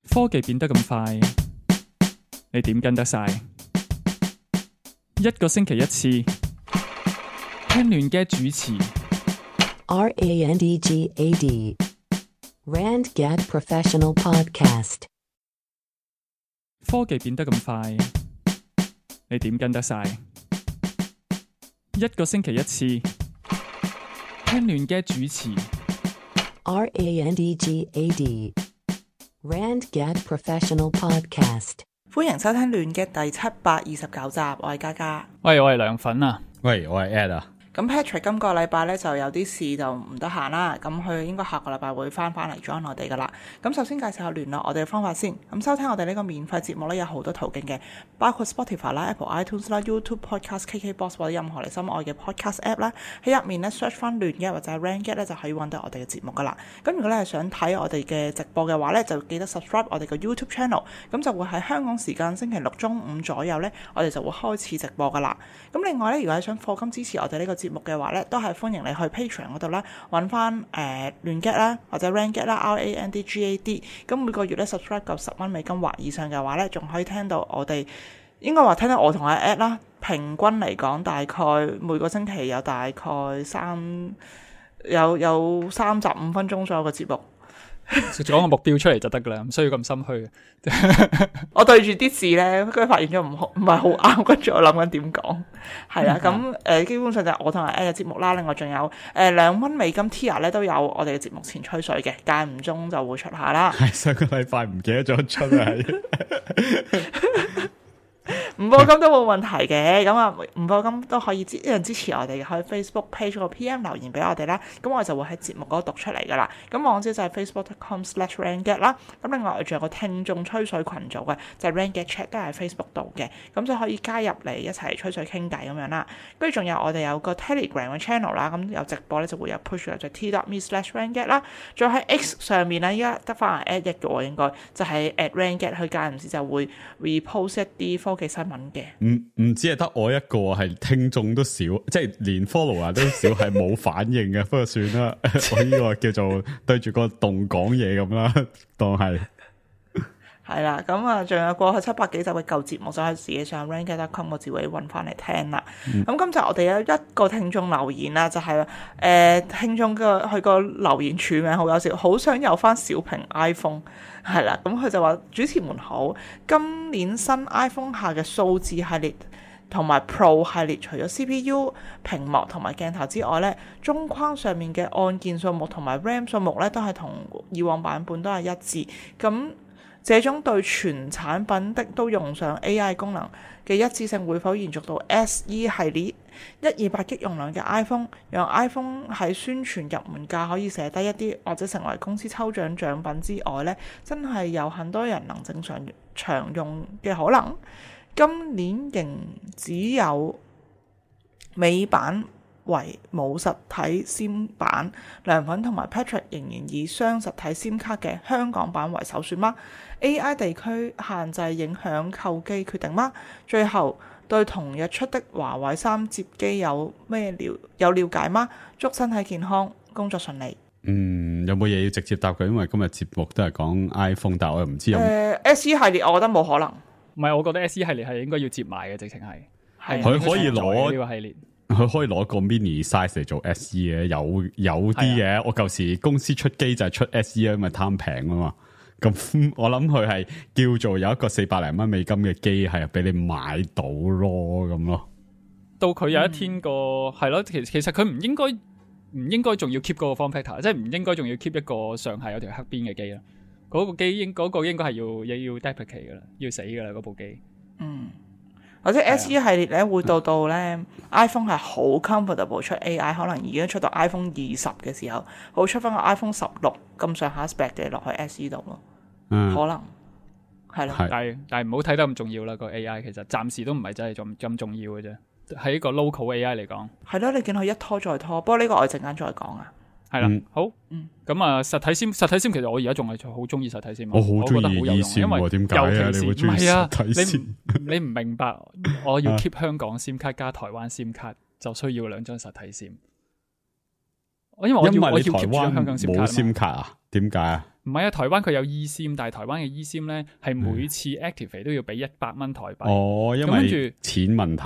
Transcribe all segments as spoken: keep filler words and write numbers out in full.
科技變得咁快，你點跟得晒？一個星期一次，聽亂嘅主持。R A N D G A D Randgad Professional Podcast。科技變得咁快，你點跟得晒？一個星期一次，聽亂嘅主持。R A N D G A D Randgad Professional Podcast。歡迎收聽亂嘅第七百二十九集，我係嘉嘉。喂，我係涼粉啊。喂，我係 Ed 啊。咁 Patrick 今個禮拜咧就有啲事就唔得閒啦，咁佢應該下個禮拜會翻返嚟 join 我哋噶啦。咁首先介紹下聯絡我哋嘅方法先。咁收聽我哋呢個免費節目咧有好多途徑嘅，包括 Spotify 啦、Apple iTunes 啦、YouTube Podcast、K K Box 或者任何你心愛嘅 Podcast App 啦。喺入面咧 search 翻亂嘅或者 Randgad 咧就可以揾到我哋嘅節目噶啦。咁如果你係想睇我哋嘅直播嘅話咧，就記得 subscribe 我哋嘅 YouTube channel。咁就會喺香港時間星期六中午左右咧，我哋就會開始直播噶啦。咁另外咧，如果係想課金支持我哋呢個節目嘅話咧，都係歡迎你去 Patreon 嗰度啦，揾翻誒亂 get 啦，或者 Randgad 啦 ，R A N D G A D。咁每個月咧 subscribe 夠十蚊美金或以上嘅話咧，仲可以聽到我哋應該話聽到我同阿 Ed 啦，平均嚟講大概每個星期有大概三有有三十五分鐘左右嘅節目。講個目標出嚟就得噶啦，唔需要咁心虛。我對住啲字咧，跟住發現咗唔好唔係好啱，跟住我諗緊點講，係啦。咁誒、呃，基本上就係我同阿 Ed 嘅節目啦。另外仲有誒兩蚊美金 Tier 咧都有我哋嘅節目前吹水嘅，間唔中就會出下啦。係上個禮拜唔記得咗出啊。唔課金都冇問題嘅，咁啊唔課金都可以支一樣支持我哋嘅，可以 Facebook page 個 P M 留言俾我哋啦，咁我就會喺節目嗰度讀出嚟噶啦。咁網址就係 facebook dot com slash randgad 啦。咁另外我仲有個聽眾吹水群組嘅，就係 Randgad Chat 都係 Facebook 度嘅，咁就可以加入嚟一齊吹水傾偈咁樣啦。跟住仲有我哋有個 Telegram 嘅 channel 啦，咁有直播咧就會有 push 就係 t.me slash randgad 啦。仲有喺 X 上面咧，依家得翻 at 一嘅喎，應該就係 at randgad，佢間唔時就會 repost 一啲科技新聞嘅。唔唔止係得我一個係聽眾都少，即係連 follower 都少，係冇反應嘅。不過算啦，我呢個叫做對住個洞講嘢咁啦，當係係啦。咁啊，仲有過去七百幾集嘅舊節目，就可以自己上 randgad dot com 個字位揾翻嚟聽啦。咁、嗯、今集我哋有一個聽眾留言啦，就係、是、誒、呃、聽眾嘅佢個留言署名好有笑，好想有翻小屏 iPhone。係啦，咁佢就話主持們好，今年新 iPhone 下嘅數字系列同埋 Pro 系列，除咗 C P U、屏幕同埋鏡頭之外咧，中框上面嘅按鍵數目同埋 RAM 數目咧，都係同以往版本都係一致。咁這種對全產品的都用上 A I 功能嘅一致性會否延續到 S E 系列一二八 G 容量嘅 iPhone， 讓 iPhone 喺宣傳入門價可以寫低一啲，或者成為公司抽獎獎品之外呢，真係有很多人能正常常用嘅可能。今年仍只有美版為冇實體 SIM 版，涼粉同埋 Patrick 仍然以雙實體 SIM 卡嘅香港版為首選嗎？ A I 地區限制影響購機決定嗎？最後對同日出的華為三摺機有咩了有了解嗎？祝身體健康，工作順利。嗯，有冇嘢要直接答佢？因為今日節目都係講 iPhone， 但係我又唔知有。誒、呃、S E 系列，我覺得冇可能。唔係，我覺得 S E 系列係應該要接埋嘅，直情係係佢可以攞呢個系列。佢可以攞個 mini size 嚟做 S E 嘅，有有啲嘅。我舊時公司出機就係出 S E 啊，因為貪平啊嘛。咁我諗佢係叫做有一個四百零蚊美金嘅機係俾你買到咯，咁咯。到佢有一天個係咯，其實其實佢唔應該唔應該仲要 keep 嗰個 form factor， 即係唔應該仲要 keep 一個上下有條黑邊嘅機啦。嗰、那個機應嗰、那個應該係要要 deprecate 噶啦，要死噶啦嗰部機。嗯。或者 S E 系列咧會到到咧 iPhone 係好 comfortable 出 A I， 可能已經出到 iPhone 二十嘅時候，會出翻個 iPhone 十六咁上下 spec 嘅落去 S E 度咯。嗯，可能係咯。但係但係唔好睇得咁重要啦，個 A I 其實暫時都唔係真係咁咁重要嘅啫。喺一個 local A I 嚟講，係咯，你見佢一拖再拖。不過呢個我陣間再講啊。係啦，好，嗯，咁啊，實體簽，實體簽，其實我而家仲係好中意實體簽，我好中意 E 簽，因為點解啊？你會中意實體簽？你唔明白，我要 keep 香港 SIM 卡加台灣 SIM 卡，就需要兩張實體簽。因為我要我要 keep 住香港 SIM 卡。冇 SIM 卡啊？點解啊？唔係啊，台灣佢有 eSIM， 但係台灣嘅 eSIM 咧係每次 activate 都要俾一百蚊台幣。哦，因咁跟為住錢問題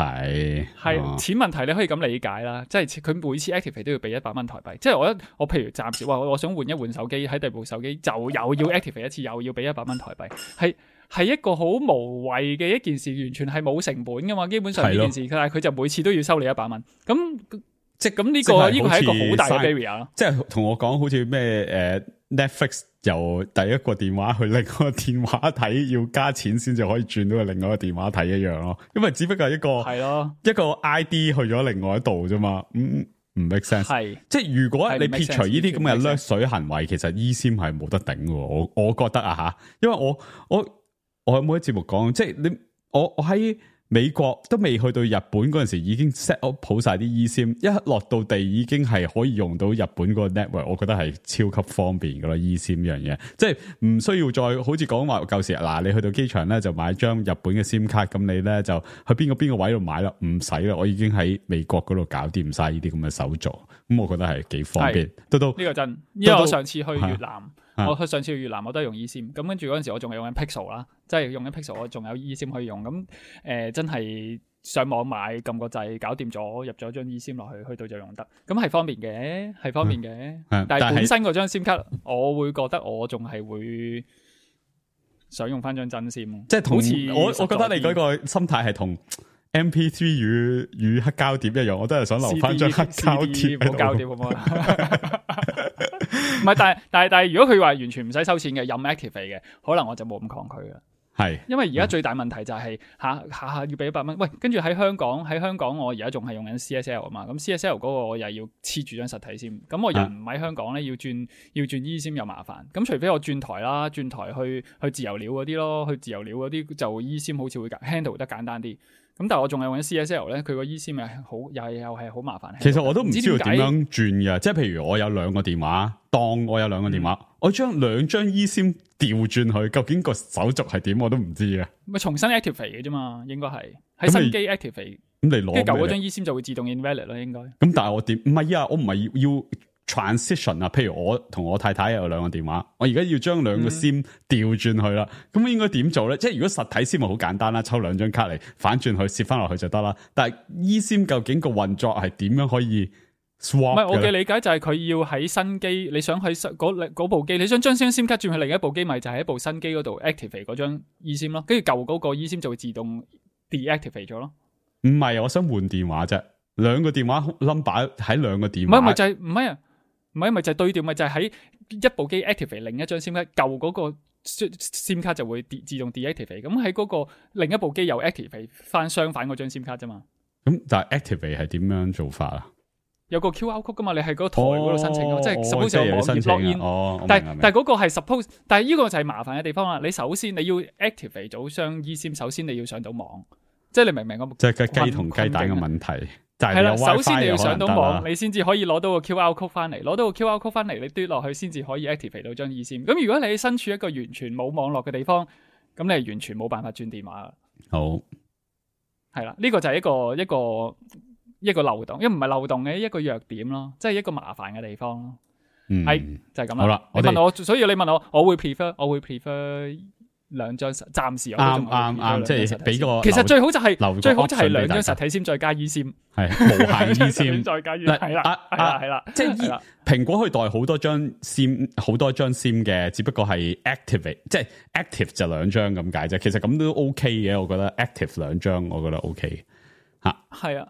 係、哦錢問題，你可以咁理解啦，即係佢每次 activate 都要俾一百蚊台幣。即係我一我譬如暫時話我想換一換手機，喺第二部手機就又要 activate 一次，又要俾一百蚊台幣，係係一個好無謂嘅一件事，完全係冇成本噶嘛。基本上呢件事，但係佢就每次都要收你一百蚊。咁即係咁呢個呢個係一個好大嘅 barrier 咯。即係同我講，好似咩誒 Netflix 由第一個電話去另外一個電話睇，要加錢先至可以轉到去另外一個電話睇一樣咯。因為只不過係一個係咯，一個 I D 去咗另外一度啫嘛。嗯，唔 make sense。係即係如果你撇除呢啲咁嘅掠水行為，其實 eSIM 係冇得頂嘅。我我覺得啊吓，因為我我我有冇喺節目講，即係你我我喺。美國都未去到日本嗰陣時，已經 set up 好晒啲 eSIM， 一落到地已經係可以用到日本個 network， 我覺得係超級方便噶啦 eSIM 呢樣嘢，即係唔需要再好似講話舊時嗱，你去到機場咧就買張日本嘅 SIM 卡，咁你咧就去邊個邊個位度買啦，唔使啦，我已經喺美國嗰度搞掂晒呢啲咁嘅手續，咁我覺得係幾方便。到到呢個真，因為我上次去越南。啊、我去上次去越南我都係用 eSIM， 咁跟住嗰陣時我仲係用緊 Pixel 啦，即係用緊 Pixel， 我仲有 eSIM 可以用，咁誒、呃、真係上網買撳個掣搞掂咗，入咗張 eSIM 落去，去到就用得，咁係方便嘅，係方便嘅、嗯，但係本身嗰張 SIM 卡，我會覺得我仲係會想用翻張真 SIM， 即係同我我覺得你嗰個心態係同 M P 三 與與黑膠碟一樣，我都係想留翻張黑膠碟，冇膠碟好唔好啊？唔係，但係但係但係，如果佢話完全唔使收錢嘅，任 activate 嘅，可能我就冇咁抗拒嘅。係，因為而家最大問題就係下下下要俾一百蚊。喂，跟住喺香港喺香港，我而家仲係用緊 C S L 啊嘛。咁 C S L 嗰個我又要黐住張實體先。咁我人唔喺香港咧，要轉要轉 eSIM 又麻煩。咁除非我轉台啦，轉台去去自由鳥嗰啲咯，去自由鳥嗰啲就 eSIM 好似會 handle 得簡單啲。咁但係我仲係用緊 C S L 咧，佢個 eSIM 係好又係又係好麻煩。其實我都唔知道點樣轉嘅，即係譬如我有兩個電話，當我有兩個電話，嗯、我將兩張 eSIM 調轉去，究竟個手續係點我都唔知啊。咪重新 activate 嘅啫嘛，應該係喺新機 activate。咁你攞，跟住舊嗰張 eSIM 就會自動 invalid 啦，應該。咁但係我點？唔係啊，我唔係要 transition 啊。譬如我同我太太有兩個電話，我而家要將兩個 SIM 調轉去啦。咁、嗯、應該點做咧？即係如果實體 SIM 咪好簡單啦，抽兩張卡嚟反轉去，攝翻落去就得啦。但係 eSIM 究竟個運作係點樣可以 swap？ 唔係我嘅理解就係佢要喺新機，你想喺嗰嗰部機，你想將張 SIM 卡轉去另一部機，咪就喺部新機嗰度 activate 嗰張 eSIM 咯。跟住舊嗰個 eSIM 就會自動 deactivate 咗咯。唔係，我想換電話啫，兩個電話 number 喺兩個電話。唔係咪就係唔係啊？唔係咪就係對調，咪就係、是、喺一部機 activate 另一張 SIM 卡，舊嗰個 SIM 卡就會自動 deactivate。咁喺嗰個另一部機又 activate 翻相反嗰張 SIM 卡啫嘛。咁但係 activate 係點樣做法啊？有個 Q R code 噶嘛，你喺嗰個台嗰度申請，哦、即係 suppose 有網頁 login。哦，但係但係嗰個係 suppose，但係呢個就係麻煩嘅地方啦。你首先你要 activate 咗張 eSIM， 首先你要上到網，即係你明唔明我？即係個雞同雞蛋嘅問題。係啦，首先你要上到網，你先至可以攞到個 Q R code 翻嚟，攞到個 Q R code 翻嚟，你嘟落去先至可以 activate 到張 eSIM。咁如果你喺身處一個完全冇網絡嘅地方，咁你係完全冇辦法轉電話啦。好，係啦，呢個就係一個一個一個漏洞，因為唔係漏洞嘅一個弱點咯，即係一個麻煩嘅地方咯。嗯，係就係咁啦。好啦，你問我，所以你問我，我會 prefer，我會 prefer。兩張實，暫時我都仲啱啱啱，即係俾個。其實最好就係最好就係兩張實體線再加 eSIM，係無限 eSIM 再加 eSIM，係啦，係啦，係啦，即係蘋果可以代好多張 SIM， 好多張 SIM 嘅，只不過係 activate， 即係 active 就兩張咁解啫。其實咁都 OK 嘅，我覺得 active 兩張，我覺得 OK 吓。係啊，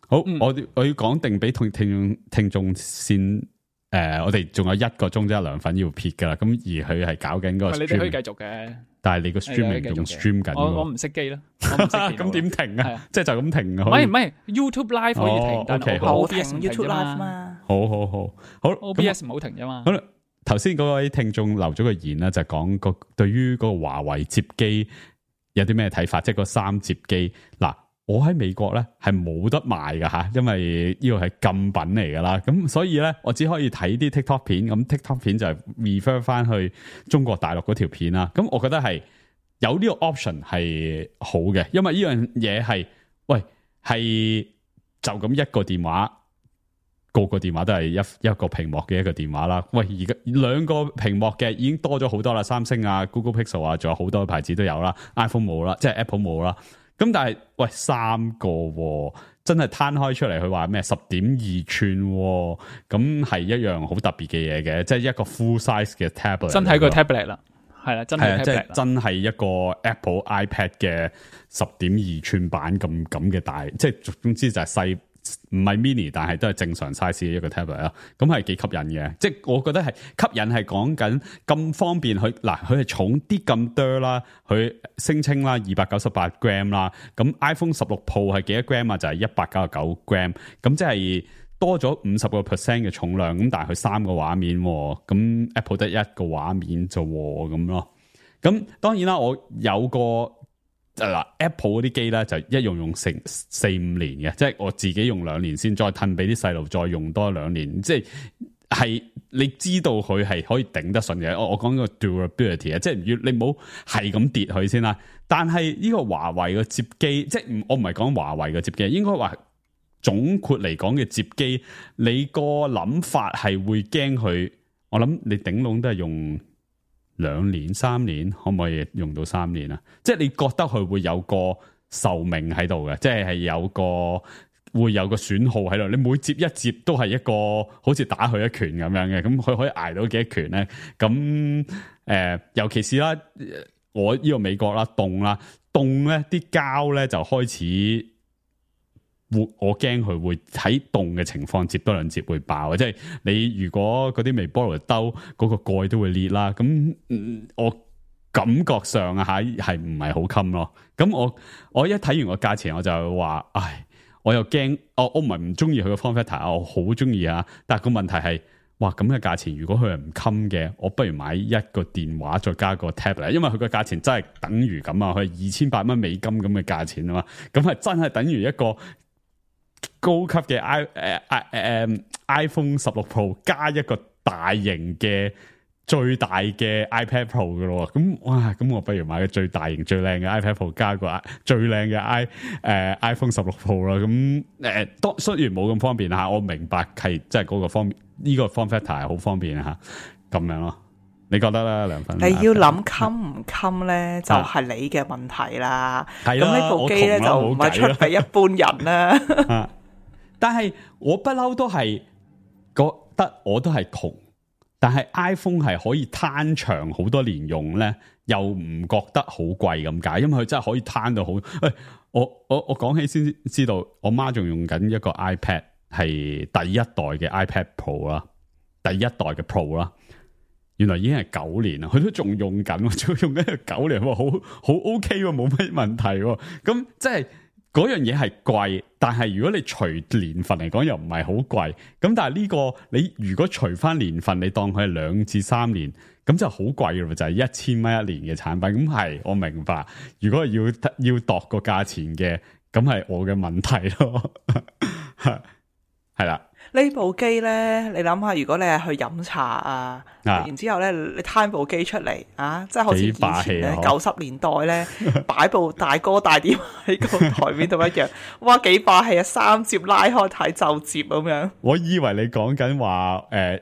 好，嗯、我我要講定俾聽聽眾聽眾先。誒、呃，我哋仲有一個鐘即係涼粉要撇噶啦，咁而佢係搞緊嗰個 stream， 你哋可以繼續嘅，但係你個 streaming 仲 stream 緊，我我唔熄機啦，咁點停啊？即係就咁停啊？唔係唔係 YouTube Live 可以停，哦、但係 O B S 唔停 YouTube Live 嘛。好好好好 ，O B S 唔好停啫嘛。好啦，頭先嗰位聽眾留咗個言啦，就講、是、個對於嗰個華為摺機有啲咩睇法，即係個三摺機嗱。我喺美國咧係冇得賣噶吓，因為呢個係禁品嚟噶啦，咁所以咧我只可以睇啲 TikTok 片，咁 TikTok 片就係 refer 翻去中國大陸嗰條片啦。咁我覺得係有呢個 option 係好嘅，因為呢樣嘢係喂係就咁一個電話個個電話都係一一個屏幕嘅一個電話啦。喂，而家兩個屏幕嘅已經多咗好多啦，三星啊、Google Pixel 啊，仲有好多牌子都有啦 ，iPhone 冇啦，即係 Apple 冇啦。咁但係喂三個、喎、真係攤開出嚟，佢話咩十點二寸，咁係一樣好特別嘅嘢嘅，即係一個 full size 嘅 tablet，真係個 tablet 啦，係啦，真係 tablet 即係真係一個 Apple iPad 嘅十點二寸版咁咁嘅大，即係總之就係細。唔係 mini， 但係都係正常 size 嘅一個 tablet 啦，咁係幾吸引嘅。即係我覺得係吸引係講緊咁方便，佢嗱佢係重啲咁多啦，佢聲稱啦二百九十八 gram 啦，咁 iPhone 十六 Pro 係幾多 gram 啊？就係一百九十九 gram，咁即係多咗五十個 percent 嘅重量，咁但係佢三個畫面，咁 Apple 得一個畫面就咁咯。咁當然啦，我有個。嗱 ，Apple 嗰啲機咧就一用用成四五年嘅，即係我自己用兩年先，再褪俾啲細路再用多兩年，即係係你知道佢係可以頂得順嘅。我我講個 durability 啊，即係要你唔好係咁跌佢先啦。但係呢個華為嘅摺機，即係我唔係講華為嘅摺機，應該話總括嚟講嘅摺機，你個諗法係會驚佢，我諗你頂籠都係用。兩年三年可唔可以用到三年啊？即係你覺得佢會有個壽命喺度嘅，即係係有個會有個損耗喺度。你每接一接都係一個好似打佢一拳咁樣嘅，咁佢可以挨到幾多拳咧？咁誒、呃，尤其是啦，我呢個美國啦，凍啦，凍咧啲膠咧就開始。我驚佢會喺凍嘅情況接多兩接會爆，即係你如果嗰啲微波爐兜嗰個蓋都會裂啦，咁、嗯、我感覺上啊吓係唔係好襟咯。咁我我一睇完個價錢我就話，唉，我又驚，我我唔係唔中意佢個 form factor，我好中意啊。但係個問題係，哇咁嘅價錢，如果佢係唔襟嘅，我不如買一個電話再加個 tablet， 因為佢個價錢真係等於咁啊，佢係二千八蚊美金咁嘅價錢啊嘛，咁係真係等於一個。高級嘅 i 誒誒誒 iPhone 十六 Pro 加一個大型嘅最大嘅 iPad Pro 噶咯，咁哇，咁我不如買個最大型最靚嘅 iPad Pro 加個最靚嘅 i 誒、呃、iPhone 十六 Pro 啦，咁誒，當雖然冇咁方便吓，我明白係即係嗰個方便，呢、這個 form factor 係好方便吓，咁樣咯。你覺得咧，梁粉？你要諗襟唔襟咧，就係你嘅問題啦。咁呢、啊、部機咧就唔係出俾一般人啦。啊、但係我不嬲都係覺得我都係窮，但係 iPhone 係可以攤長好多年用咧，又唔覺得好貴咁解，因為佢真係可以攤到好。誒、哎，我我我講起先知道，我媽仲用緊一個 iPad 係第一代嘅 iPad Pro 啦，第一代嘅 Pro 啦。原來已經係九年啦，佢都仲用緊，仲用緊九年，好好 OK 喎，冇乜問題喎。咁即係嗰樣嘢係貴，但係如果你除年份嚟講又唔係好貴。咁但係呢個你如果除翻年份，你當佢係兩至三年，咁就好貴咯，就係一千蚊一年嘅產品。咁係我明白，如果要要度個價錢嘅，咁係我嘅問題咯。係啦。呢部機咧，你諗下，如果你係去飲茶啊，啊然之後咧，你攤部機出嚟啊，即係好似以前咧九十年代咧擺部大哥大碟喺個台面度一樣，哇幾霸氣啊！三摺拉開睇就摺咁樣。我以為你講緊話誒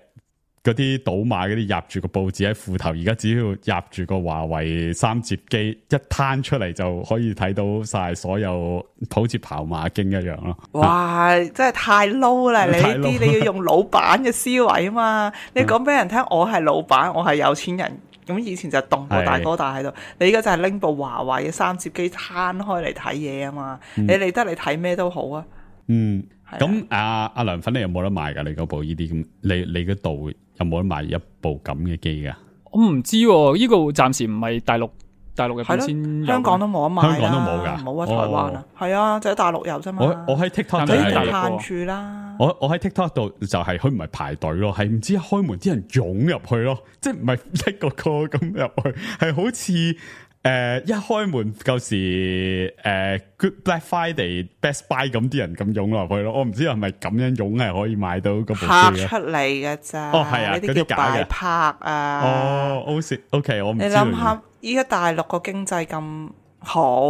嗰啲賭馬嗰啲入住個報紙喺褲頭，而家只要入住個華為三摺機一攤出嚟就可以睇到晒所有，好似跑馬經一樣咯。哇！真係太 low 啦！你呢啲你要用老闆嘅思維啊嘛！你講俾人聽，我係老闆，我係有錢人。咁以前就凍過大哥大喺度，你而家就係拎部華為嘅三摺機攤開嚟睇嘢啊嘛！嗯、你理得你睇咩都好啊。嗯，咁阿阿梁粉你有冇得賣噶？你嗰部呢啲咁，你你嗰度有冇得賣一部咁嘅機噶？我唔知喎、啊，呢、這個暫時唔係大陸大陸入邊先，香港都冇得賣，香港都冇噶，冇啊台灣啊，係、哦、啊，就喺大陸有啫嘛。我我喺 TikTok 就係限住啦。我我喺 TikTok 度就係佢唔係排隊咯，係唔知開門啲人湧入去咯，即係唔係一個個咁入去，係好似。誒、呃，一開門舊時誒 Good Black Friday、Best Buy 咁啲人咁湧落去咯，我唔知係咪咁樣湧係可以買到嗰部機拍出嚟嘅咋？哦係啊，呢啲叫擺拍啊。哦，O K，我唔知。你諗下，依家大陸個經濟咁好，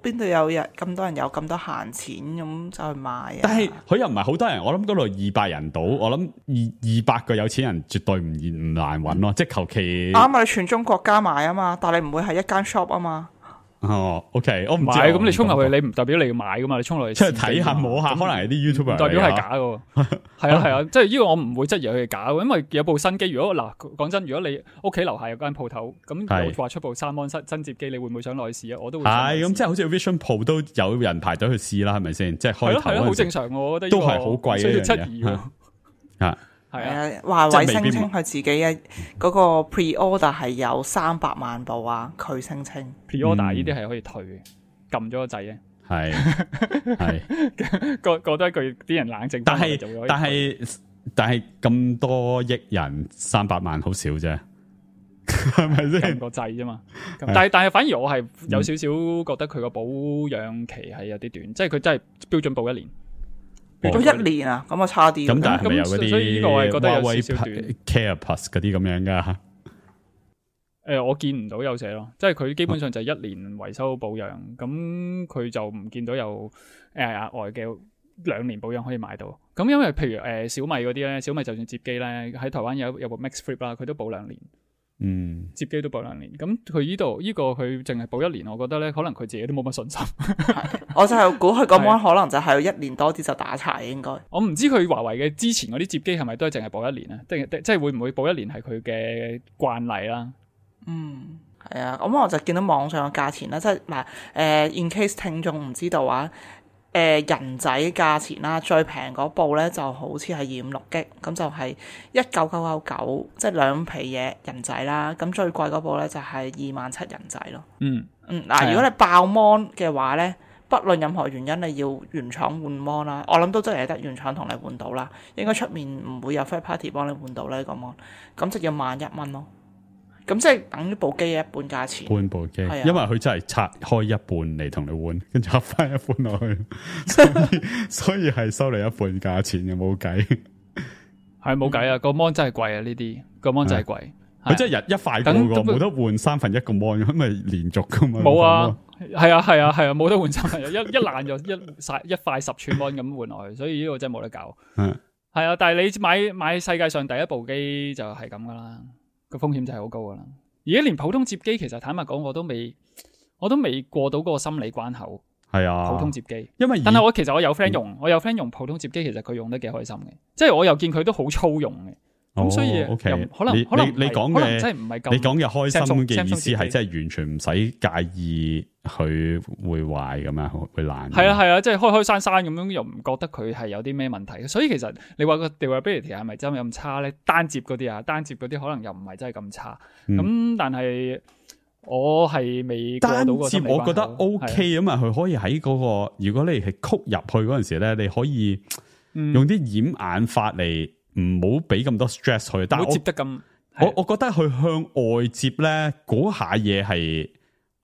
邊度有人咁多人有咁多閒錢咁就去買啊？但係佢又唔係好多人，我諗嗰度二百人到，我諗二二百個有錢人絕對唔唔難揾咯，即係求其啱啊！你全中國加埋啊嘛，但係你唔會係一間 shop 啊嘛。哦 ，OK，我唔知。咁你衝入去，你唔代表你要買噶嘛？你衝落去出去睇下摸下，可能係啲 YouTuber 唔代表係假噶。係啊係啊，即係呢個我唔會質疑佢係假嘅，因為有部新機。如果嗱講真，如果你屋企樓下有間鋪頭，咁有話出部三安新新摺機，你會唔會想落去試啊？我都會。係咁，即係好似 Vision Pro 都有人排隊去試啦，係咪先？即係開頭係咯，好正常。我覺得都係好貴嘅需要質疑喎。啊。係啊，華為聲稱佢自己嘅嗰個 pre-order 係有三百萬部啊，佢聲稱 pre-order 呢啲係可以退嘅，撳咗個掣嘅。係係，覺覺得佢啲人冷靜，但係但係但係咁多億人三百萬好少啫，係咪先？撳個掣啫嘛。但係但係反而我係有少少覺得佢個保養期係有啲短，即係佢真係標準保一年。咗一年啊，咁啊差啲。咁但係咪有嗰啲覺得有少少短 Care Plus 嗰啲咁樣噶？誒、呃，我見唔到有寫咯，即係佢基本上就係一年維修保養，咁佢、啊、就唔見到有誒額外嘅兩年保養可以買到。咁因為譬如誒、呃、小米嗰啲咧，小米就算摺機咧喺台灣有有部 Max Flip 啦，佢都保兩年。嗯，摺機都保兩年，咁佢呢度呢個佢淨係保一年，我覺得咧可能佢自己都冇乜信心。我就係估佢個 mon 可能就係一年多啲就打柴應該。我唔知佢華為嘅之前嗰啲摺機係咪都係淨係保一年啊？即係即係會唔會保一年係佢嘅慣例啦？嗯，係啊，咁我就見到網上嘅價錢啦，即係嗱誒 in case 聽眾唔知道啊。誒、呃、人仔價錢啦，最平嗰部咧就好似係二五六 G，咁就係一九九九九，即係兩皮嘢人仔啦。咁最貴嗰部咧就係二萬七人仔咯。嗯嗯，嗱、呃，如果你爆 mon 嘅話咧，不論任何原因你要原廠換 mon 啦，我諗都真係得原廠同你換到啦。應該出面唔會有 third party 幫你換到呢個 mon，咁就要萬一蚊咯。咁即係等於部機嘅一半價錢，半部機，因為佢真係拆開一半嚟同你換，跟住合翻一半落去，所以所以係收你一半價錢嘅，冇計。係冇計啊！個 mon 真係貴啊！呢啲個 mon 真係貴，佢真係日一塊過個，冇得換三分一個 mon，咁咪連續噶嘛？冇啊，係啊係啊係啊，冇得換三分一，一一爛就一塊一塊十寸 mon 咁換落去，所以呢個真係冇得搞。係係啊，但係你買買世界上第一部機就係咁噶啦。個風險就係好高噶啦，而家連普通摺機其實坦白講我都未，我都未過到嗰個心理關口。係啊，普通摺機，因為但係我其實我有 friend 用，嗯、我有 friend 用普通摺機，其實佢用得幾開心嘅，即係我又見佢都好粗用嘅。咁、哦、所以 okay, 可能你可能你講嘅真係唔係咁，你講嘅開心嘅意思係真係完全唔使介意佢會壞咁樣，會爛。係啊係啊，即係開開閂閂咁樣，又唔覺得佢係有啲咩問題。所以其實你話個 durability 係咪真係咁差咧？單摺嗰啲啊，單摺嗰啲可能又唔係真係咁差。咁、嗯、但係我係未過到個心理關口。單摺我覺得 OK 啊嘛，佢可以喺嗰、那個，如果你係曲入去嗰陣時咧，你可以用啲掩眼法嚟。唔好俾咁多 stress 佢，但係我接得咁，我我覺得佢向外接咧，嗰下嘢係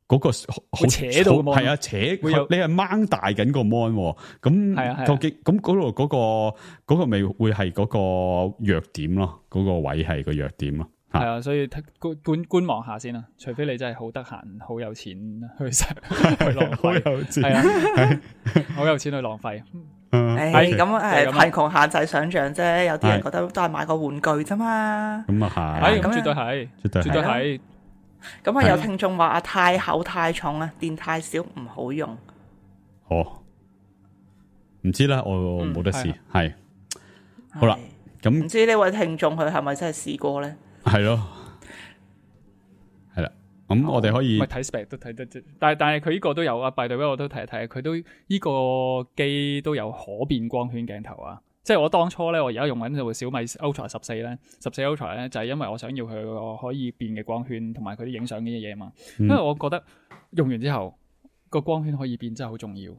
嗰個好扯到，係啊扯，你係掹大緊個 mon，咁究竟咁嗰度嗰個嗰個咪會係嗰個弱點咯，嗰個位係個弱點咯，係啊，所以觀觀觀望下先啦，除非你真係好得閒、好有錢去去浪費，係啊，好有錢去浪費。誒，咁誒，貧窮限制想象啫，有啲人覺得都係買個玩具啫嘛。咁啊係，咁絕對係，絕對絕對係。咁啊，有聽眾話啊，太厚太重啊，電太少唔好用。哦，唔知啦，我冇得試。係，好啦，咁唔知呢位聽眾佢係咪真係試過咧？係咯。咁我哋可以睇 spec 都睇得，但係但係佢呢個都有啊。by the way我都睇一睇，佢都呢個機都有可變光圈鏡頭啊。即係我當初咧，我而家用緊部小米 Ultra 十四咧，十四 Ultra 咧就係因為我想要佢個可以變嘅光圈，同埋佢啲影相嘅嘢嘛。因為我覺得用完之後個光圈可以變真係好重要，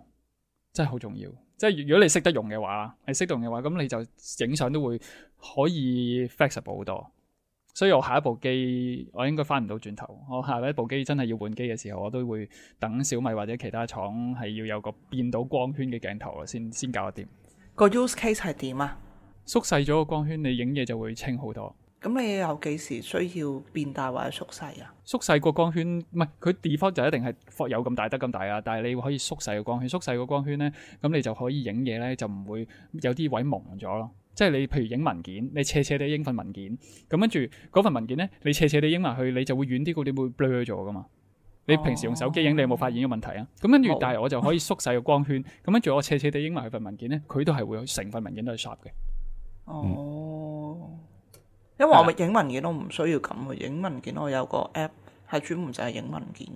真係好重要。即係如果你識得用嘅話，你識得用嘅話，咁你就影相都會可以 flexible 好多。所以我下一部機我應該翻唔到轉頭，我下一部機真係要換機嘅時候，我都會等小米或者其他廠係要有個變到光圈嘅鏡頭先先搞得掂。個 use case 係點啊？縮細咗個光圈，你影嘢就會清好多。咁你有幾時需要變大或者縮細啊？縮細個光圈，唔係佢 default 就一定係有咁大得咁大啊！但係你可以縮細個光圈，縮細個光圈咧，咁你就可以影嘢咧，就唔會有啲位蒙咗咯。即係你譬如影文件，你斜斜地影份文件，咁跟住嗰份文件咧，你斜斜地影埋去，你就會遠啲嗰啲會 blur 咗噶嘛。你平時用手機影，你有冇發現呢個問題啊？咁跟住，但係我就可以縮細個光圈，咁跟住我斜斜地影埋佢份文件咧，佢都係會成份文件都係 sharp 嘅。哦。因為我影文件我唔需要咁嘅，影文件我有個 app 係專門就係影文件，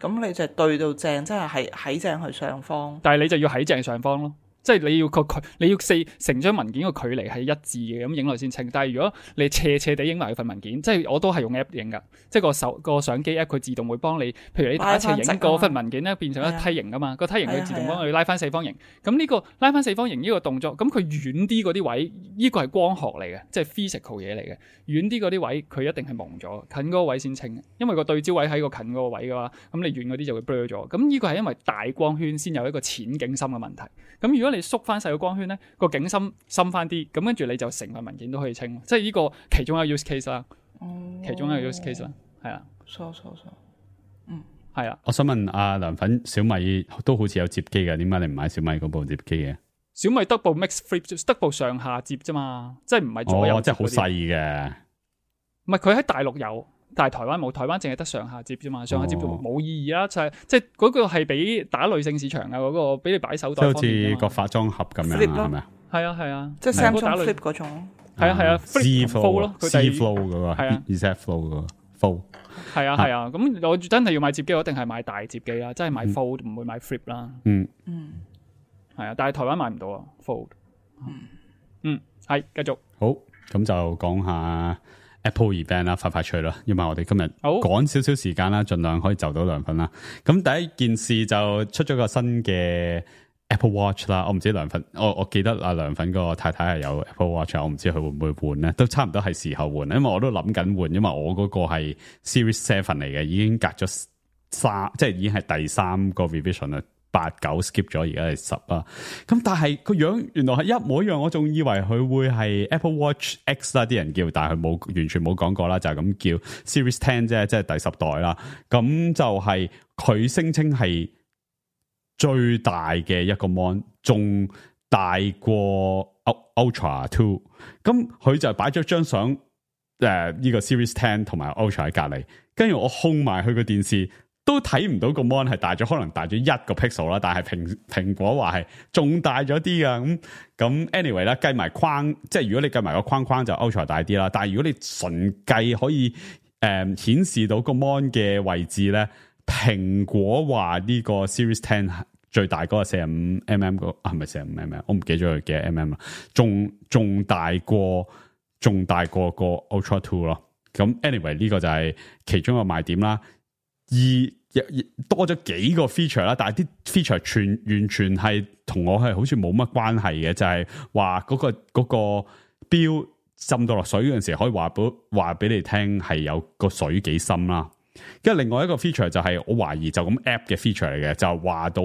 咁你就對到正，即係喺喺正去上方。但係你就要喺正上方咯，即係你要個距，你要四成張文件個距離係一致嘅，咁影落先清。但係如果你斜斜地影埋份文件，即係我都係用 app 影噶，即係個手個相機 app 佢自動會幫你，譬如你打斜影嗰份文件咧，變成一梯形噶嘛，個梯形佢自動幫你拉翻四方形。咁呢個拉翻四方形呢個動作，咁佢遠啲嗰啲位，呢個係光學嚟嘅，即係 physical 嘢嚟嘅。遠啲嗰啲位佢一定係蒙咗，近嗰個位先清。因為個對焦位喺個近嗰個位嘅話，咁你遠嗰啲就會 blur 咗。咁呢個係因為大光圈先有一個淺景深嘅問題。咁如果你縮翻細個光圈咧，個景深深翻啲，咁跟住你就成份文件都可以清。即係呢個其中一個 use case 啦，嗯、其中一個 use case 啦，係啊，錯錯錯，嗯，係啊。我想問阿涼粉，小米都好似有接機嘅，點解你唔買小米嗰部接機嘅？小米得部 Mix Flip， 得部上下接啫嘛，即係唔係左右接。哦，即係好細嘅。唔係佢喺大陸有，但係台灣冇，台灣淨係得上下接啫嘛，上下接冇意義啦，就係即係嗰個係俾打女性市場啊，嗰、嗰個俾你擺手袋方便。即係好似個化妝盒咁樣係咪啊？係啊係啊，即係 Samsung Flip 嗰種。係啊係啊 Z Fold 咯，佢 Z Flow 嗰個，係啊 Z Flow 嗰個 Fold。係啊係啊，咁我真係要買接機，我一定係買大接機啦，真係買 Fold 唔會買 Flip 啦。嗯嗯，係啊，但係台灣買唔到啊 Fold。嗯，係繼續。好，咁就講下 Apple event 啦，快快脆啦，因為我哋今日趕少少時間啦，盡量可以就到涼粉啦。咁第一件事就出咗個新嘅 Apple Watch 啦，我唔知涼粉，我我記得阿涼粉個太太係有 Apple Watch， 我唔知佢會唔會換咧，都差唔多係時候換，因為我都諗緊換，因為我嗰個係 Series Seven 嚟嘅，已經隔咗三，即係已經係第三個 revision 啦。八九 skip 咗，而家係十啊！咁但係個樣原來係一模一樣，我仲以為佢會係 Apple Watch X 啦，啲人叫，但係佢冇完全冇講過啦，就係咁叫 Series Ten 啫，即係第十代啦。咁就係佢聲稱係最大嘅一個 mon， 仲大過 Ultra Two。咁佢就擺咗張相，誒、呃、呢、這個 Series Ten 同埋 Ultra 喺隔籬，跟住我控埋佢個電視。都睇唔到個 mon 係大咗，可能大咗一個 pixel 啦，但係蘋蘋果話係仲大咗啲噶，咁咁 anyway 啦，計埋框，即係如果你計埋個框框就 ultra 大啲啦，但係如果你純計可以誒顯、呃、示到個 mon 嘅位置咧，蘋果話呢個 Series Ten 最大嗰個四十五 mm 個啊，係咪四十五 mm？ 我唔記咗佢幾多 mm 啦，仲仲大過仲大過個 Ultra Two 咯。咁 anyway 呢個就係其中一個賣點啦，而多咗幾個 feature 啦，但係啲 feature 全完全係同我係好似冇乜關係嘅，就係話嗰個嗰、嗰個錶浸到落水嗰陣時，可以話俾話俾你聽係有個水幾深啦。跟住另外一個 feature 就係我懷疑就咁 app 嘅 feature 嚟嘅，就話到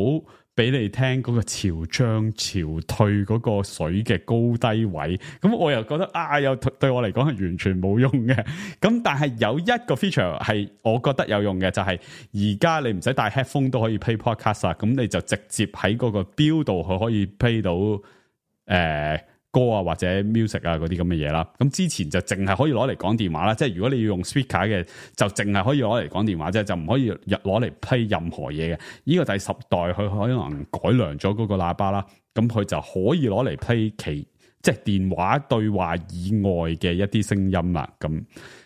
俾你聽嗰個潮漲潮退嗰個水嘅高低位。咁我又覺得啊，又對我嚟講係完全冇用嘅。咁但係有一個 feature 係我覺得有用嘅，就係而家你唔使帶 headphone 都可以 play podcast 啊。咁你就直接喺嗰個錶度佢可以 play 到誒、呃歌啊或者 music 啊嗰啲咁嘅嘢啦，咁之前就淨係可以攞嚟講電話啦，即係如果你要用 speaker 嘅，就淨係可以攞嚟講電話啫，就唔可以攞嚟 play 任何嘢嘅。呢個第十代佢可能改良咗嗰個喇叭啦，咁佢就可以攞嚟 play 其即係電話對話以外嘅一啲聲音啦。咁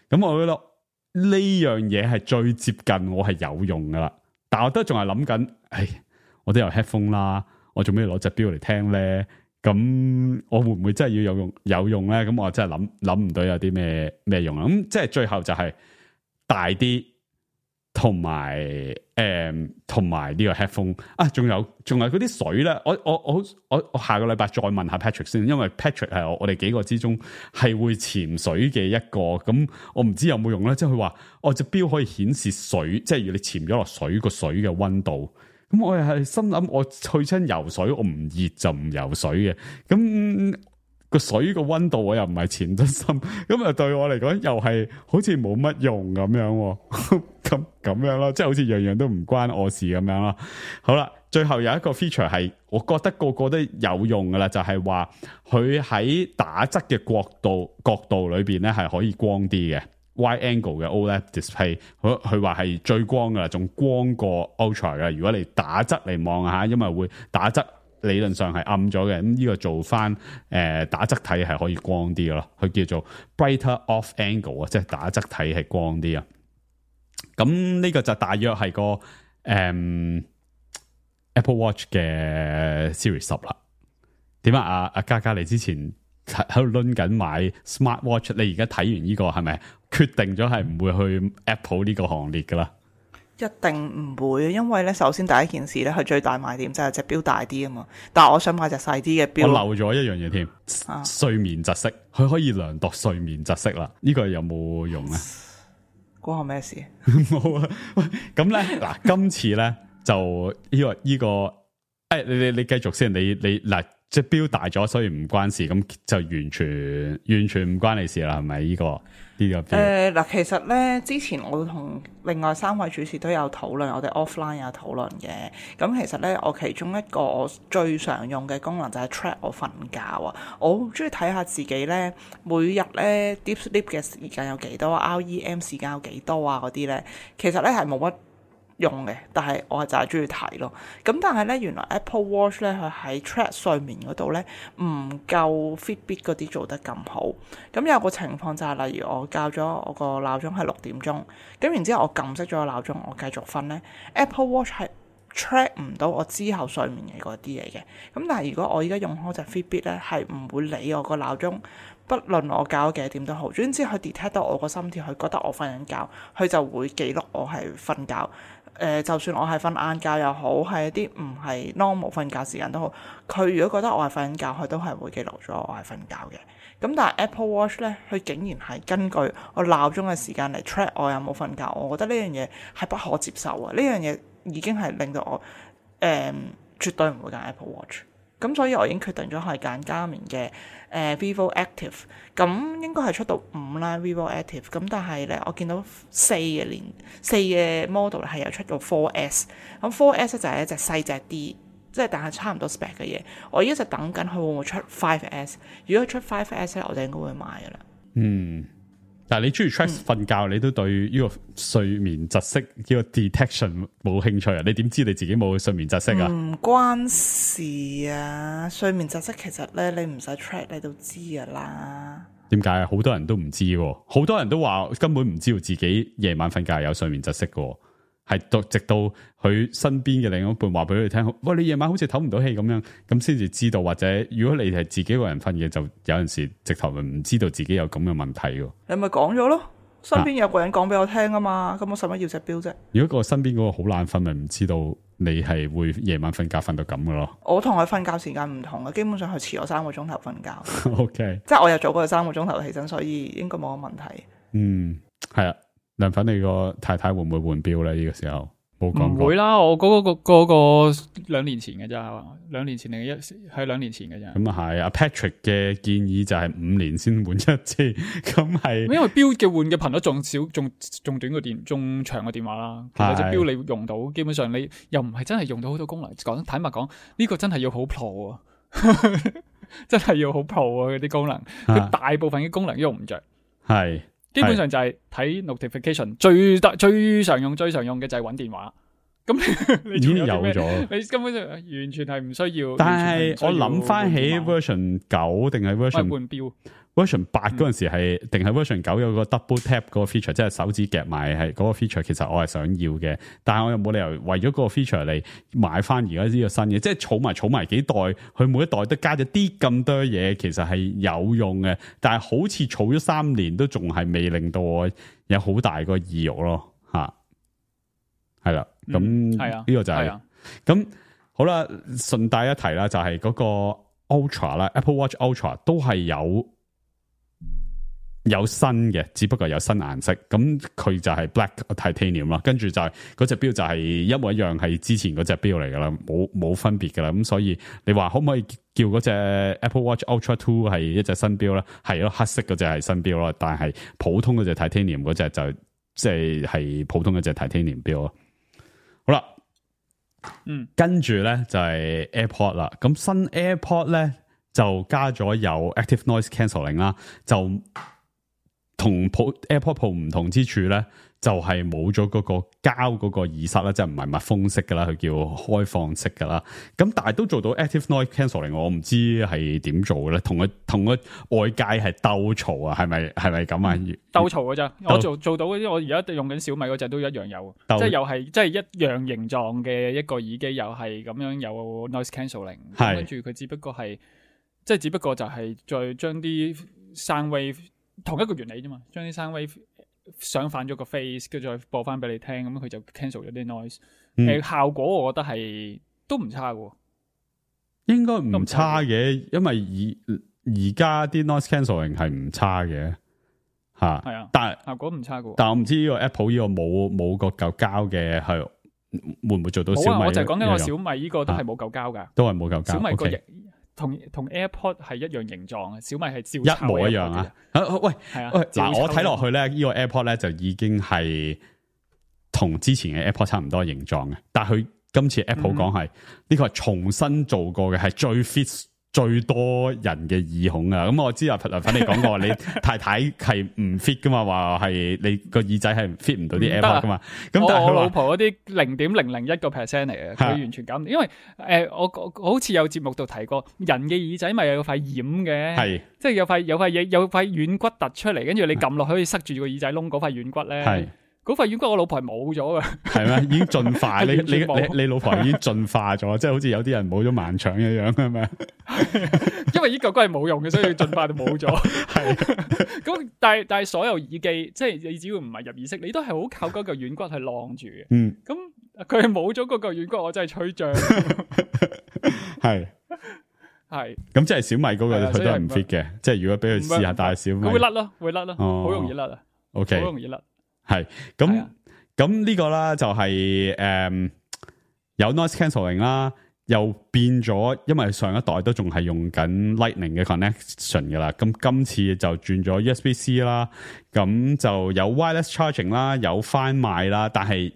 咁我覺得呢樣嘢係最接近我係有用噶啦，但我都仲係諗緊，唉，我都有 headphone 啦，我做咩攞隻錶嚟聽咧？咁我會唔會真係要有用有用咧？咁我真係諗諗唔到有啲咩咩用啦。咁即係最後就係大啲，同埋誒，同埋呢個 headphone 啊，仲有仲有嗰啲水咧。我我我我我下個禮拜再問下 Patrick 先，因為 Patrick 係我我哋幾個之中係會潛水嘅一個。咁我唔知有冇用咧。即係佢話我隻錶可以顯示水，即係如果你潛咗落水個水嘅溫度。咁我又係心諗，我去親游水，我唔熱就唔游水嘅。咁個水個溫度我又唔係前側心，咁啊對我嚟講又係好似冇乜用咁樣，咁咁樣咯，即係好似樣樣都唔關我事咁樣咯。好啦，最後有一個 feature 係我覺得個個都有用噶啦，就係話佢喺打側嘅角度角度裏邊咧係可以光啲嘅 wide angle 嘅 O L E D display， 佢佢話係最光噶啦，仲光過 Ultra 嘅。如果你打側嚟望下，因為會打側。理論上係暗咗嘅，咁呢個做翻誒、呃、打側睇係可以光啲嘅咯，佢叫做 brighter off angle 啊，即係打側睇係光啲啊。咁呢個就大約係個誒、嗯、Apple Watch 嘅 Series 十啦。點啊？阿阿嘉嘉，你之前喺度掄緊買 Smart Watch， 你而家睇完呢、這個係咪決定咗係唔會去 Apple 呢個行列噶啦？一定唔會，因為咧，首先第一件事咧，佢最大賣點就係隻錶大啲啊嘛。但係我想買隻細啲嘅錶。我漏咗一樣嘢添，啊、睡睡眠窒息，佢可以量度睡眠窒息啦。呢、這個有冇用啊？關我咩事？冇啊！喂，咁咧嗱，今次咧就呢、這個呢、這個，誒、哎，你你你繼續先，你你嗱，隻錶大咗，所以唔關事，咁就完全完全唔關你事啦，係咪？呢、這個。誒嗱、呃，其實咧，之前我同另外三位主持都有討論，我哋 offline 有討論嘅。咁其實咧，我其中一個我最常用嘅功能就係 track 我瞓覺啊。我好中意睇下自己咧，每日咧 deep sleep 嘅時間有幾多 ，R E M 時間有幾多啊嗰啲咧，其實咧係冇乜用嘅，但係我係就係中意睇咯。咁但係咧，原來 Apple Watch 咧佢喺 track 睡眠嗰度咧唔夠 Fitbit 嗰啲做得咁好。咁有個情況就係、是，例如我校咗我個鬧鐘係六點鐘，咁然之後我撳熄咗個鬧鐘，我繼續瞓咧 ，Apple Watch 係 track 唔到我之後睡眠嘅嗰啲嘢嘅。咁但係如果我而家用開隻 Fitbit 咧，係唔會理我個鬧鐘。不論我校咗幾點都好，總之佢 detect 到我個心跳，佢覺得我瞓緊覺，佢就會記錄我係瞓覺。誒、呃，就算我係瞓晏覺又好，係一啲唔係 normal 瞓覺時間都好，佢如果覺得我係瞓緊覺，佢都係會記錄咗我係瞓覺嘅。咁但係 Apple Watch 咧，佢竟然係根據我鬧鐘嘅時間嚟 track 我有冇瞓覺，我覺得呢樣嘢係不可接受啊！呢樣嘢已經係令到我誒、呃、絕對唔會揀 Apple Watch。咁所以我已經決定咗係揀加棉嘅誒 Vivo Active，咁應該係出到五啦 Vivo Active，咁但係咧我見到四嘅年四嘅 model 係有出到 four S， 咁 four S 就係一隻細隻啲，即係但係差唔多 spec 嘅嘢。我一直等緊佢會唔會出 five S， 如果出 five S 咧，我就應該會買噶啦。嗯。但係你中意 track 瞓覺，嗯、你都對呢個睡眠窒息呢個 detection 冇興趣啊？你點知你自己冇睡眠窒息啊？唔關事啊！睡眠窒息其實咧，你唔使 track 你都知噶啦。點解啊？好多人都唔知，好多人都話根本唔知道自己夜晚瞓覺有睡眠窒息嘅。係到直到佢身邊嘅另一半話俾佢聽，喂，你夜晚好似唞唔到氣咁樣，咁先至知道。或者如果你係自己一個人瞓嘅，就有陣時直頭唔知道自己有咁嘅問題嘅。你咪講咗咯，身邊有個人講俾我聽啊嘛，咁、啊、我使乜要隻錶啫？如果個身邊嗰個好懶瞓，咪唔知道你係會夜晚瞓覺瞓到咁嘅咯。我同佢瞓覺時間唔同嘅，基本上佢遲我三個鐘頭瞓覺。O K， 即係我又早過佢三個鐘頭起身，所以應該冇乜問題。嗯，係啊。梁粉，你個太太會唔會換錶咧？呢、這個時候冇講過。唔會啦，我嗰、那個嗰、那個兩年前嘅咋，兩年前定一係兩年前嘅咋。咁啊係，阿 Patrick 嘅建議就係五年先換一次，咁係因為錶嘅換嘅頻率仲少，仲仲短個電，仲長個電話啦。其實隻錶你用到，基本上你又唔係真係用到好多功能。講坦白講，呢、這個真係要好 pro 啊，真係要好 pro 啊！嗰啲功能，佢、啊、大部分嘅功能用唔着。係。基本上就係睇 notification，最大最常用最常用嘅就係揾電話。咁你已經有咗，你根本就完全係唔需要。但係我諗翻起 version 九定係 version 換錶 version 八嗰陣時係定係 version 九有個 double tap 嗰個 feature，即係手指夾埋係嗰個 feature，其實我係想要嘅，但係我又冇理由為咗嗰個 feature 嚟買翻而家呢個新嘅，即係儲埋儲埋幾代，佢每一代都加咗啲咁多嘢，其實係有用嘅，但係好似儲咗三年都仲係未令到我有好大個意欲咯，吓係啦，咁係啊，呢個就係、是、咁、啊、好啦，順帶一提啦，就係嗰個 Ultra 啦 ，Apple Watch Ultra 都係有有新嘅，只不過有新顏色，咁佢就係 Black Titanium 啦。跟住就係嗰隻錶就係一模一樣，係之前嗰隻錶嚟噶啦，冇冇分別噶啦。咁所以你話可唔可以叫嗰隻 Apple Watch Ultra Two 係一隻新錶咧？係咯，黑色嗰隻係新錶咯，但係普通嗰隻 Titanium 嗰隻就即係係普通嗰隻 Titanium 錶咯。好啦，嗯，跟住咧就係 AirPod 啦。咁新 AirPod 咧就加咗有 Active Noise Cancelling 啦，就同 AirPod Pro 唔同之處咧，就係冇咗嗰個膠嗰個耳塞啦，即係唔係密封式噶啦，佢叫開放式噶啦。咁但係都做到 Active Noise Cancelling，我唔知係點做嘅咧。同佢同佢外界係鬥嘈啊，係咪係咪咁啊？鬥嘈噶咋？我做做到嗰啲，我而家用緊小米嗰隻都一樣有，即係又係即係一樣形狀嘅一個耳機，又係咁樣有 Noise Cancelling。跟住佢只不過係即係只不過就係再將啲 sound wave。同一個原理啫嘛，將啲 sound wave 上反咗個 face， 跟住再播翻俾你聽，咁佢就 cancel 咗啲 noise。誒、嗯，效果我覺得係都唔差嘅，應該唔差嘅，因為而而家啲 noise cancelling 係唔差嘅吓。係啊，但係效果唔差嘅。但係我唔知呢個 Apple 呢個冇冇個嚿膠嘅係會唔會做到小米？冇啊，我就係講緊個小米呢個都係冇嚿膠噶，都係冇嚿膠。小米個 okay。同同 AirPod 係一樣形狀啊，小米係照一模一樣啊！啊喂，係啊，嗱我睇落去咧，呢、這個 AirPod 咧就已經係同之前嘅 AirPod 差唔多形狀嘅，但係佢今次 Apple 講係呢個係重新做過嘅，係最 fit 最多人嘅耳孔啊！咁、嗯、我知啊，林粉你講過，你太太係唔 fit 噶嘛，話係你個耳仔係 fit 唔到啲 AirPod 噶嘛。咁但係我老婆嗰啲零點零零一個 percent 嚟嘅，佢完全搞唔掂。因為誒、呃，我我好似有節目度提過，人嘅耳仔咪有塊掩嘅，係即係有塊有塊嘢有塊軟骨突出嚟，跟住你撳落去可以塞住個耳仔窿嗰塊軟骨咧。係。嗰塊軟骨我老婆係冇咗嘅，係咩？已經進化，你你你你老婆已經進化咗，即係好似有啲人冇咗盲腸一樣，係咪？因為呢嚿骨係冇用嘅，所以進化就冇咗。係咁，但係但係所有耳機，即係你只要唔係入耳式，你都係好靠嗰嚿軟骨去晾住嘅。嗯，咁佢係冇咗嗰嚿軟骨，我真係吹脹。係係，咁即係小米嗰個佢都係唔 fit 嘅，即係如果俾佢試下戴小米，佢會甩咯，會甩咯，好容易甩啊。OK，好容易甩。係咁咁呢個啦就係、是、誒、嗯、有 noise cancelling 啦，又變咗，因為上一代都仲係用緊 Lightning 嘅 connection 噶啦，咁今次就轉咗 U S B C 啦，咁就有 wireless charging 啦，有翻賣啦，但係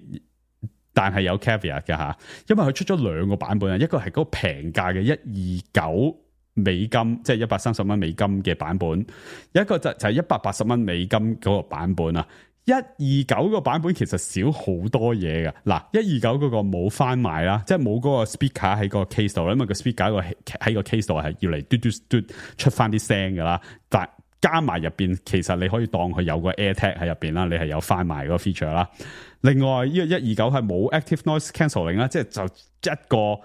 但係有 caveat 嘅吓，因為佢出咗兩個版本啊，一個係嗰個平價嘅一二九美金，即係一百三十蚊美金嘅版本，一個就就係一百八十蚊美金嗰個版本啊。一二九個版本其實少好多嘢㗎。嗱，一二九嗰個冇翻賣啦，即係冇嗰個 speaker 喺個 case 度，因為個 speaker 個喺個 case 度係要嚟嘟嘟嘟出翻啲聲噶啦，但加埋入邊其實你可以當佢有個 AirTag 喺入邊啦，你係有翻賣嗰個 feature 啦。另外呢個一二九係冇 active noise cancelling 啦，即係就一個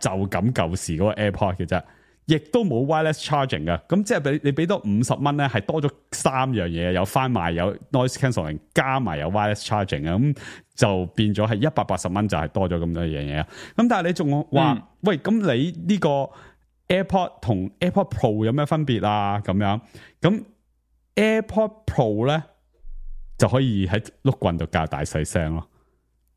就咁舊時嗰個 AirPod 嘅啫。亦都冇 wireless charging 嘅，咁即係俾你俾多五十蚊咧，係多咗三樣嘢，有翻賣，有 noise cancelling，加埋有 wireless charging 啊，咁就變咗係一百八十蚊，就係多咗咁多樣嘢啊。咁但係你仲話、嗯，喂，咁你呢個 AirPod 同 AirPod Pro 有咩分別啊？咁樣，咁 AirPod Pro 咧就可以喺碌棍度較大細聲咯，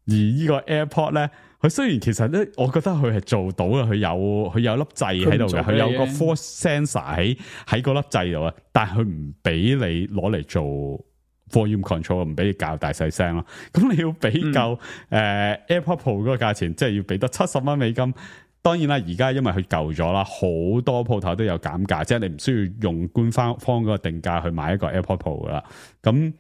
而呢個 AirPod 咧。佢雖然其實咧，我覺得佢係做到嘅，佢有佢有粒掣喺度嘅，佢有個 force sensor 喺喺嗰粒掣度啊，但係佢唔俾你攞嚟做 volume control， 唔俾你較大細聲咯。咁你要比較誒、嗯呃、AirPod Pro 嗰個價錢，即係要俾得七十蚊美金。當然啦，而家因為佢舊咗啦，好多鋪頭都有減價，即係你唔需要用官方方嗰個定價去買一個 AirPod Pro 噶啦。咁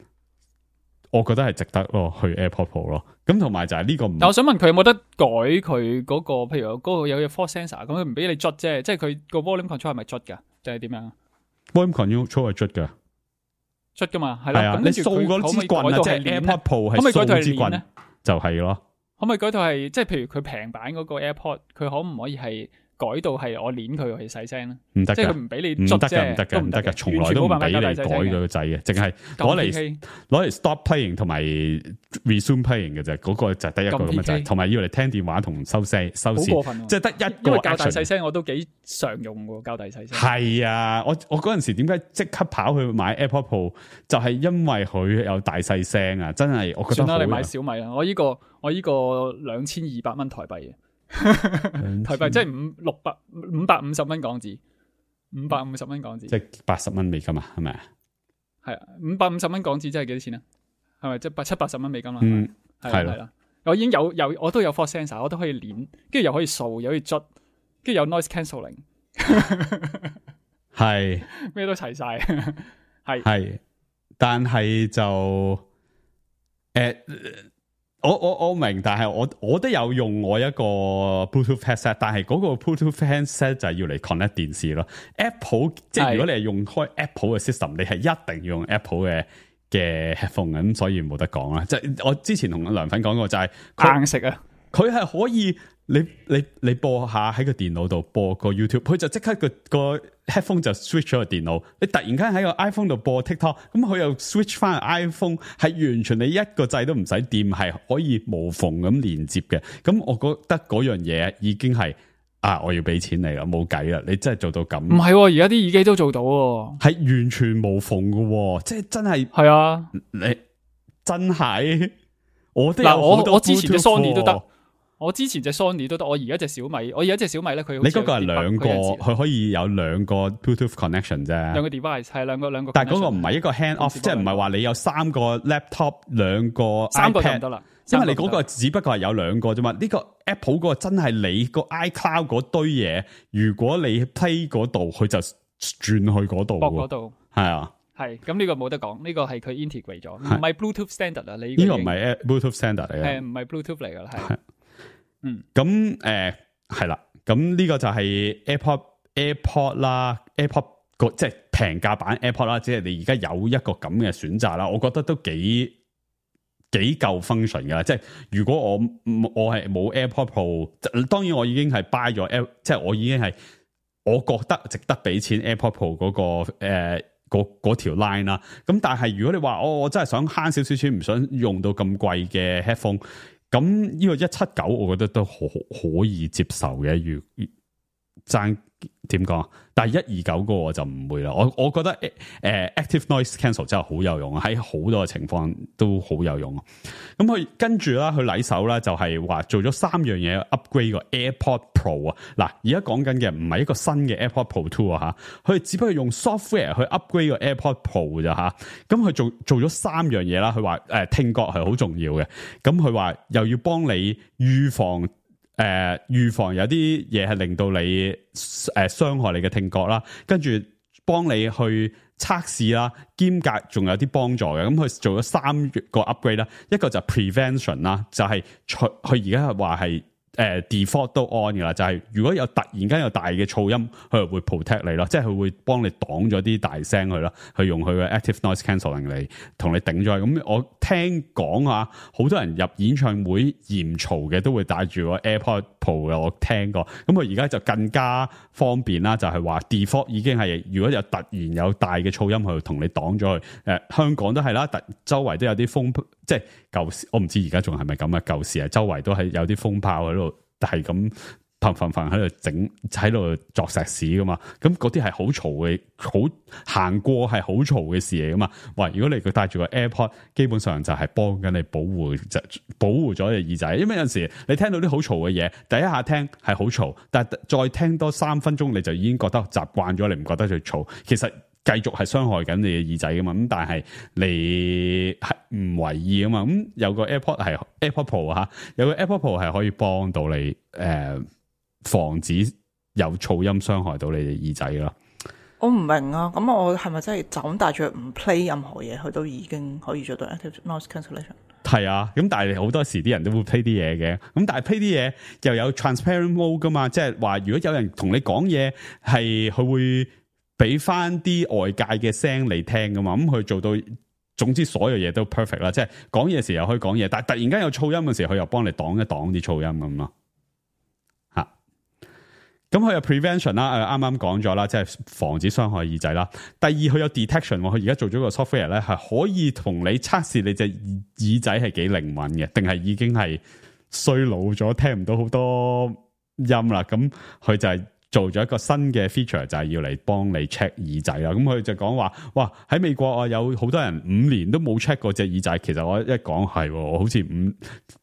我覺得係值得咯，去 AirPod Pro 咯。咁同埋就係呢個唔，但我想問佢有冇得改佢嗰、那個，譬如嗰個有嘅 force sensor，咁佢唔俾你捽啫，即係佢個 volume control 係咪捽噶，定係點樣 ？volume control 係捽噶，捽噶嘛，係啦。咁你掃嗰支棍啊，即係 AirPod Pro 係掃支棍咧，就係、是、咯。可唔可以改到係，即係譬如佢平版嗰個 AirPod，佢可唔可以係改到係我捏佢去細聲啦，唔得，即係佢唔俾你唔捽啫，得嘅，唔得嘅，唔得嘅，從來都唔俾你改佢個掣嘅，淨係攞嚟攞嚟 stop playing 同埋 resume playing 嘅啫，嗰個就係得一個咁嘅掣，同埋要嚟聽電話同收聲收線，即係得一個。因為較大細聲我都幾常用喎，較大細聲。係啊，我我嗰陣時點解即刻跑去買 AirPod Pro，就係因為佢有大細聲啊！真係我覺得算啦，你買小米啦，我呢個我呢個兩千二百蚊台幣嘅。台幣即係五六百五百五十蚊港紙，五百五十蚊港紙，即係八十蚊美金啊？係咪啊？係啊，五百五十蚊港紙即係幾多錢啊？係咪即係八七八十蚊美金啦？嗯，係啦係啦，我已經有有我都有 force sensor， 我都可以連，跟住又可以掃，又可以捽，跟住有 noise cancelling， 係咩都齊晒，係係，但係就誒。欸我我我明，但係我我都有用我一個 Bluetooth headset， 但係嗰個 Bluetooth headset 就係要嚟 connect 電視咯。Apple 即係如果你係用開 Apple 嘅 system， 你係一定要用 Apple 嘅嘅 headphone 嘅，咁所以冇得講啦。即係我之前同梁粉講過就係硬食啊，佢係可以你你你播下喺個電腦度播個 YouTube， 佢就即刻個個 headphone 就 switch 咗個電腦。你突然間喺個 iPhone 度播 TikTok， 咁佢又 switch 翻 iPhone， 係完全你一個掣都唔使掂，係可以無縫咁連接嘅。咁我覺得嗰樣嘢已經係啊，我要俾錢你啦，冇計啦，你真係做到咁。唔係，而家啲耳機都做到喎，係完全無縫嘅，即係真係。係啊，你真係我都嗱，我我之前隻 Sony 都得。哦我之前隻 Sony 都得，我而家隻小米，我而家隻小米咧，佢你嗰個係兩個，佢可以有兩個 Bluetooth connection 啫，兩個 device 係兩個兩個，但係嗰個唔係一個 hand off，即係唔係話你有三個 laptop 兩個 iPad，三個就唔得啦，因為你嗰個只不過係有兩個啫嘛。呢、這個 Apple 嗰個真係你個 iCloud 嗰堆嘢，如果你 play 嗰度，佢就轉去嗰度，駁嗰度係啊。係，咁呢個冇得講，呢、這個係佢 integrate 咗，唔係 Bluetooth standard 啊，你呢個唔係 Bluetooth standard 嚟嘅，係唔係 Bluetooth 嚟噶啦，係。嗯，咁誒係啦，咁呢個就係 AirPod AirPod 啦 ，AirPod 個即係平價版 AirPod 啦，即係你而家有一個咁嘅選擇啦，我覺得都幾幾夠 function 噶。即係如果我我係冇 AirPod Pro， 當然我已經係 buy 咗 Air， 即係我已經係我覺得值得俾錢 AirPod Pro 嗰、嗰個誒嗰嗰條 line 啦。咁但係如果你話我我真係想慳少少錢，唔想用到咁貴嘅 headphone。咁呢個一七九，我覺得都可可以接受嘅。如爭點講，但係一二九嗰個我就唔會啦。我我覺得誒、呃、Active Noise Cancel 真係好有用，喺好多嘅情況都好有用。咁佢跟住啦，佢禮手啦，就係話做咗三樣嘢 upgrade 個 AirPod Pro 啊。嗱，而家講緊嘅唔係一個新嘅 AirPod Pro Two 啊，吓，佢只不過用 software 去 upgrade 個 AirPod Pro 咋吓。咁佢做做咗三樣嘢啦。佢話誒聽覺係好重要嘅。咁佢話又要幫你預防。誒、呃，預防有啲嘢係令到你誒傷、呃、害你嘅聽覺啦，跟住幫你去測試啦，兼夾仲有啲幫助嘅。咁佢做咗三個 upgrade 啦，一個就 prevention 啦，就係佢佢而家係話係誒 default 都 on 噶啦，就係、是、如果有突然間有大嘅噪音，佢就會 protect 你咯，即係佢會幫你擋咗啲大聲去咯，去用佢嘅 active noise cancelling 嚟同你頂咗。咁我聽講啊，好多人入演唱會嫌嘈嘅都會帶住個 AirPod Pro 嘅，我聽過。咁佢而家就更加方便啦，就係、是、話 default 已經係如果有突然有大嘅噪音去同你擋咗去。誒、呃，香港都係啦，突周圍都有啲風，即係舊時我唔知而家仲係咪咁啊？舊時啊，周圍都係有啲風炮喺度。係咁砰砰砰喺度整喺度作石屎噶嘛，咁嗰啲係好嘈嘅，好行過係好嘈嘅事嚟噶嘛。喂，如果你佢戴住個 AirPod， 基本上就係幫緊你保護，就保護咗你耳仔。因為有陣時你聽到啲好嘈嘅嘢，第一下聽係好嘈，但係再聽多三分鐘，你就已經覺得習慣咗，你唔覺得佢嘈。其實繼續係傷害緊你嘅耳仔噶嘛。咁但係你係唔為意噶嘛。咁有個 AirPod 係 AirPod Pro 吓，有個 AirPod Pro 係可以幫到你誒、呃，防止有噪音傷害到你嘅耳仔咯。我唔明啊，咁我係咪真係就咁帶住唔 play 任何嘢，佢都已經可以做到 active noise cancellation？係啊，咁但係好多時啲人都會 play 啲嘢嘅，咁但係 play 啲嘢又有 transparent mode 噶嘛，即係話如果有人同你講嘢，係佢會俾翻啲外界嘅聲你聽噶嘛，咁佢做到，總之所有嘢都 perfect 啦，即係講嘢時又可以講嘢，但係突然間有噪音嘅時候，佢又幫你擋一擋啲噪音咁咯，吓。咁佢有 prevention 啦，誒啱啱講咗啦，即係防止傷害耳仔啦。第二佢有 detection，佢而家做咗個 software 咧，係可以同你測試你隻耳仔係幾靈敏嘅，定係已經係衰老咗，聽唔到好多音啦。咁佢就係做咗一個新嘅 feature，就係要嚟幫你 check 耳仔啦。咁佢就講話，哇喺美國啊有好多人五年都冇 check 過隻耳仔。其實我一講係，我好似五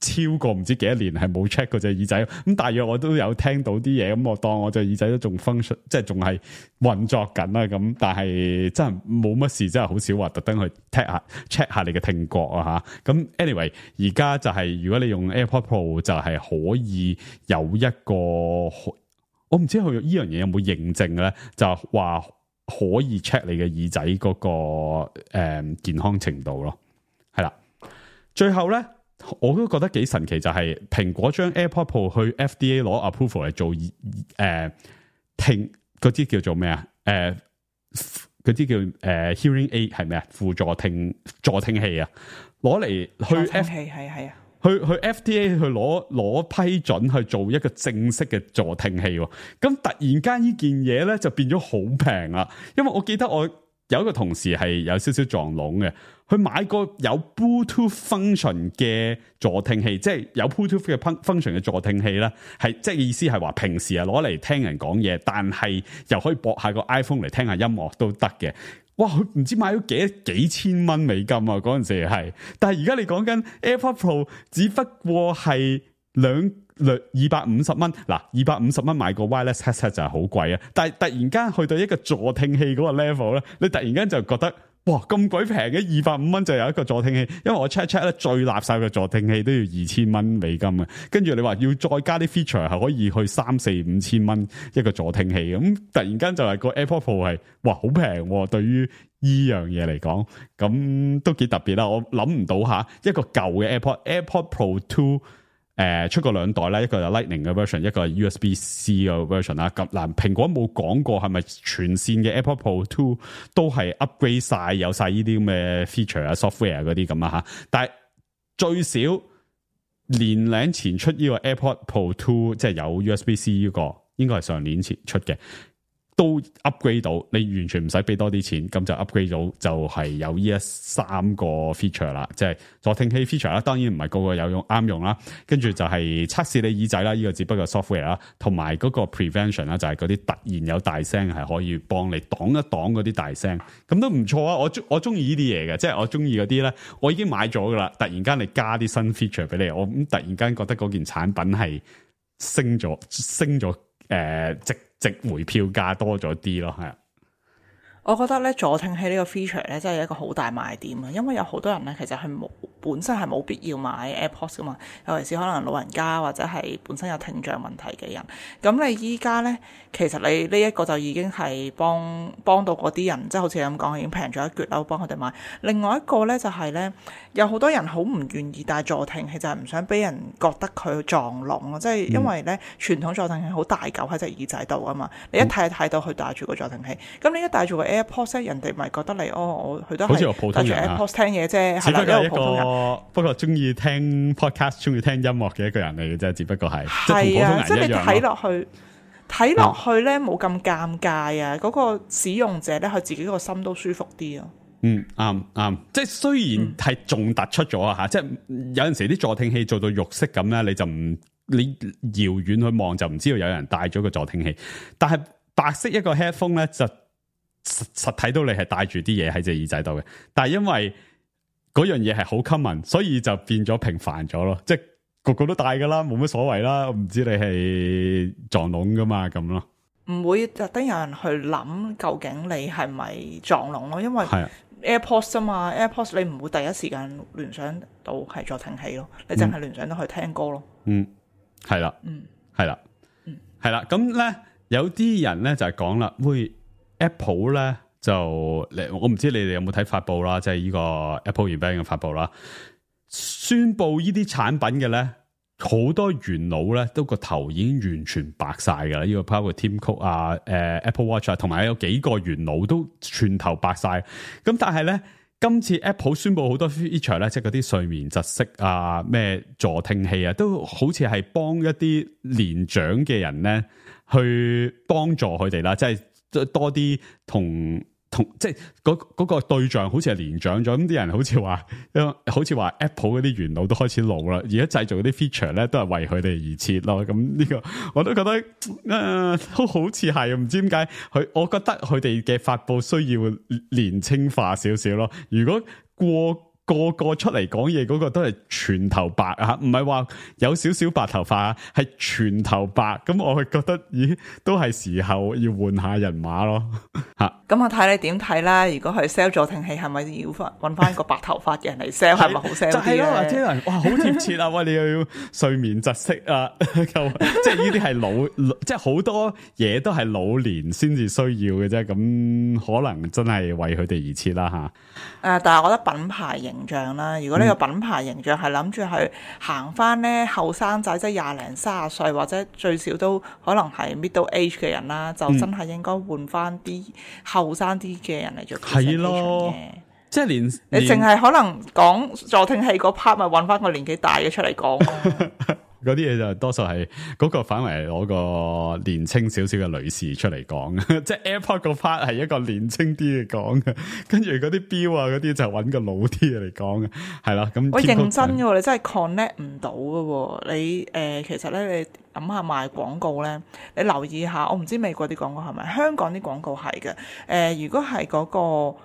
超過唔知幾多年係冇 check 過隻耳仔。咁大約我都有聽到啲嘢，咁我當我隻耳仔都仲 function，即係仲係運作緊啦。咁但係真係冇乜事，真係好少話特登去 check 下 check 下你嘅聽覺啊吓。咁 anyway， 而家就係、是、如果你用 AirPod Pro 就係可以有一個。我唔知佢呢樣嘢有冇認證咧，就話可以 check 你嘅耳仔嗰、那個誒、嗯、健康程度咯，係啦。最後咧，我都覺得幾神奇，就係、是、蘋果將 AirPod Pro 去 F D A 攞 approval 嚟做誒、呃、聽嗰啲叫做咩啊？誒嗰啲叫誒、呃、hearing aid 係咩啊？輔助聽助聽器啊，攞嚟去 F 係係係啊。去去 F D A 去攞攞批准去做一個正式嘅助聽器，咁突然間呢件嘢咧就變咗好平啦。因為我記得我有一個同事係有少少撞聾嘅，佢買個有 Bluetooth function 嘅助聽器，即係有 Bluetooth 嘅 function 嘅助聽器咧，係即係意思係話平時係攞嚟聽人講嘢，但係又可以駁下個 iPhone 嚟聽下音樂都得嘅。哇！佢唔知買咗幾幾千蚊美金啊！嗰陣時係，但係而家你講緊 AirPod Pro，只不過係兩兩二百五十蚊。嗱，二百五十蚊買個 wireless headset 就係好貴啊！但係突然間去到一個助聽器嗰個 level 咧，你突然間就覺得哇咁鬼平嘅，二百五蚊就有一個助聽器。因為我 check check 咧，最垃圾嘅助聽器都要二千蚊美金啊！跟住你話要再加啲 feature 係可以去三四五千蚊一個助聽器，咁突然間就係個 AirPod Pro 係哇好平，對於依樣嘢嚟講，咁都幾特別啦。我諗唔到吓一個舊嘅 AirPod AirPod Pro Two。誒、呃，出過兩代啦，一個係 Lightning 嘅 version， 一個係 U S B C 嘅 version 啦。咁嗱，蘋果冇講過係咪全線嘅 AirPod Pro Two 都係 upgrade 晒，有晒呢啲咁嘅 feature 啊、software 嗰啲咁啊吓。但係最少年零前出呢個 AirPod Pro Two， 即係有 U S B C 呢個，應該係上年前出嘅。都 upgrade 到，你完全唔使俾多啲錢，咁就 upgrade 到就係有呢一三個 feature 啦，即係助聽器 feature 啦，當然唔係個個有用啱用啦。跟住就係測試你耳仔啦，呢、這個只不過 software 啦，同埋嗰個 prevention 啦，就係嗰啲突然有大聲係可以幫你擋一擋嗰啲大聲，咁都唔錯啊！我中我中意呢啲嘢嘅，即係我中意嗰啲咧，我已經買咗噶啦。突然間你加啲新 feature 俾你，我咁突然間覺得嗰件產品係升咗升咗誒、呃、值。值回票價多咗啲咯，係啊！我覺得咧助聽器呢個 feature 咧真係一個好大賣點啊，因為有好多人咧其實係冇本身係冇必要買 AirPods 噶嘛，尤其是可能老人家或者係本身有聽障問題嘅人。咁你依家咧，其實你呢一個就已經係幫幫到嗰啲人，即係好似你咁講，已經平咗一橛啦，幫佢哋買。另外一個咧就係咧，有好多人好唔願意戴助聽器，就係唔想俾人覺得佢撞聾咯，即係因為咧傳統助聽器好大嚿喺隻耳仔度啊嘛，你一睇就睇到佢戴住個助聽器，咁你一戴住個 AirPods， 人哋咪覺得你哦，我佢都係戴住 AirPods 聽嘢啫，係啦，一個普通人。不過中意聽 podcast、中意聽音樂嘅一個人嚟嘅啫，只不過係係啊，即係你睇落去睇落去咧冇咁尷尬啊！嗰、嗯、個使用者咧，佢自己個心都舒服啲啊。嗯，啱啱，即係雖然係仲突出咗啊吓，即係有陣時啲助聽器做到肉色咁咧，你就唔你遙遠去望就唔知道有人戴咗個助聽器，但係白色一個 headphone 咧就實實睇到你係戴住啲嘢喺隻耳仔度嘅，但係因為嗰樣嘢係好 common， 所以就變咗平凡咗咯，即係個個都戴噶啦，冇乜所謂啦。我唔知你係撞聾噶嘛咁咯，唔會特登有人去諗究竟你係咪撞聾咯，因為 AirPods 啊嘛 ，AirPods 你唔會第一時間聯想到係助聽器咯，你淨係聯想到去聽歌咯。嗯，係啦，嗯，係啦，嗯，係啦。咁咧有啲人咧就係講啦，喂 Apple 咧。就我唔知你哋有冇睇發布啦，即係呢個 Apple event 嘅發布啦，宣布呢啲產品嘅咧，好多元老咧都個頭已經完全白晒噶啦，呢個包括 Tim Cook 啊、誒 Apple Watch 啊，同埋有幾個元老都全頭白晒。咁但係咧，今次 Apple 宣布好多 feature 咧，即係嗰啲睡眠窒息啊、咩助聽器啊，都好似係幫一啲年長嘅人咧。去幫助佢哋啦，即係多啲同。同即係嗰嗰個對象好似係年長咗，咁啲人好似話，好似話 Apple 嗰啲元老都開始老啦，而家製造嗰啲 feature 咧都係為佢哋而設咯。咁呢個我都覺得誒、呃、都好似係，唔知點解佢，我覺得佢哋嘅發佈需要年輕化少少咯。如果過個個出嚟講嘢嗰個都係全頭白啊，唔係話有少少白頭髮啊，係全頭白。咁我係覺得，咦，都係時候要換下人馬咯。吓，咁我睇你點睇啦。如果係 sell 助聽器，係咪要翻搵翻個白頭髮嘅人嚟 sell？ 係咪好 sell 啲咧？就係咯，或者人哇，好貼切啊！喂，你又要睡眠窒息啊，即係呢啲係老，即係好多嘢都係老年先至需要嘅啫。咁可能真係為佢哋而設啦，吓。誒，但係我覺得品牌型。形象啦，如果呢個品牌形象係諗住去行翻咧後生仔，即係廿零三十歲或者最少都可能係 middle age 嘅人啦，就真係應該換翻啲後生啲嘅人嚟做 presentation 嘅。即係連你淨係可能講助聽器嗰 part，咪揾翻個年紀大嘅出嚟講咯。嗰啲嘢就多數係嗰個反為攞個年青少少嘅女士出嚟講，即係 AirPod 個 part 係一個年青啲嘅講嘅，跟住嗰啲錶啊嗰啲就揾個老啲嘅嚟講嘅，係啦。咁我認真嘅，你真係 connect 唔到嘅。你誒、呃，其實咧，你諗下賣廣告咧，你留意下，我唔知美國啲廣告係咪，香港啲廣告係嘅。誒、呃，如果係嗰、嗰個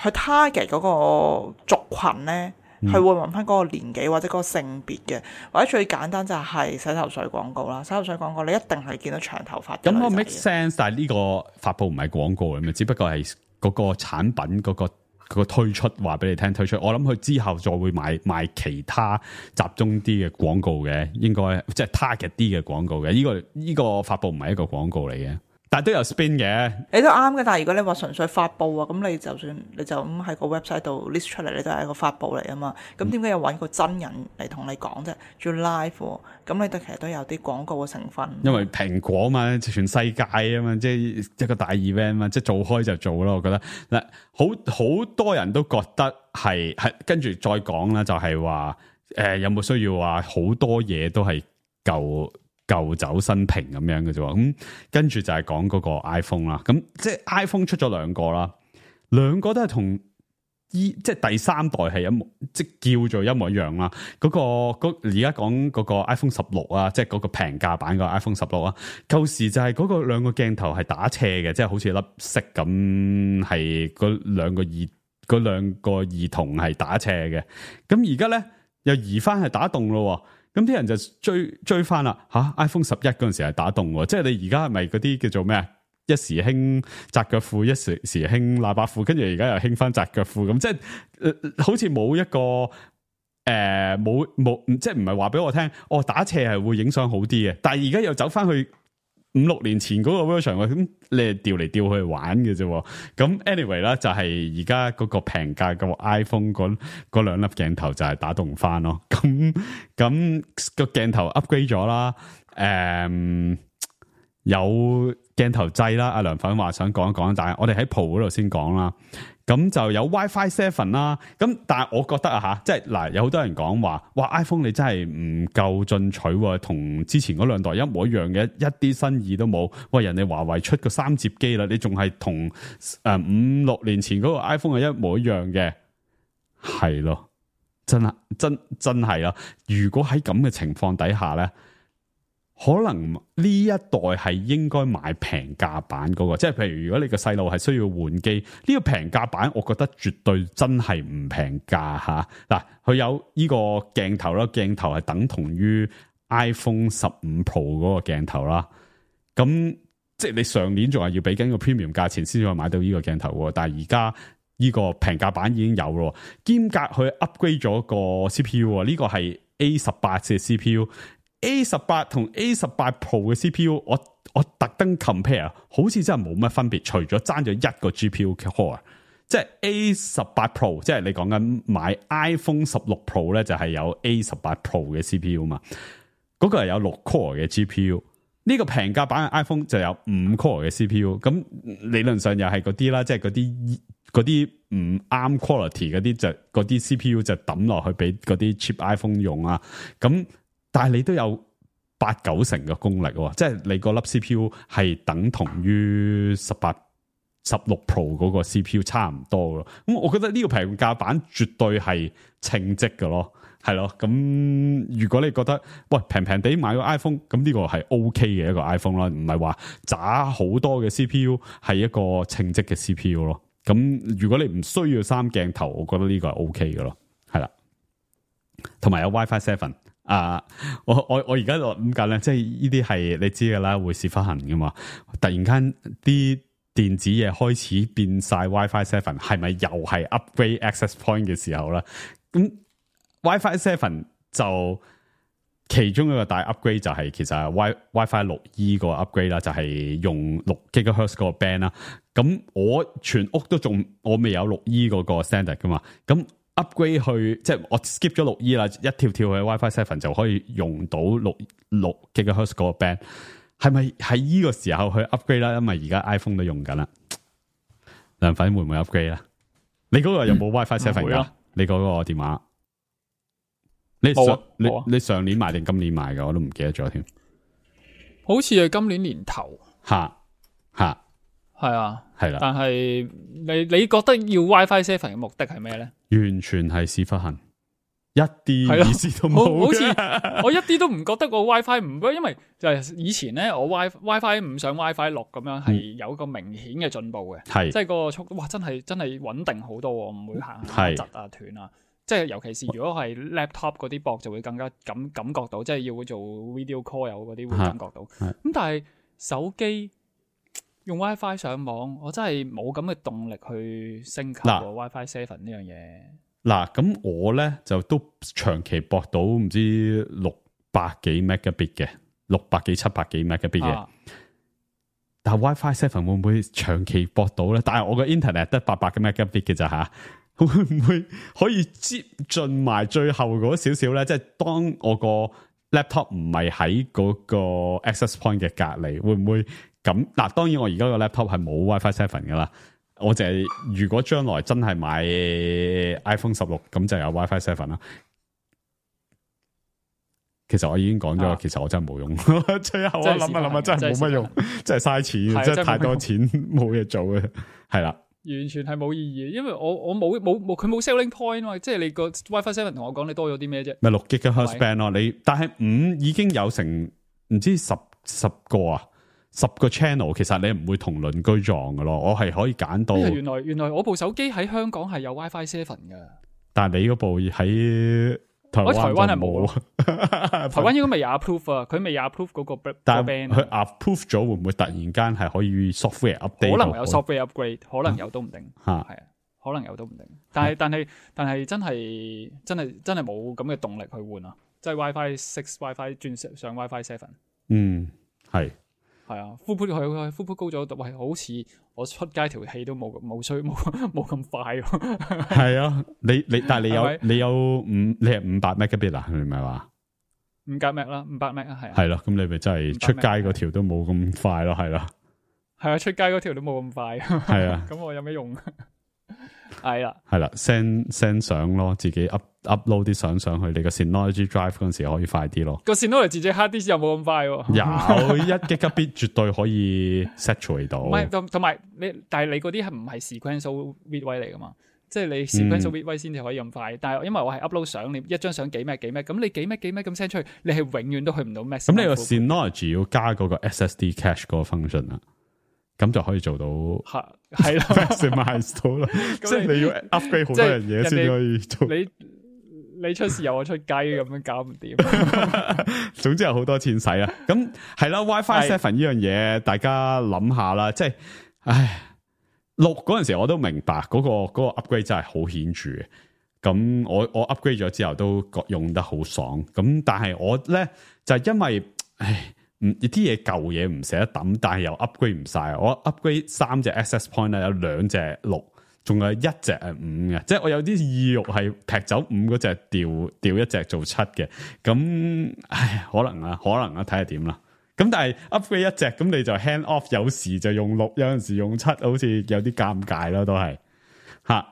去 target 嗰個族群咧。佢會問翻嗰個年紀或者嗰個性別嘅，或者最簡單就係洗頭水廣告啦。洗頭水廣告你一定係見到長頭髮嘅女仔。咁我 make sense， 但係呢個發佈唔係廣告嚟嘅，只不過係嗰個產品嗰、嗰個嗰個推出話俾你聽推出。我諗佢之後再會買賣其他集中啲嘅廣告嘅，應該即係 target 啲嘅廣告嘅。呢、呢個呢、呢個發佈唔係一個廣告嚟嘅。但係都有 spin 嘅，你都啱嘅。但係如果你話純粹發佈啊，咁你就算你就咁喺個 website 度 list 出嚟，你都係一個發佈嚟啊嘛。咁點解要揾個真人嚟同你講啫？仲要 live 喎，咁你都其實都有啲廣告嘅成分。因為蘋果嘛，全世界啊嘛，即係一個大 event 嘛，即係做開就做咯。我覺得嗱，好好多人都覺得係係跟住再講啦，就係話誒有冇需要話好多嘢都係舊。舊酒新瓶咁樣嘅啫，咁跟住就係講嗰個 iPhone 啦。咁即係 iPhone 出咗兩個啦，兩個都係同依即係第三代係一模，即係叫做一模一樣啦。嗰、嗰個而家講嗰個 iPhone 十六啊，即係嗰個平價版個 iPhone 十六啊。舊時就係嗰個兩個鏡頭係打斜嘅，即係好似粒色咁，係嗰兩個耳嗰兩個耳筒係打斜嘅。咁而家咧又移翻係打洞咯。咁啲人就追追翻啦吓 ，iPhone 十一嗰陣時係打洞喎，即係你而家係咪嗰啲叫做咩啊？一時興窄腳褲，一時時興喇叭褲，跟住而家又興翻窄腳褲咁，即係、呃、好似冇一個誒冇冇，即係唔係話俾我聽，哦打斜係會影相好啲嘅，但係而家又走翻去五六年前嗰個 version， 咁你係調嚟調去玩嘅啫。咁 anyway 啦，就係而家嗰個平價個 iPhone 嗰嗰兩粒鏡頭就係打洞翻咯。咁咁個鏡頭 upgrade 咗啦，誒、嗯、有鏡頭掣啦。阿梁粉話想講一講，但係我哋喺 Pro 嗰度先講啦。咁就有 WiFi 七啦，咁但係我覺得啊吓，即係嗱，有好多人講話，哇 iPhone 你真係唔夠進取喎，同之前嗰兩代一模一樣嘅，一啲新意都冇。喂，人哋華為出個三摺機啦，你仲係同誒五六年前嗰個 iPhone 係一模一樣嘅，係咯，真係真真係啦。如果喺咁嘅情況底下咧，可能呢一代係應該買平價版嗰個，即係譬如如果你個細路係需要換機，呢個平價版我覺得絕對真係唔平價吓。嗱，佢有呢個鏡頭啦，鏡頭係等同於 iPhone 十五 Pro 嗰個鏡頭啦。咁即係你上年仲係要俾緊個 premium 價錢先至可以買到呢個鏡頭，但係而家呢個平價版已經有咯，兼隔佢 upgrade 咗個 C P U， 呢個係 A 十八嘅 C P U。A 十八同 A 十八 Pro 嘅 C P U， 我我特登 compare， 好似真係冇乜分別，除咗爭咗一個 G P U core， 即係 A 十八 Pro， 即係你講緊買 iPhone 十六 Pro 咧，就係有 A 十八 Pro 嘅 C P U 嘛，嗰個係有六 core 嘅 G P U， 呢個平價版嘅 iPhone 就有五 core 嘅 C P U， 咁理論上又係嗰啲啦，即係嗰啲嗰啲唔啱 quality 嗰啲就嗰啲 C P U 就抌落去俾嗰啲 cheap iPhone 用啊，咁。但係你都有八九成嘅功力喎，即係你個粒 C P U 係等同於十八、十六 Pro 嗰個 C P U 差唔多咯。咁我覺得呢個平價版絕對係稱職嘅咯，係咯。咁如果你覺得喂平平地買個 iPhone，咁呢個係 OK 嘅一個 iPhone 啦，唔係話渣好多嘅 C P U 係一個稱職嘅 C P U 咯。咁如果你唔需要三鏡頭，我覺得呢個係 OK 嘅咯，係啦。同埋有 WiFi seven 啊！我我我而家諗緊咧，即係呢啲係你知噶啦，會事發行噶嘛。突然間啲電子嘢開始變晒 WiFi seven，係咪又係 upgrade access point 嘅時候啦？咁 WiFi seven 就其中一個大 upgrade 就係、是、其實係 Wi WiFi 六 E 個 upgrade 啦，就係用六 gigahertz 嗰個 band 啦。咁我全屋都仲我未有六 E 嗰個 standard 噶嘛，咁。upgrade 去即係我 skip 咗六 E 啦，一跳跳去 WiFi seven 就可以用到六六 gigahertz 嗰個 band， 係咪喺呢個時候去 upgrade 啦？因為而家 iPhone 都用緊啦，梁粉會唔會 upgrade 啦？你嗰個有冇 WiFi seven 噶？嗯、你嗰個電話？你上、啊、你你上年買定今年買噶？我都唔記得咗添。好似係今年年頭。吓吓，係啊，係啦。但係你你覺得要 WiFi seven 嘅目的係咩咧？完全係屎忽痕，一啲意思都冇。好似我一啲都唔覺得個 WiFi 唔，因為就係以前咧，我 WiFi WiFi 五上 WiFi 六咁樣係有個明顯嘅進步嘅，係、嗯、即係個速度，哇，真係真係穩定好多，唔會行下窒啊斷啊。即係尤其是如果係 laptop 嗰啲駁就會更加感感覺到，即係要做 video call 有嗰啲會感覺到。咁但係手機用 WiFi 上網，我真係冇咁嘅動力去升級 WiFi seven 呢樣嘢。嗱，咁我咧就都長期駁到唔知六百幾 megabit 嘅，六百幾七百幾 megabit 嘅。啊、但係 WiFi seven 會唔會長期駁到咧？但係我個 internet 得八百嘅 megabit 嘅咋吓？會唔會可以接近埋最後嗰少少咧？即係當我個 laptop 唔係喺嗰個 access point 嘅隔離，會唔會？咁嗱，當然我而家個 laptop 係冇 WiFi seven 噶啦，我就係如果將來真係買 iPhone 十六，咁就有 WiFi seven 啦。其實我已經講咗，啊、其實我真係冇用。最後我諗下諗下，真係冇乜用，真係嘥錢，真係太多錢冇嘢做嘅，係啦。完全係冇意義，因為我我冇冇冇佢冇 selling point 嘛，即係你個 WiFi seven 同我講你多咗啲咩啫？咪六 gigahertz band 咯，你但係五已經有成唔知十十個啊。十個 channel 其實你唔會同鄰居撞嘅咯，我係可以揀到。原來原來我部手機喺香港係有 WiFi seven 嘅，但係你嗰部喺台灣，我台灣係冇，台灣應該未有 approve 啊，佢未有 approve 嗰個 band。但係佢 approve 咗，會唔會突然間係可以 software update？可能有 software upgrade，可能有都唔定。吓係啊，可能有都唔定。但係但係但係真係真係真係冇咁嘅動力去換啊！即係 WiFi six、WiFi 轉上 WiFi seven。嗯，係。係啊，呼呼佢呼呼高咗，喂，好似我出街條氣都冇冇需冇冇咁快喎。係啊，你你但係你有是是你有五你係五百 megabit 啊？你唔係話五百 meg 啦，五百 meg 啊，係。係咯，咁你咪真係出街嗰條都冇咁快咯，係啦。係啊，出街嗰條都冇咁快。係啊，咁我有咩用？係啦，係啦 ，send send 相咯，自己 up upload 啲相上去，你個 Synology Drive 嗰陣時可以快啲咯。個 Synology 自己 hard disk 又冇咁快喎。有一 gigabit 絕對可以 saturate 到。唔係，同同埋你，但係你嗰啲係唔係 sequential read 位嚟噶嘛？即係你 sequential read 位先至可以咁快。嗯、但係因為我係 upload 相，你一張相幾咩幾咩，咁你幾咩幾咩咁 send 出去，你係永遠都去唔到 max。咁你個 Synology 要加嗰個 S S D cache 嗰個 function 啊？咁就可以做到係係啦 maximize 到啦，即係你要 upgrade 好多樣嘢先可以做。你你出事由我出雞咁樣搞唔掂。總之有好多錢使啊！咁係啦 ，WiFi seven 呢樣嘢，大家諗下啦。即係，唉，六嗰陣時我都明白嗰、嗰個、嗰個 upgrade 真係好顯著嘅。咁我我 upgrade 咗之後都用得好爽。咁但係我咧就係、因為唉。唔啲嘢舊嘢唔捨得抌，但係又 upgrade 唔晒。我 upgrade 三隻 access point 咧，有兩隻六，仲有一隻係五嘅。即係我有啲意欲係劈走五嗰隻，調調一隻做七嘅。咁唉，可能啊，可能啊，睇下點啦。咁但係 upgrade 一隻，咁你就 hand off，有時就用六，有陣時用七，好似有啲尷尬咯，都係吓。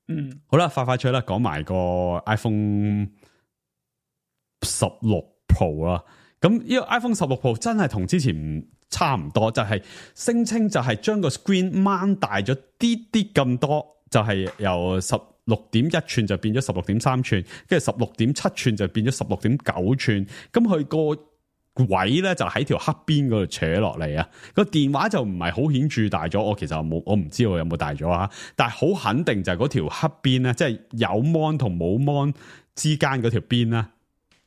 嗯，好啦，快快脆啦，講埋個 iPhone 十六 Pro 啦。咁呢個 iPhone 十六 Pro 真係同之前唔差唔多，就係、是、聲稱就係將個 screen 掹大咗啲啲咁多，就係、是、由十六點一寸就變咗十六點三寸，跟住十六點七寸就變咗十六點九寸。咁佢個位咧就喺條黑邊嗰度扯落嚟啊！個電話就唔係好顯著大咗，我其實冇，我唔知我有冇大咗啊！但係好肯定就係嗰條黑邊咧，即係有 mon 同冇 mon 之間嗰條邊咧，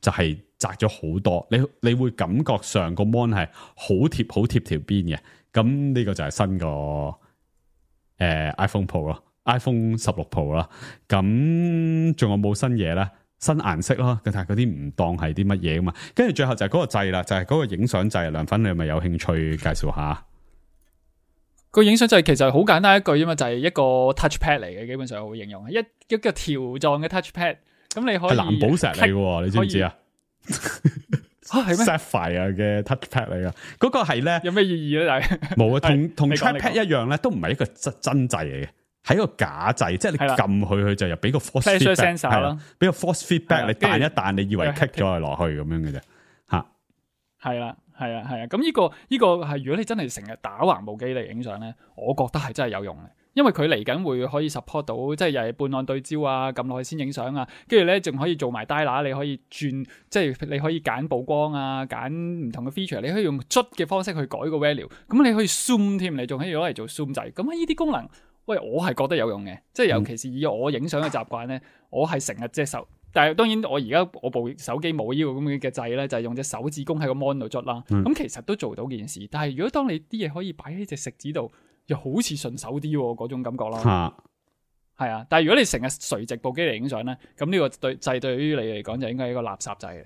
就係窄咗好多。你你會感覺上個 mon 係好貼好貼條邊嘅。咁呢個就係新個誒、呃、iPhone Pro 咯。iPhone 十六 Pro 啦，咁仲有冇新嘢咧？新顏色咯，但係嗰啲唔當係啲乜嘢噶嘛。跟住最後就係嗰個掣啦，就係、是、嗰個影相掣。梁粉你係咪有興趣介紹下？個影相掣其實好簡單一句啫嘛，就係、是、一個 touchpad 嚟嘅，基本上我會形容一一個條狀嘅 touchpad。咁你可以係藍寶石嚟嘅，你知唔知啊？啊係咩 ？Sapphire 嘅 touchpad 嚟噶，嗰、那個係咧有咩意義咧？但係冇啊，同同 trackpad 一樣咧，都唔係一個真真掣嚟嘅。係一個假掣，即係你撳佢，佢就又俾個 force feedback 係啦，俾個 force feedback 你彈一彈，你以為 kick 咗佢落去咁樣嘅啫，吓係啦，係啊，係啊，咁呢、這個呢、這個係如果你真係成日打橫部機嚟影相咧，我覺得係真係有用嘅，因為佢嚟緊會可以 support 到，即係又係半按對焦啊，撳落去先影相啊，跟住咧仲可以做埋 dial， 你可以轉，即係你可以揀曝光啊，揀唔同嘅 feature， 你可以用捽嘅方式去改個 value， 咁你可以 zoom 添，你仲可以攞嚟做 zoom 掣，咁呢啲功能。喂，我係覺得有用嘅，即係尤其是以我影相嘅習慣咧，我係成日隻手，但係當然我而家我部手機冇呢個咁嘅掣咧，就係、是、用隻手指公喺個 mon 度捽啦。咁、嗯、其實都做到件事，但係如果當你啲嘢可以擺喺隻食指度，又好似順手啲嗰種感覺啦。係啊，但係如果你成日垂直部機嚟影相咧，咁呢個對掣對於你嚟講就應該係一個垃圾掣嚟。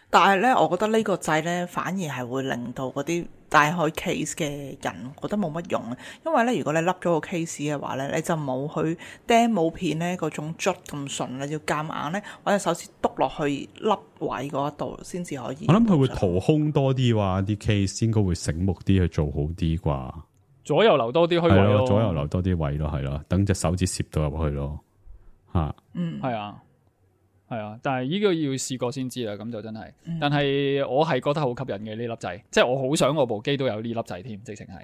但係咧，我覺得呢個掣咧，反而係會令到嗰啲帶開 case 嘅人覺得冇乜用，因為咧，如果你笠咗個 case 嘅話咧，你就冇去 demo 片咧嗰種捽咁順，你要夾硬咧，或者手指篤落去笠位嗰一度先至可以。我諗佢會掏空多啲啩，啲 case 應該會醒目啲去做好啲啩。左右留多啲虛位咯，左右留多啲位咯，係咯，等隻手指攝到入去咯，吓，嗯，係啊。係啊，但係呢個要試過先知啦，咁就真係。嗯、但係我係覺得好吸引嘅呢粒掣，即係我好想我部機都有呢粒掣添，直情係。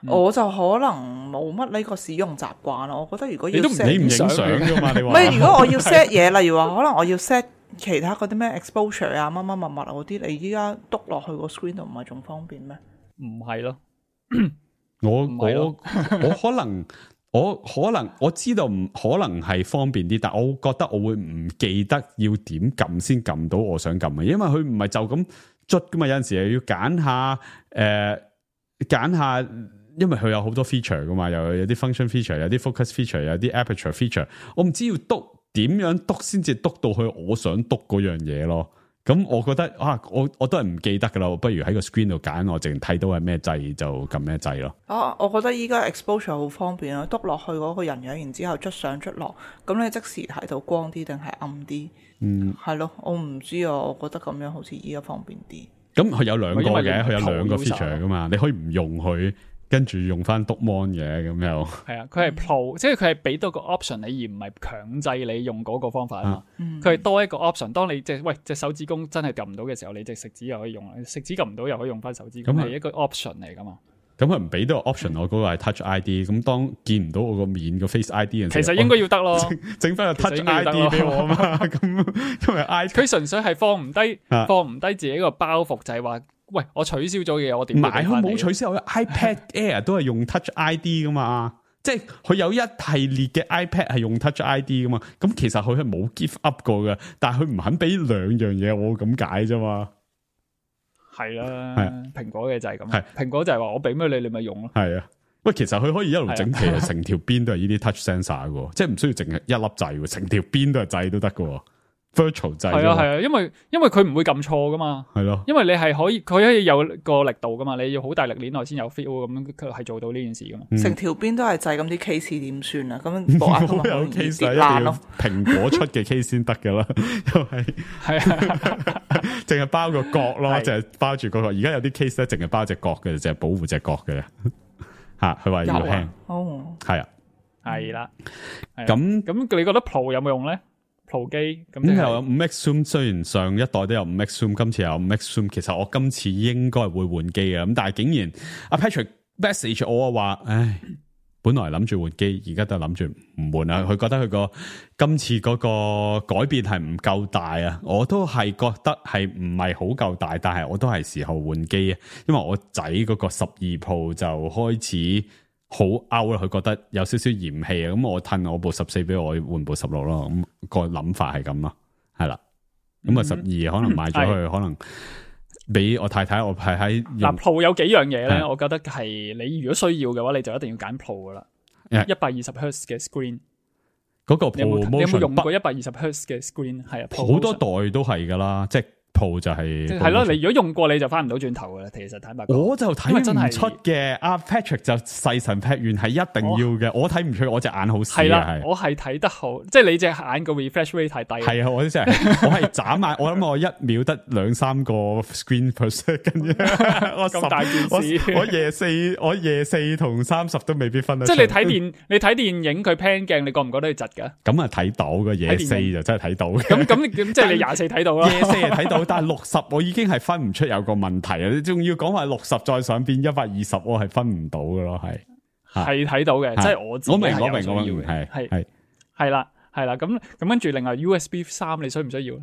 嗯、我就可能冇乜呢個使用習慣咯。我覺得如果要 set 你唔影相噶嘛，你話？唔係，如果我要 set 嘢，例如話可能我要 set 其他嗰啲咩 exposure 啊、乜乜物物嗰啲，你依家篤落去個 screen 度唔係仲方便咩？唔係咯，我我我可能。我可能我知道唔可能係方便啲，但我覺得我會唔記得要點撳先撳到我想撳嘅，因為佢唔係就咁捽噶嘛，有陣時又要揀下誒揀下，因為佢有好多 feature 噶嘛，又有啲 function feature， 有啲 focus feature， 有啲 aperture feature， 我唔知要篤點樣篤先至篤到去我想篤嗰樣嘢咯。咁我覺得啊，我我都係唔記得噶啦，不如喺個 screen 度揀，我淨睇到係咩掣就撳咩掣咯。啊，我覺得依家 exposure 好方便咯，篤落去嗰個人樣，然之後捽上捽落，咁你即時睇到光啲定係暗啲？嗯，係咯，我唔知啊，我覺得咁樣好似依家方便啲。咁佢有兩個嘅，佢有兩個 feature 噶嘛，你可以唔用佢。跟住用翻篤 mon 嘅咁又係啊，佢係 Pro，即係佢係俾多個 option 你，而唔係強制你用嗰個方法啊嘛。佢係、嗯、多一個 option，當你隻喂隻手指公真係撳唔到嘅時候，你隻食指又可以用，食指撳唔到又可以用翻手指公，係一個 option 嚟噶嘛。咁佢唔俾多個 option，我嗰個係 Touch I D，咁當見唔到我個面個 Face I D 嘅時候，其實應該要得咯，整翻個 Touch I D 俾我嘛。咁因為 I D 佢純粹係放唔低，放唔低自己個包袱，就係話。喂，我取消咗嘅嘢，我點買？佢冇取消，我 iPad Air 都係用 Touch I D 噶嘛，即係佢有一系列嘅 iPad 係用 Touch I D 噶嘛。咁其實佢係冇 give up 過嘅，但係佢唔肯俾兩樣嘢我咁解啫嘛。係啦，蘋果嘅就係咁，蘋果就係話我俾咩你，你咪用咯。係啊，喂，其實佢可以一路整皮，成條邊都係呢啲 Touch sensor 嘅，即係唔需要淨係一粒掣，成條邊都係掣都得嘅。virtual 掣係啊係啊，因為因為佢唔會撳錯噶嘛，係咯，因為你係可以佢可以有個力度噶嘛，你要好大力鏈落先有 feel 咁，佢係做到呢件事噶嘛。成條邊都係掣，咁啲 case 點算啊？咁部 iPhone 咪好容易跌爛咯。蘋果出嘅 case 先得噶啦，因為係啊，淨係包個角咯，淨係包住個角。而家有啲 case 咧，淨係包隻角嘅，淨係保護隻角嘅。吓，佢話要輕，哦，係啊，係啦。咁咁，你覺得 Pro 有冇用咧？ Pro 機咁、就是，咁又有五 X Zoom，雖然上一代都有五 X Zoom，今次有五 X Zoom，其實我今次應該會換機嘅，咁但係竟然阿 Patrick message 我話，唉，本來諗住換機，而家都諗住唔換啦。佢覺得佢個今次嗰個改變係唔夠大啊，我都係覺得係唔係好夠大，但係我都係時候換機啊，因為我仔嗰個十二 Pro 就開始好 out 啦，佢覺得有少少嫌棄啊，咁我褪我部十四俾我換部十六咯，咁個諗法係咁咯，係啦，咁啊十二可能買咗佢，可能俾我太太，我係喺嗱 Pro 有幾樣嘢咧，我覺得係你如果需要嘅話，你就一定要揀 Pro 噶啦，一百二十赫茲嘅 screen， 嗰個 Pro 你有冇用過一百二十赫茲嘅 screen？ 係啊，好多代都係噶啦，即係。Pro 就係係咯，你如果用過你就翻唔到轉頭噶啦。其實坦白講，我就睇唔出嘅。阿 Patrick 就細神劈完係一定要嘅，我睇唔出，我隻眼好細。係啦，我係睇得好，即係你隻眼個 refresh rate 太低。係啊，我真係我係眨眼，我諗我一秒得兩三個 screen per second 啫。我咁大件事，我夜四我夜四同三十都未必分得出。即係你睇電你睇電影佢 pan 鏡，你覺唔覺得佢窒噶？咁啊睇到個夜四就真係睇到。咁咁咁即係你廿四睇到啦，夜四係睇到。但係六十我已經係分唔出有個問題啊！你仲要講話六十再上變一百二十，我係分唔到嘅咯，係係睇到嘅，即係我自己係有需要嘅。我明我明係係係係啦係啦，咁咁跟住另外 U S B 三你需唔需要？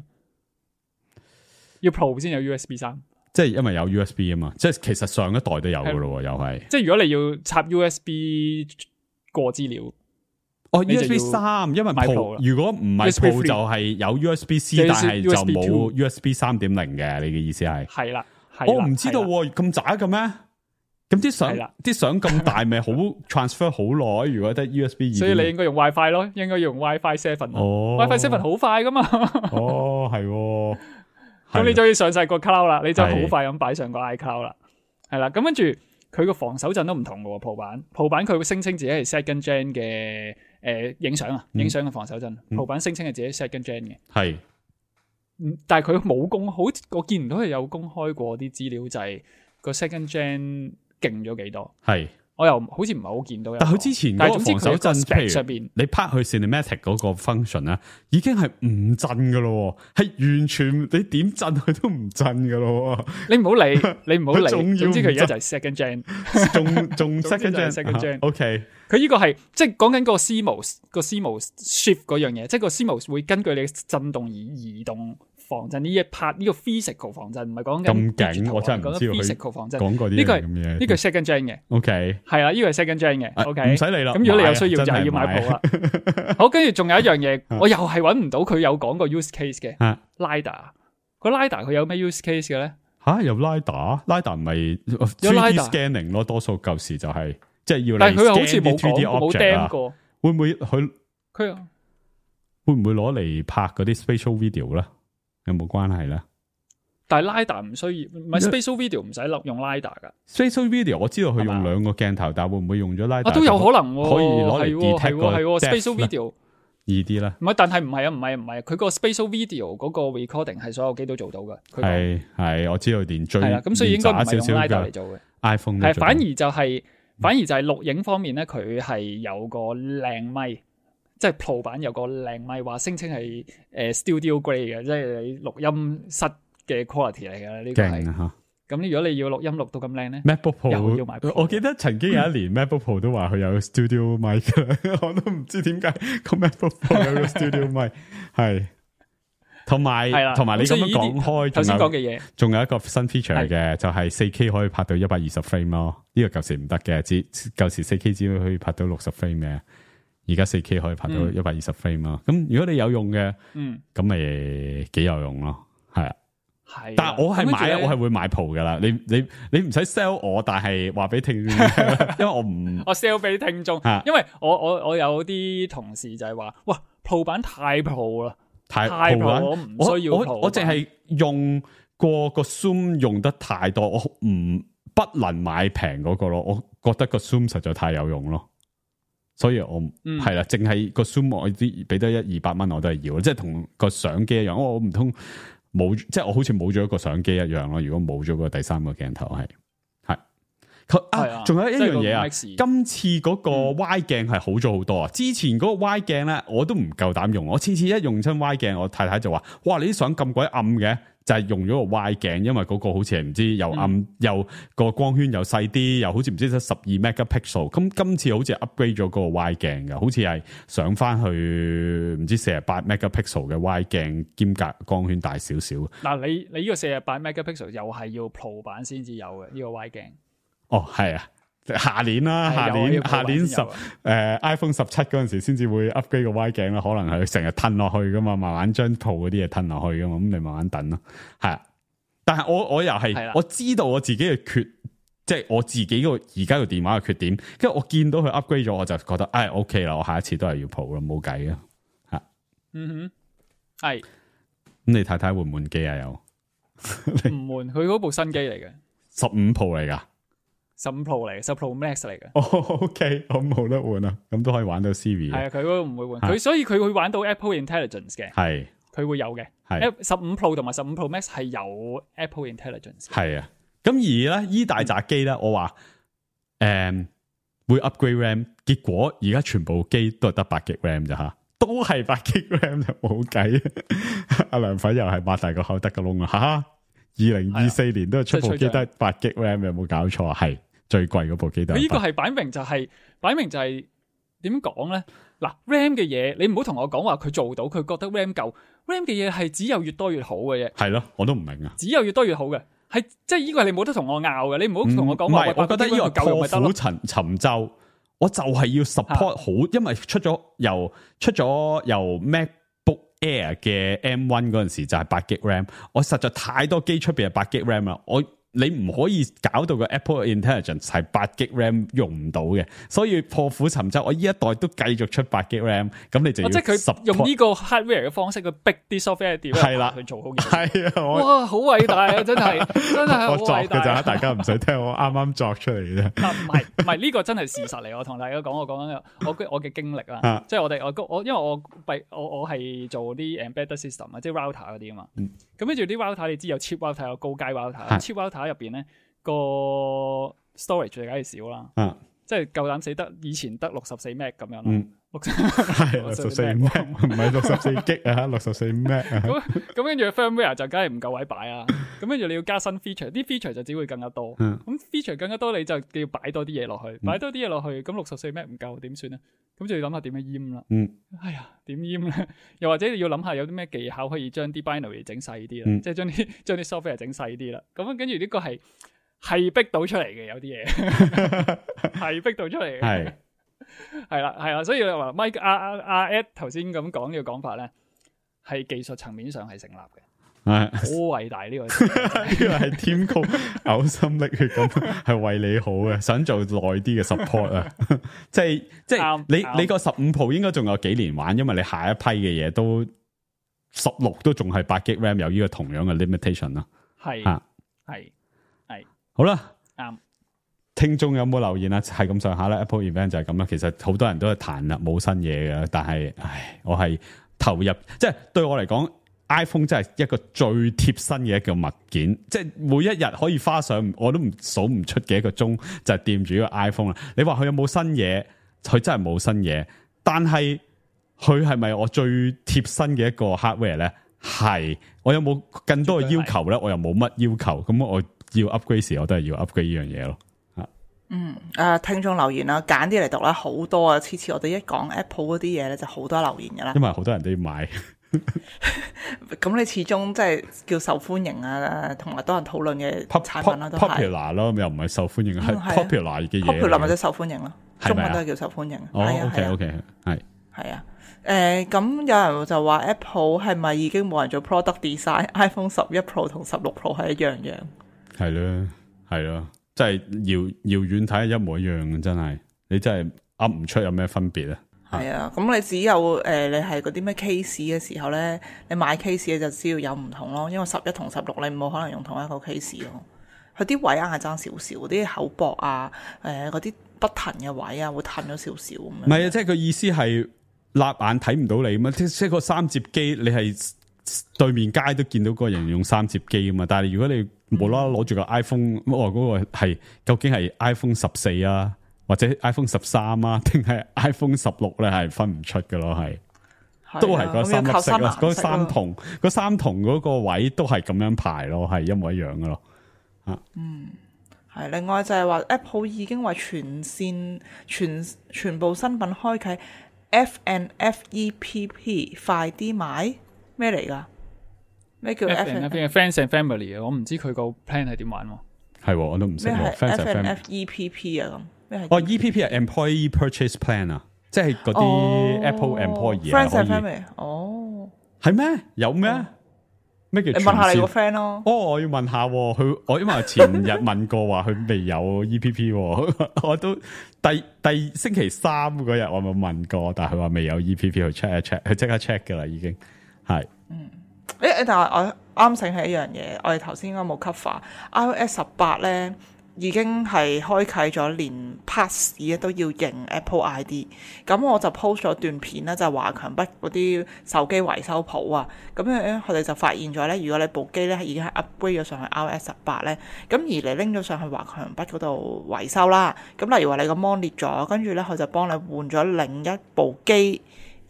要 Pro 先有 U S B 三，即係因為有 U S B 啊嘛，即係其實上一代都有嘅咯，又係即係如果你要插 U S B 過資料。哦 ，U S B 三，因為 Pro 如果唔係 Pro 就係有 U S B C， 但係就冇 U S B 三點零嘅。你嘅意思係？係啦，我唔知道咁渣嘅咩？咁啲相啲相咁大，咪好 transfer 好耐？如果得 U S B 二，所以你應該用 WiFi 咯，應該用 WiFi Seven。哦 ，WiFi Seven 好快噶嘛？哦，係，咁你就要上晒個 cloud 啦，你就好快咁擺上個 iCloud 啦。係啦，咁跟住佢個防手震都唔同嘅，Pro 版，Pro 版佢會聲稱自己係 second gen 嘅。誒，影相啊，影相嘅防手震，Pro 版聲稱係自己 second gen 嘅，係，嗯，但係佢冇公，好，我見唔到佢有公開過啲資料，就係個 second gen 勁咗幾多，係，我又好似唔係好見到。但係佢之前嗰個防手震，譬如上邊你拍去 cinematic 嗰個 function 咧，已經係唔震噶咯，係完全你點震佢都唔震噶咯。你唔好理，你唔好理，總之佢而家就係 second gen， 仲仲 second gen，second gen，OK。佢呢個係即係講緊個 C M O S 個 C M O S shift 嗰樣嘢，即係個 C M O S 會根據你嘅震動而移動防震呢一 part， 呢個 physical 防震唔係講緊咁勁，我真係唔知道佢 physical 防震講過啲呢個係呢個係 second gen 嘅 ，OK 係啊，呢個係 second gen 嘅 ，OK 唔使理啦。咁如果你有需要就係要買 Pro 啦。好，跟住仲有一樣嘢，我又係揾唔到佢有講過 use case 嘅 LiDAR 個 LiDAR 佢有咩 use case 嘅咧？吓有 LiDAR，LiDAR 唔係 three D scanning 咯，多數舊時就係。即係要，但係佢又好似冇講冇釘過，會唔會佢佢會唔會攞嚟拍嗰啲 spatial video 咧？有冇關係咧？但係 LiDAR 唔需要，唔係 spatial video 唔使落用 LiDAR 噶。spatial video 我知道佢用兩個鏡頭，但係會唔會用咗 LiDAR？啊，都有可能可以攞嚟 detect 個 spatial video 易啲啦。唔係，但係唔係啊，唔係唔係，佢個 spatial video 嗰個 recording 係所有機都做到嘅。係係，我知道連最係啦，咁所以應該唔係用 LiDAR 嚟做嘅。iPhone 係反而就係。反而就係錄影方面咧，佢係有個靚咪，即係 Pro 版有個靚咪，話聲稱係誒 Studio Grade 嘅，即係你錄音室嘅 quality 嚟嘅呢個係。咁如果你要錄音錄到咁靚咧 ，MacBook Pro 又要買 Pro。我記得曾經有一年MacBook Pro 都話佢有 Studio Mic，我都唔知點解個 MacBook Pro 有個 Studio Mic 係。同埋，同埋你咁樣講開，頭先講嘅嘢，仲有一個新 feature 嘅，就係四 K 可以拍到一百二十 frame 咯。呢個舊時唔得嘅，只舊時四 K 只可以拍到六十 frame 嘅，而家四 K 可以拍到一百二十 frame 咯。咁如果你有用嘅，嗯，咁咪幾有用咯，係啊。係，但係我係買，我係會買 Pro 噶啦。你你你唔使 sell 我，但係話俾聽眾，因為我唔，我 sell 俾聽眾，因為我我我有啲同事就係話，哇 Pro 版太 Pro 啦。太 Pro 我唔需要 Pro 我我淨係用過個 Zoom 用得太多，我唔不能買平嗰個咯。我覺得個 Zoom 實在太有用咯，所以我係啦，淨係個 Zoom 我啲俾得一二百蚊我都係要，即係同個相機一樣。我唔通冇，即係我好似冇咗一個相機一樣咯。如果冇咗個第三個鏡頭係係佢係啊啊，仲有一樣嘢啊，即係個 Max 今次嗰個 Y 鏡係好咗好多啊！之前嗰個 Y 鏡咧，我都唔夠膽用，我次次一用親 Y 鏡，我太太就話：哇，你啲相咁鬼暗嘅！就係用咗個 Y 鏡，因為嗰個好似係唔知又暗、嗯、又個光圈又細啲，又好似唔知得十二 megapixel。咁今次好似 upgrade 咗嗰個 Y 鏡嘅，好似係上翻去唔知四十八 megapixel 嘅 Y 鏡，兼隔光圈大少少。嗱，你你呢個四十八 megapixel 又係要 Pro 版先至有嘅呢、這個 Y 鏡。哦，係啊。下年啦，下年下年十誒、呃、iPhone 十七嗰陣時先至會 upgrade 個 Y 鏡啦，可能係成日褪落去噶嘛，慢慢將 Pro 嗰啲嘢褪落去噶嘛，咁你慢慢等咯，係啊。但係我我又係我知道我自己嘅缺，即係我自己個而家個電話嘅缺點，跟住我見到佢 upgrade 咗，我就覺得唉 OK 啦，我下一次都係要 Pro 啦，冇計啊，吓，嗯哼，係。咁你太太換唔換機啊？又唔換，佢嗰部新機嚟嘅，十五 Pro 嚟噶。十五 Pro 嚟嘅，十 Pro Max 嚟嘅。哦、oh,，OK， 我冇得換啊，咁都可以玩到 Siri。係啊，佢嗰個唔會換，佢所以佢會玩到 Apple Intelligence 嘅。係，佢會有嘅。係，十五 Pro 同埋十五 Pro Max 係有 Apple Intelligence。係啊，咁而咧依大扎機咧，我話誒、嗯、會 upgrade RAM， 結果而家全部機都係得八 G RAM 咋吓，都係八 G RAM 就冇計。阿梁粉又係擘大個口得個窿啦，吓！二零二四年都係出部機得八 G RAM， 有冇搞錯啊？係。最貴嗰部機都係，佢呢個係擺明就係、是、擺明就係點講咧？嗱 ，RAM 嘅嘢你唔好同我講話佢做到，佢覺得 RAM 夠 ，RAM 嘅嘢係只有越多越好嘅啫。係咯，我都唔明啊。只有越多越好嘅，係即係呢個係你冇得同我拗嘅，你唔好同我講話。唔係，我覺得呢個破釜沉沉舟，我就係要 support 好，因為出咗由出咗由 MacBook Air 嘅 M 一 嗰陣時就係八 G RAM， 我實在太多機出邊係八 G RAM 啦，我。你唔可以搞到個 Apple Intelligence 係八 G RAM 用唔到嘅，所以破釜沉舟，我呢一代都繼續出八 G RAM， 咁你就要、哦、即係佢用呢個 hardware 嘅方式去逼啲 software developer 去做好嘢。係啊，哇，好偉大啊，真係真係好偉大。我作嘅咋，大家唔使聽，我啱啱作出嚟嘅。唔係唔係呢個真係事實嚟，我同大家講，我講緊我我嘅經歷啦，即係我哋我我因為我閉我我係做啲 embedded system 啊，即係 router 嗰啲啊嘛。咁跟住啲 router 你知有 cheap router 有高階 router，cheap router 入邊咧個 storage 就梗係少啦，啊、即係夠膽死得以前得六十四 meg 咁樣啦，六係六十四 meg 唔係六十四 G 啊，六十四 meg 啊，咁咁跟住 firmware 就梗係唔夠位擺啊，咁跟住你要加新 feature， 啲 feature 就只會更加多，咁、嗯、feature 更加多你就要擺多啲嘢落去，擺多啲嘢落去，咁六十四 meg 唔夠點算咧？咁就要諗下點樣閹啦。嗯，哎呀，點閹咧？又或者你要諗下有啲咩技巧可以將啲 binary 整細啲啦，嗯、即係將啲將啲 software 整細啲啦。咁跟住呢個係係逼到出嚟嘅，有啲嘢係逼到出嚟嘅。係係啦係啦，所以你話 Mike 阿阿阿 Ed 頭先咁講呢個講法咧，係技術層面上係成立嘅。係好偉大呢個，呢個係 Tim Cook 嘔心瀝血咁，係為你好嘅，想做耐啲嘅 support 啊！即係即係你你個十五 Pro 應該仲有幾年玩，因為你下一批嘅嘢都十六都仲係八 G RAM 有呢個同樣嘅 limitation 啦。係係係好啦，啱。聽眾有冇留言啊？係咁上下啦 ，Apple event 就係咁啦。其實好多人都係彈啦，冇新嘢嘅，但係唉，我係投入，即係對我嚟講。iPhone 真係一個最貼身嘅一個物件，即係每一日可以花上我都唔數唔出嘅一個鐘就係掂住呢個 iPhone 啦。你話佢有冇新嘢？佢真係冇新嘢，但係佢係咪我最貼身嘅一個 hardware 咧？係。我有冇更多嘅要求咧？我又冇乜要求，咁我要 upgrade 時我都係要 upgrade 呢樣嘢咯。嗯，誒，聽眾留言啦，揀啲嚟讀啦，好多啊！次次我哋一講 Apple 嗰啲嘢咧，就好多留言噶啦。因為好多人都要買。咁你始終即係叫受歡迎啊，同埋多人討論嘅產品啦，都係 popular 咯，又唔係受歡迎，係 popular 嘅嘢。popular 或者受歡迎咯，中文都係叫受歡迎。哦，OK OK，係係啊，誒，咁有人就話 Apple 係咪已經冇人做 product design？iPhone 十一 Pro 同十六 Pro 係一樣樣。係咯，係咯，即係遙遙遠睇係一模一樣嘅，真係你真係噏唔出有咩分別啊！係啊，咁你只有誒、呃，你係嗰啲咩 case 嘅時候咧，你買 case 就知道有唔同咯。因為十一同十六你冇可能用同一個 case 咯，佢啲位硬係爭少少，啲口薄啊，誒嗰啲不騰嘅位啊，會褪咗少少咁樣。唔係啊，即係個意思係立眼睇唔到你嘛，即係個三摺機，你係對面街都見到個人用三摺機啊嘛。但係如果你無啦啦攞住個 iPhone，我話嗰個係究竟係 iPhone 十四啊，或者 iPhone 十三啊，定係 iPhone 十六咧？係分唔出嘅咯，係。都係嗰三粒色咯，嗰三筒嗰三筒嗰個位都係咁樣排咯，係一模一樣嘅咯。啊，嗯，係。另外就係話 Apple 已經為全線全全部新品開啟 F and F E P P 快啲買咩嚟㗎？咩叫 F and Friends and Family 啊？我唔知佢個 plan 係點玩喎。係，我都唔識。咩係 Friends F and and F E P P 啊？咁咩係？哦 ，E P P 係 Employee Purchase Plan 啊。即係嗰啲 Apple employee 啊，可以哦，係咩？有咩？咩叫？你問下你個 friend 咯。哦，我要問下佢，我因為前日問過話佢未有 E P P，我都第第星期三嗰日我咪問過，但係佢話未有 E P P 去 check 一 check，佢即刻 check 噶啦，已經係。嗯，誒誒，但係我啱醒起一樣嘢，我哋頭先應該冇 cover，iOS 十八咧。已經係開啟咗連 pass 都要認 Apple I D， 咁我就 post 咗段片啦，就係華強北嗰啲手機維修鋪啊，咁樣佢哋就發現咗咧，如果你部機咧已經係 upgrade 咗上去 iOS 十八咧，咁而你拎咗上去華強北嗰度維修啦，咁例如話你個 mon 裂咗，跟住咧佢就幫你換咗另一部機。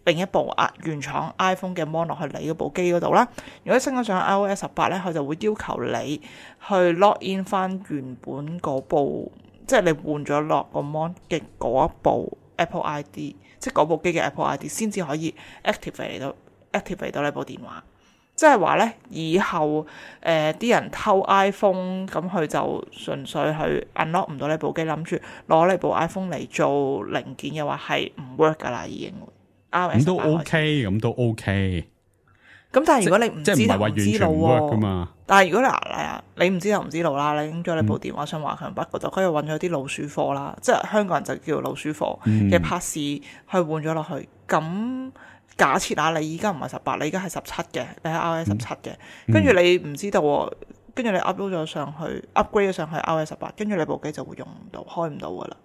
另一部啊原廠 iPhone 嘅 mon 落去你嗰部機嗰度啦，如果升咗上 iOS 十八咧，佢就會要求你去 log in 翻原本嗰部，即係你換咗落個 mon 嘅嗰一部 Apple I D， 即係嗰部機嘅 Apple I D 先至可以 activate 到 activate 到呢部電話。即係話咧，以後誒啲、呃、人偷 iPhone，咁佢就純粹去 unlock 唔到呢部機，諗住攞呢部 iPhone 嚟做零件嘅話，係唔 work 噶啦，已經。咁都 OK，咁都 OK。咁但係如果你唔知頭唔知路喎，但係如果你嗱你唔知頭唔知路啦，你拎咗你部電話上華強北嗰度，佢又揾咗啲老鼠貨啦，即係香港人就叫老鼠貨嘅 pass 去換咗落去。咁假設啊，你依家唔係十八，你依家係十七嘅，你係 iOS 十七嘅，跟住你唔知道喎，跟住你 upload 咗上去 ，upgrade 咗上去 iOS 十八，跟住你部機就會用唔到，開唔到噶啦。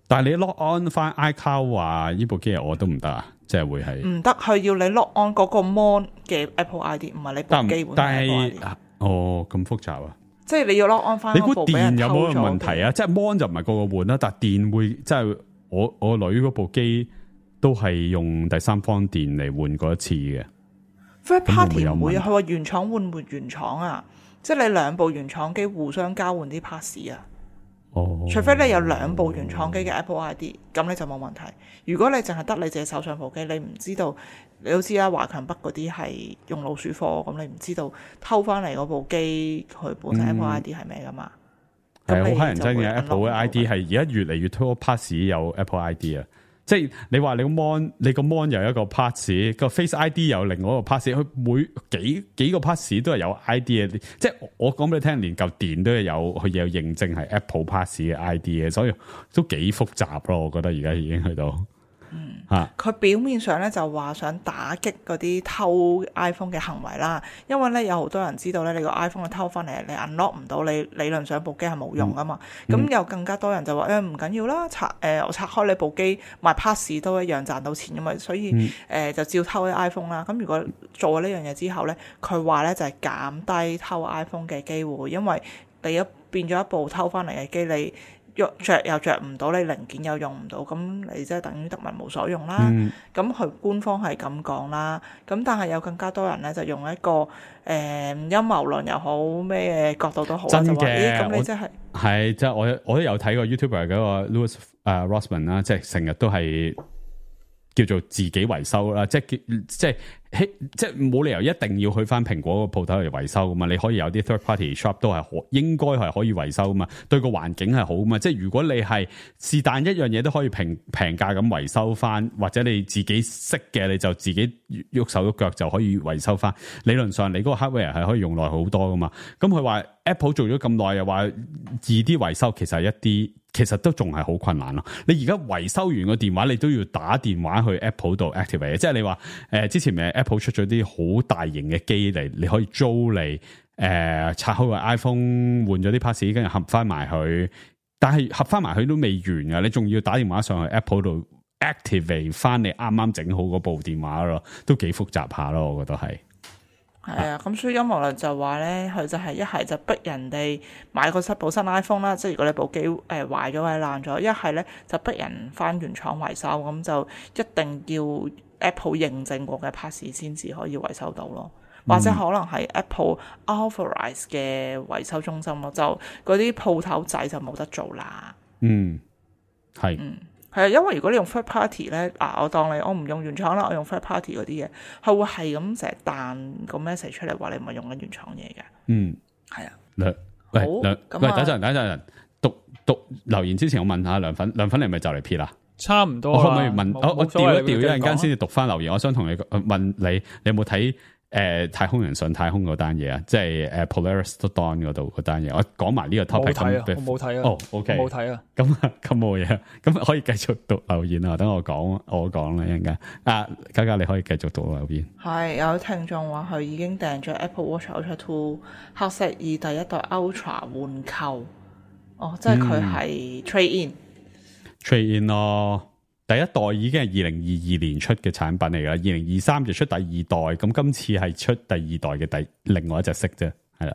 但係你 log on 翻 iCloud 話呢部機我都唔得啊，即係會係唔得，佢要你 log on 嗰個 mon 嘅 Apple I D， 唔係你部機本身 Apple I D。哦，咁複雜啊！即係你要 log on 翻。你估電有冇問題啊？即係 mon 就唔係個個換啦，但係電會即係我我女嗰部機都係用第三方電嚟換過一次嘅。Third party 唔會啊，佢話原廠換換原廠啊，即係你兩部原廠機互相交換啲 pass 啊。哦，除非你有兩部原廠機嘅 Apple I D， 咁你就冇問題。如果你淨係得你自己手上部機，你唔知道，你都知啦，華強北嗰啲係用老鼠貨，咁你唔知道偷翻嚟嗰部機佢本身 Apple I D 係咩噶嘛？係好乞人憎嘅 Apple 嘅 I D 係而家越嚟越多 pass 有 Apple I D 啊！即係你話你個 mon 你個 mon 有一個 pass， 個 Face I D 有另外一個 pass， 佢每幾幾個 pass 都係有 I D 嘅。即係我講俾你聽，連嚿電都係有佢有認證係 Apple pass 嘅 I D 嘅，所以都幾複雜咯。我覺得而家已經去到。嗯，吓，佢表面上咧就話想打擊嗰啲偷 iPhone 嘅行為啦，因為咧有好多人知道咧，你個 iPhone 偷翻嚟，你 unlock 唔到，你理論上部機係冇用噶嘛。咁、嗯、有更加多人就話誒唔緊要啦，拆誒、呃、我拆開你部機賣 pass 都一樣賺到錢噶嘛，所以誒、嗯呃、就照偷啲 iPhone 啦。咁如果做咗呢樣嘢之後咧，佢話咧就係、是、減低偷 iPhone 嘅機會，因為你一變咗一部偷翻嚟嘅機，你着又着唔到，你零件又用唔到，咁你即係等於得物無所用啦。咁佢、嗯、官方係咁講啦，咁但係有更加多人咧就用一個誒、呃、陰謀論又好咩角度都好，真就話嘅。咁、欸、你即係係即係我我都有睇過 YouTuber 嗰個 Louis 誒、uh, Rossman 啦，即係成日都係叫做自己維修啦，即係即係即係冇理由一定要去翻蘋果個鋪頭嚟維修噶嘛，你可以有啲 third party shop 都係可應該係可以維修噶嘛，對個環境係好噶嘛。即係如果你係是但一樣嘢都可以平平價咁維修翻，或者你自己識嘅你就自己喐手喐腳就可以維修翻。理論上你嗰個 hardware 係可以用耐好多噶嘛。咁佢話 Apple 做咗咁耐又話易啲維修，其實一啲其實都仲係好困難咯。你而家維修完個電話，你都要打電話去 Apple 度 activate， 即係你話誒、呃、之前咪 Apple 出咗啲好大型嘅機嚟，你可以租嚟誒、呃、拆開個 iPhone 換咗啲 pass， 跟住合翻埋佢，但係合翻埋佢都未完噶，你仲要打電話上去 Apple 度 activate 翻你啱啱整好嗰部電話咯，都幾複雜下咯，我覺得係。係啊，咁所以陰謀論就話咧，佢就係一係就逼人哋買個新部新 iPhone 啦，即係如果你部機誒壞咗或者爛咗，一係咧就逼人翻原廠維修，咁就一定要 Apple 認證過嘅 parts 先至可以維修到咯。或者可能係 Apple authorized 嘅維修中心咯，就嗰啲鋪頭仔就冇得做啦。嗯，係。嗯，係啊，因為如果你用 third party 咧，嗱，我當你我唔用原廠啦，我用 third party 嗰啲嘢，佢會係咁成日彈個 message 出嚟話你唔係用緊原廠嘢嘅。嗯，係啊。梁，喂好梁，咁喂，啊等陣等陣，讀讀留言之前，我問下梁粉，梁粉你係咪就嚟撇啦？差唔多我可唔啦可以問？冇我我冇所謂調一調一陣間你繼續講先至讀翻留言。我想同你呃問你，你有冇睇誒太空人上太空嗰單嘢啊？即係誒 Polaris Dawn 嗰度嗰單嘢。我講埋呢個 topic 冇睇啊，咁我冇睇啊。哦，OK，我冇睇啊。咁啊，咁冇嘢，咁可以繼續讀留言啊。等我講，我講啦，一陣間。啊，嘉嘉你可以繼續讀留言。係有聽眾話佢已經訂咗 Apple Watch Ultra Two 黑色以第一代 Ultra 換購，哦，即係佢係 trade in。trade in 咯，第一代已經係二零二二年出嘅產品嚟噶，二零二三就出第二代，咁今次係出第二代嘅第另外一隻色啫，係啦。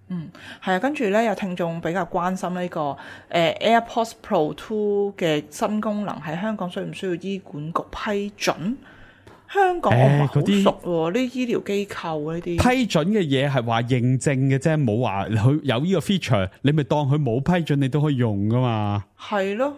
嗯，係啊，跟住咧有聽眾比較關心呢、這個誒、呃、AirPods Pro Two 嘅新功能喺香港需唔需要醫管局批准？香港我唔係好熟喎，呢啲醫療機構呢啲批准嘅嘢係話認證嘅啫，冇話佢有呢個 feature，你咪當佢冇批准，你都可以用噶嘛。係咯。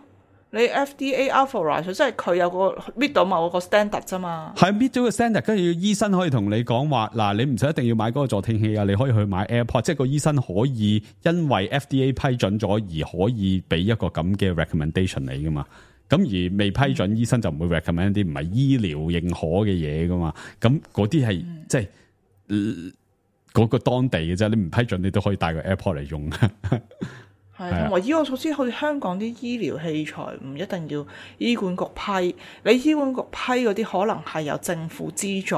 你 F D A authorized 即係佢有個 meet 到某個 standard 啫嘛，係 meet 咗個 standard，跟住醫生可以同你講話嗱，你唔使一定要買嗰個助聽器啊，你可以去買 AirPod， 即係個醫生可以因為 F D A 批准咗而可以俾一個咁嘅 recommendation 你噶嘛。咁而未批准，嗯、醫生就唔會 recommend 啲唔係醫療認可嘅嘢噶嘛。咁嗰啲係即係嗰、呃嗰個當地嘅啫，你唔批准你都可以帶個 AirPod 嚟用。係，同埋依個措施，好似香港啲醫療器材唔一定要醫管局批，你醫管局批嗰啲可能係由政府資助，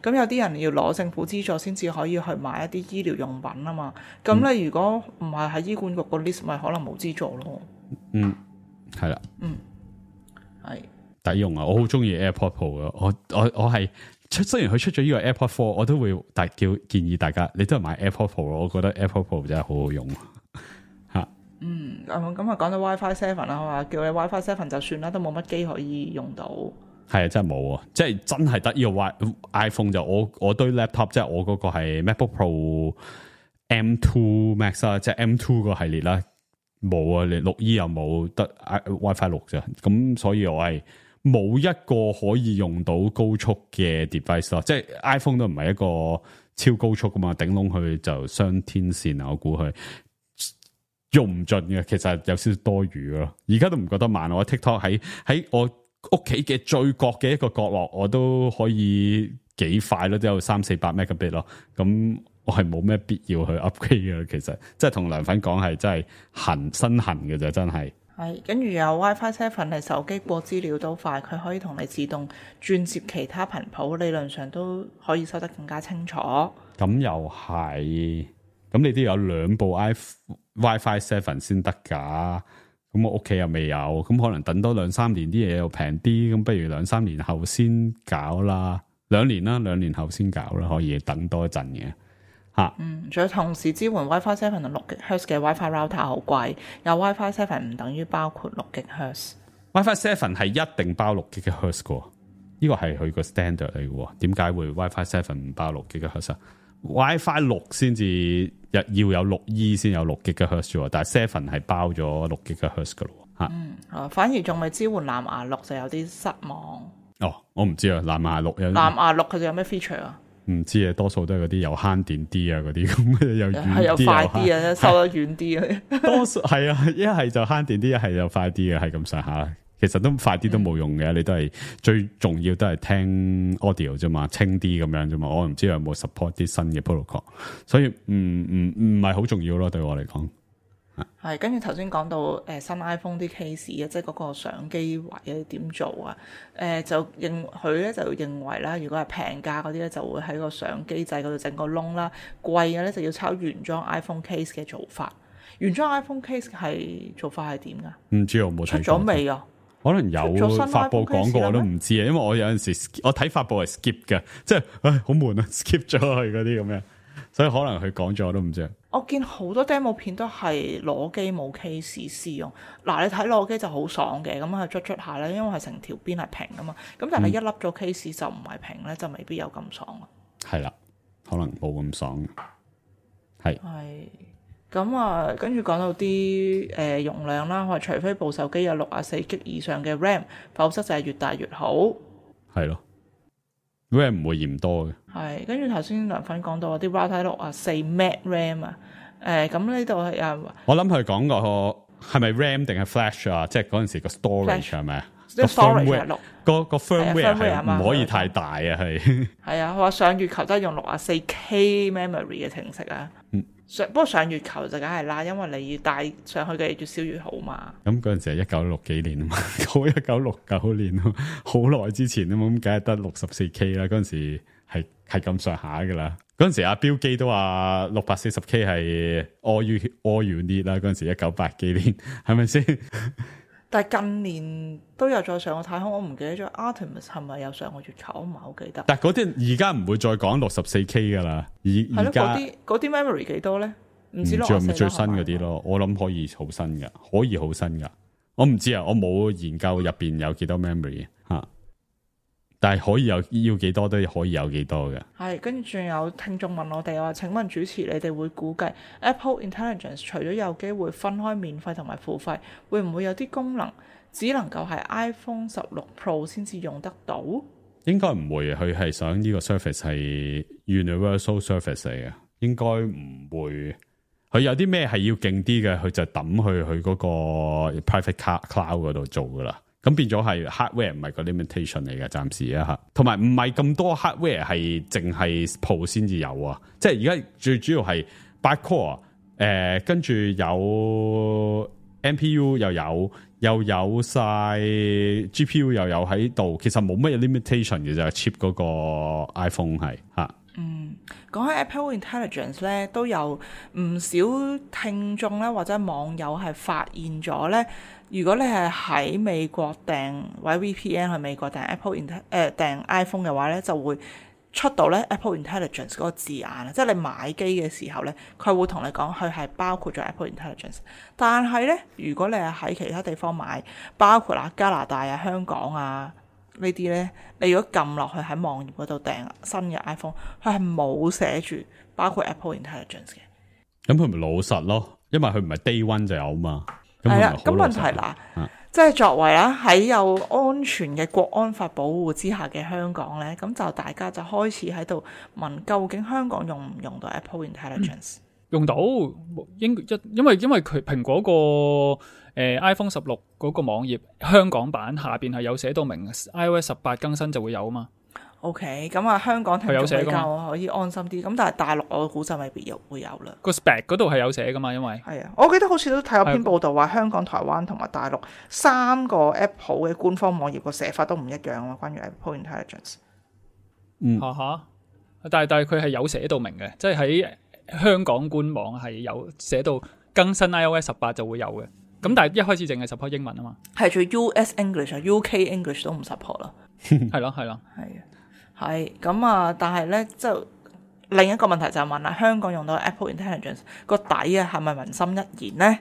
咁有啲人要攞政府資助先至可以去買一啲醫療用品啊嘛。咁你如果唔係喺醫管局個 list，咪可能冇資助咯。嗯，係啦，嗯，係抵用啊！我好中意 AirPod Pro 啊！我我我係出雖然佢出咗呢個 AirPod Four，我都會大叫建議大家，你都係買 AirPod Pro 咯。我覺得 AirPod Pro 真係好好用。嗯，咁咁啊，講到 WiFi Seven 啦，我話叫你 WiFi Seven 就算啦，都冇乜機可以用到。係啊，真係冇啊！即係真係得呢個 Y iPhone 就我我堆 laptop，即係我嗰個係 MacBook Pro M Two Max 啦，即係 M Two 個系列啦，冇啊！你六 E 又冇得 WiFi 六啫，咁所以我係冇一個可以用到高速嘅 device 咯。即係 iPhone 都唔係一個超高速噶嘛，頂籠佢就雙天線啊！我估佢。用唔盡嘅，其實有少少多餘咯。而家都唔覺得慢，我 TikTok 喺喺我屋企嘅最角嘅一個角落，我都可以幾快咯，都有三四百 megabit 咯。咁我係冇咩必要去 upgrade 嘅。其實即係同梁粉講係真係痕身痕嘅啫，真係。係跟住有 WiFi Seven 係手機過資料都快，佢可以同你自動轉接其他頻譜，理論上都可以收得更加清楚。咁又係。咁你都有兩部 WiFi Seven 先得噶，咁我屋企又未有，咁可能等多兩三年啲嘢又平啲，咁不如兩三年後先搞啦，兩年啦，兩年後先搞啦，可以等多一陣嘅吓。嗯，仲有同時支援 WiFi Seven 同六 GHz 嘅 WiFi Router 好貴，有 WiFi Seven 唔等於包括六 GHz。WiFi Seven 係一定包六 GHz 嘅，呢個係佢個 standard 嚟嘅，點解會 WiFi Seven 唔包六 GHz 啊？WiFi 六先至要有六 E 先有六 GHz 啫，但係 Seven 係包咗六 GHz 噶咯吓。嗯，啊，反而仲未支援藍牙六就有啲失望。哦，我唔知啊，藍牙六有藍牙六佢哋有咩 feature 啊？唔知啊，多數都係嗰啲又慳電啲啊，嗰啲咁又遠啲係又快啲啊，收得遠啲啊。多數係啊，一係就慳電啲，一係就快啲啊，係咁上下。其實都快啲都冇用嘅，嗯、你都係最重要都係聽 audio 啫嘛，清啲咁樣啫嘛。我唔知有冇 support 啲新嘅 protocol， 所以唔唔唔係好重要咯，對我嚟講。係跟住頭先講到誒、呃、新 iPhone 啲 case 啊，即係嗰個相機位啊點做啊？誒、呃、就認佢咧就認為啦，如果係平價嗰啲咧就會喺個相機掣嗰度整個窿啦，貴嘅咧就要抄原裝 iPhone case 嘅做法。原裝 iPhone case 係做法係點噶？唔知我冇睇過。出咗未啊？可能有發布講過我都唔知啊，因為我有陣時我睇發布係 skip 嘅，即係唉好悶啊 skip 咗去嗰啲咁樣，所以可能佢講咗我都唔知。我見好多 demo 片都係攞機冇 case 試用，嗱你睇攞機就好爽嘅，咁係捽捽下咧，因為係成條邊係平噶嘛，咁但係一粒咗 case 就唔係平咧，就未必有咁爽咯。係啦，可能冇咁爽。係。係。咁啊，跟住講到啲誒、呃、容量啦，我話除非部手機有六十四 G 以上嘅 RAM， 否則就係越大越好。係咯 ，RAM 唔會嫌多嘅。係，跟住頭先梁粉講到啲 Router 六十四 Meg RAM 啊，誒咁呢度係啊，我諗佢講個係咪 RAM 定係 Flash 啊？即係嗰陣時個 storage 係咪啊？即係 storage 係六個個 firmware 係係唔可以太大啊，係。係啊，佢話上月球都係用六十四 K memory 嘅程式啊。嗯。上不過上月球就梗係啦，因為你要帶上去嘅越少越好嘛。咁嗰陣時係一九六幾年啊嘛，好一九六九年咯，好耐之前啊嘛，咁梗係得六十四 K 啦。嗰陣時係係咁上下噶啦。嗰陣時阿標基都話六百四十 K 係 all you all you need 啦。嗰陣時一九八幾年係咪先？但係近年都有再上過太空，我唔記得咗 Artemis 係咪有上過月球，我唔係好記得。但係嗰啲而家唔會再講六十四 K 噶啦，而而家嗰啲嗰啲 memory 幾多咧？唔知咯，係咪最新嗰啲咯？我諗可以好新噶，可以好新噶。我唔知啊，我冇研究入邊有幾多 memory 吓，但係可以有要幾多都可以有幾多嘅。係，跟住仲有聽眾問我哋話，請問主持你哋會估計 Apple Intelligence 除咗有機會分開免費同埋付費，會唔會有啲功能只能夠係 iPhone 十六 Pro 先至用得到？應該唔會，佢係想呢個 Surface 係 Universal Surface 嚟嘅，應該唔會。佢有啲咩係要勁啲嘅，佢就抌去佢嗰個 private cloud 嗰度做噶啦。咁變咗係 hardware 唔係個 limitation 嚟嘅，暫時啊吓。同埋唔係咁多 hardware 係淨係 Pro 先至有啊。即係而家最主要係八 core，誒、呃，跟住有 M P U 又有，又有晒 G P U 又有喺度。其實冇乜嘢 limitation 嘅就係 chip 嗰個 iPhone 係吓。嗯，講起 Apple Intelligence 咧，都有唔少聽眾咧或者網友係發現咗咧，如果你係喺美國訂或者 V P N 去美國訂 Apple Inte 誒訂 iPhone 嘅話咧，就會出到咧 Apple Intelligence 嗰個字眼啊，即係你買機嘅時候咧，佢會同你講佢係包括咗 Apple Intelligence。但係咧，如果你係喺其他地方買，包括啦加拿大啊、香港啊，呢啲咧，你如果撳落去喺網頁嗰度訂新嘅 iPhone， 佢係冇寫住包括 Apple Intelligence 嘅。咁佢咪老實咯？因為佢唔係 day one 就有嘛。係啦，咁問題啦，啊、即係作為啦喺有安全嘅國安法保護之下嘅香港咧，咁就大家就開始喺度問，究竟香港用唔用到 Apple Intelligence？、嗯、用到，應一因為因為佢蘋果個誒、呃、iPhone 十六嗰個網頁香港版下邊係有寫到明 iOS 十八更新就會有啊嘛。OK， 咁啊香港聽眾比較可以安心啲，咁但係大陸我估就未必有會有啦。個 spec 嗰度係有寫噶嘛，因為係啊，我記得好似都睇有篇報道話香港、台灣同埋大陸三個 Apple 嘅官方網頁個寫法都唔一樣啊，關於 Apple Intelligence。嗯，嚇嚇，但係但係佢係有寫到明嘅，即係喺香港官網係有寫到更新 iOS 十八就會有嘅。咁但係一開始淨係 support 英文啊嘛，係做 U S English 啊 U K English 都唔 support 啦。係咯係咯，係啊。係咁啊，但係咧，就另一個問題就係問啦，香港用到 Apple Intelligence 個底啊，係咪民心一言咧？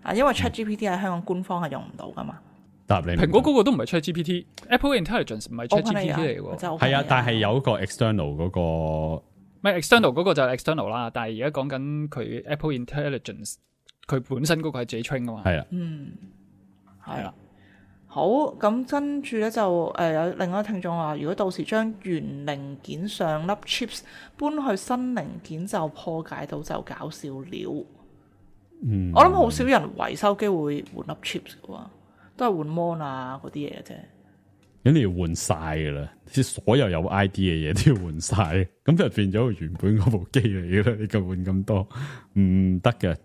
啊，因為 ChatGPT 喺香港官方係用唔到噶嘛。答你，蘋果嗰個都唔係 ChatGPT，Apple Intelligence 唔係 ChatGPT 嚟嘅喎。係啊，但係有一個 external 嗰個，唔係 external 嗰個就係 external 啦。但係而家講緊佢 Apple Intelligence，佢本身嗰個係自己 train 噶嘛。係啊，嗯，係啦。好，咁跟住咧就誒、呃、有另外一個聽眾話，如果到時將原零件上粒 chips 搬去新零件就破解到就搞笑了。嗯，我諗好少人維修機會換粒 chips 嘅喎，都係換 mon 啊嗰啲嘢嘅啫。咁你要換晒㗎啦，即係所有有 I D 嘅嘢都要換晒，咁就變咗原本嗰部機嚟嘅啦。你咁換咁多唔得嘅，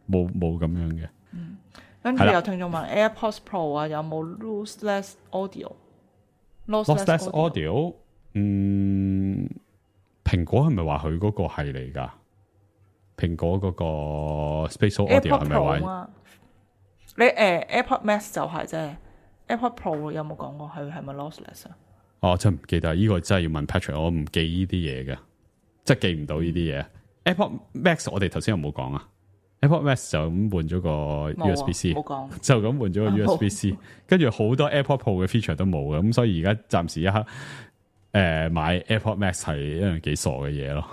冇冇咁樣嘅。嗯。跟住有聽眾問 AirPods Pro 啊，有冇 lossless audio？lossless audio，嗯，蘋果係咪話佢嗰個係嚟㗎？蘋果嗰個 Spatial Audio 係咪話？你誒、呃、AirPods Max 就係啫 AirPod Pro 有冇講過佢係咪 lossless 啊？哦，真唔記得，呢、這個真係要問 Patrick，我唔記呢啲嘢嘅，即係記唔到呢啲嘢。AirPod Max 我哋頭先有冇講啊 ？AirPod Max 就咁換咗個 U S B C， 冇講，就咁換咗個 U S B C， 跟住好多 AirPod Pro 嘅 feature 都冇嘅，咁所以而家暫時一刻誒、呃、買 AirPod Max 係一樣幾傻嘅嘢咯。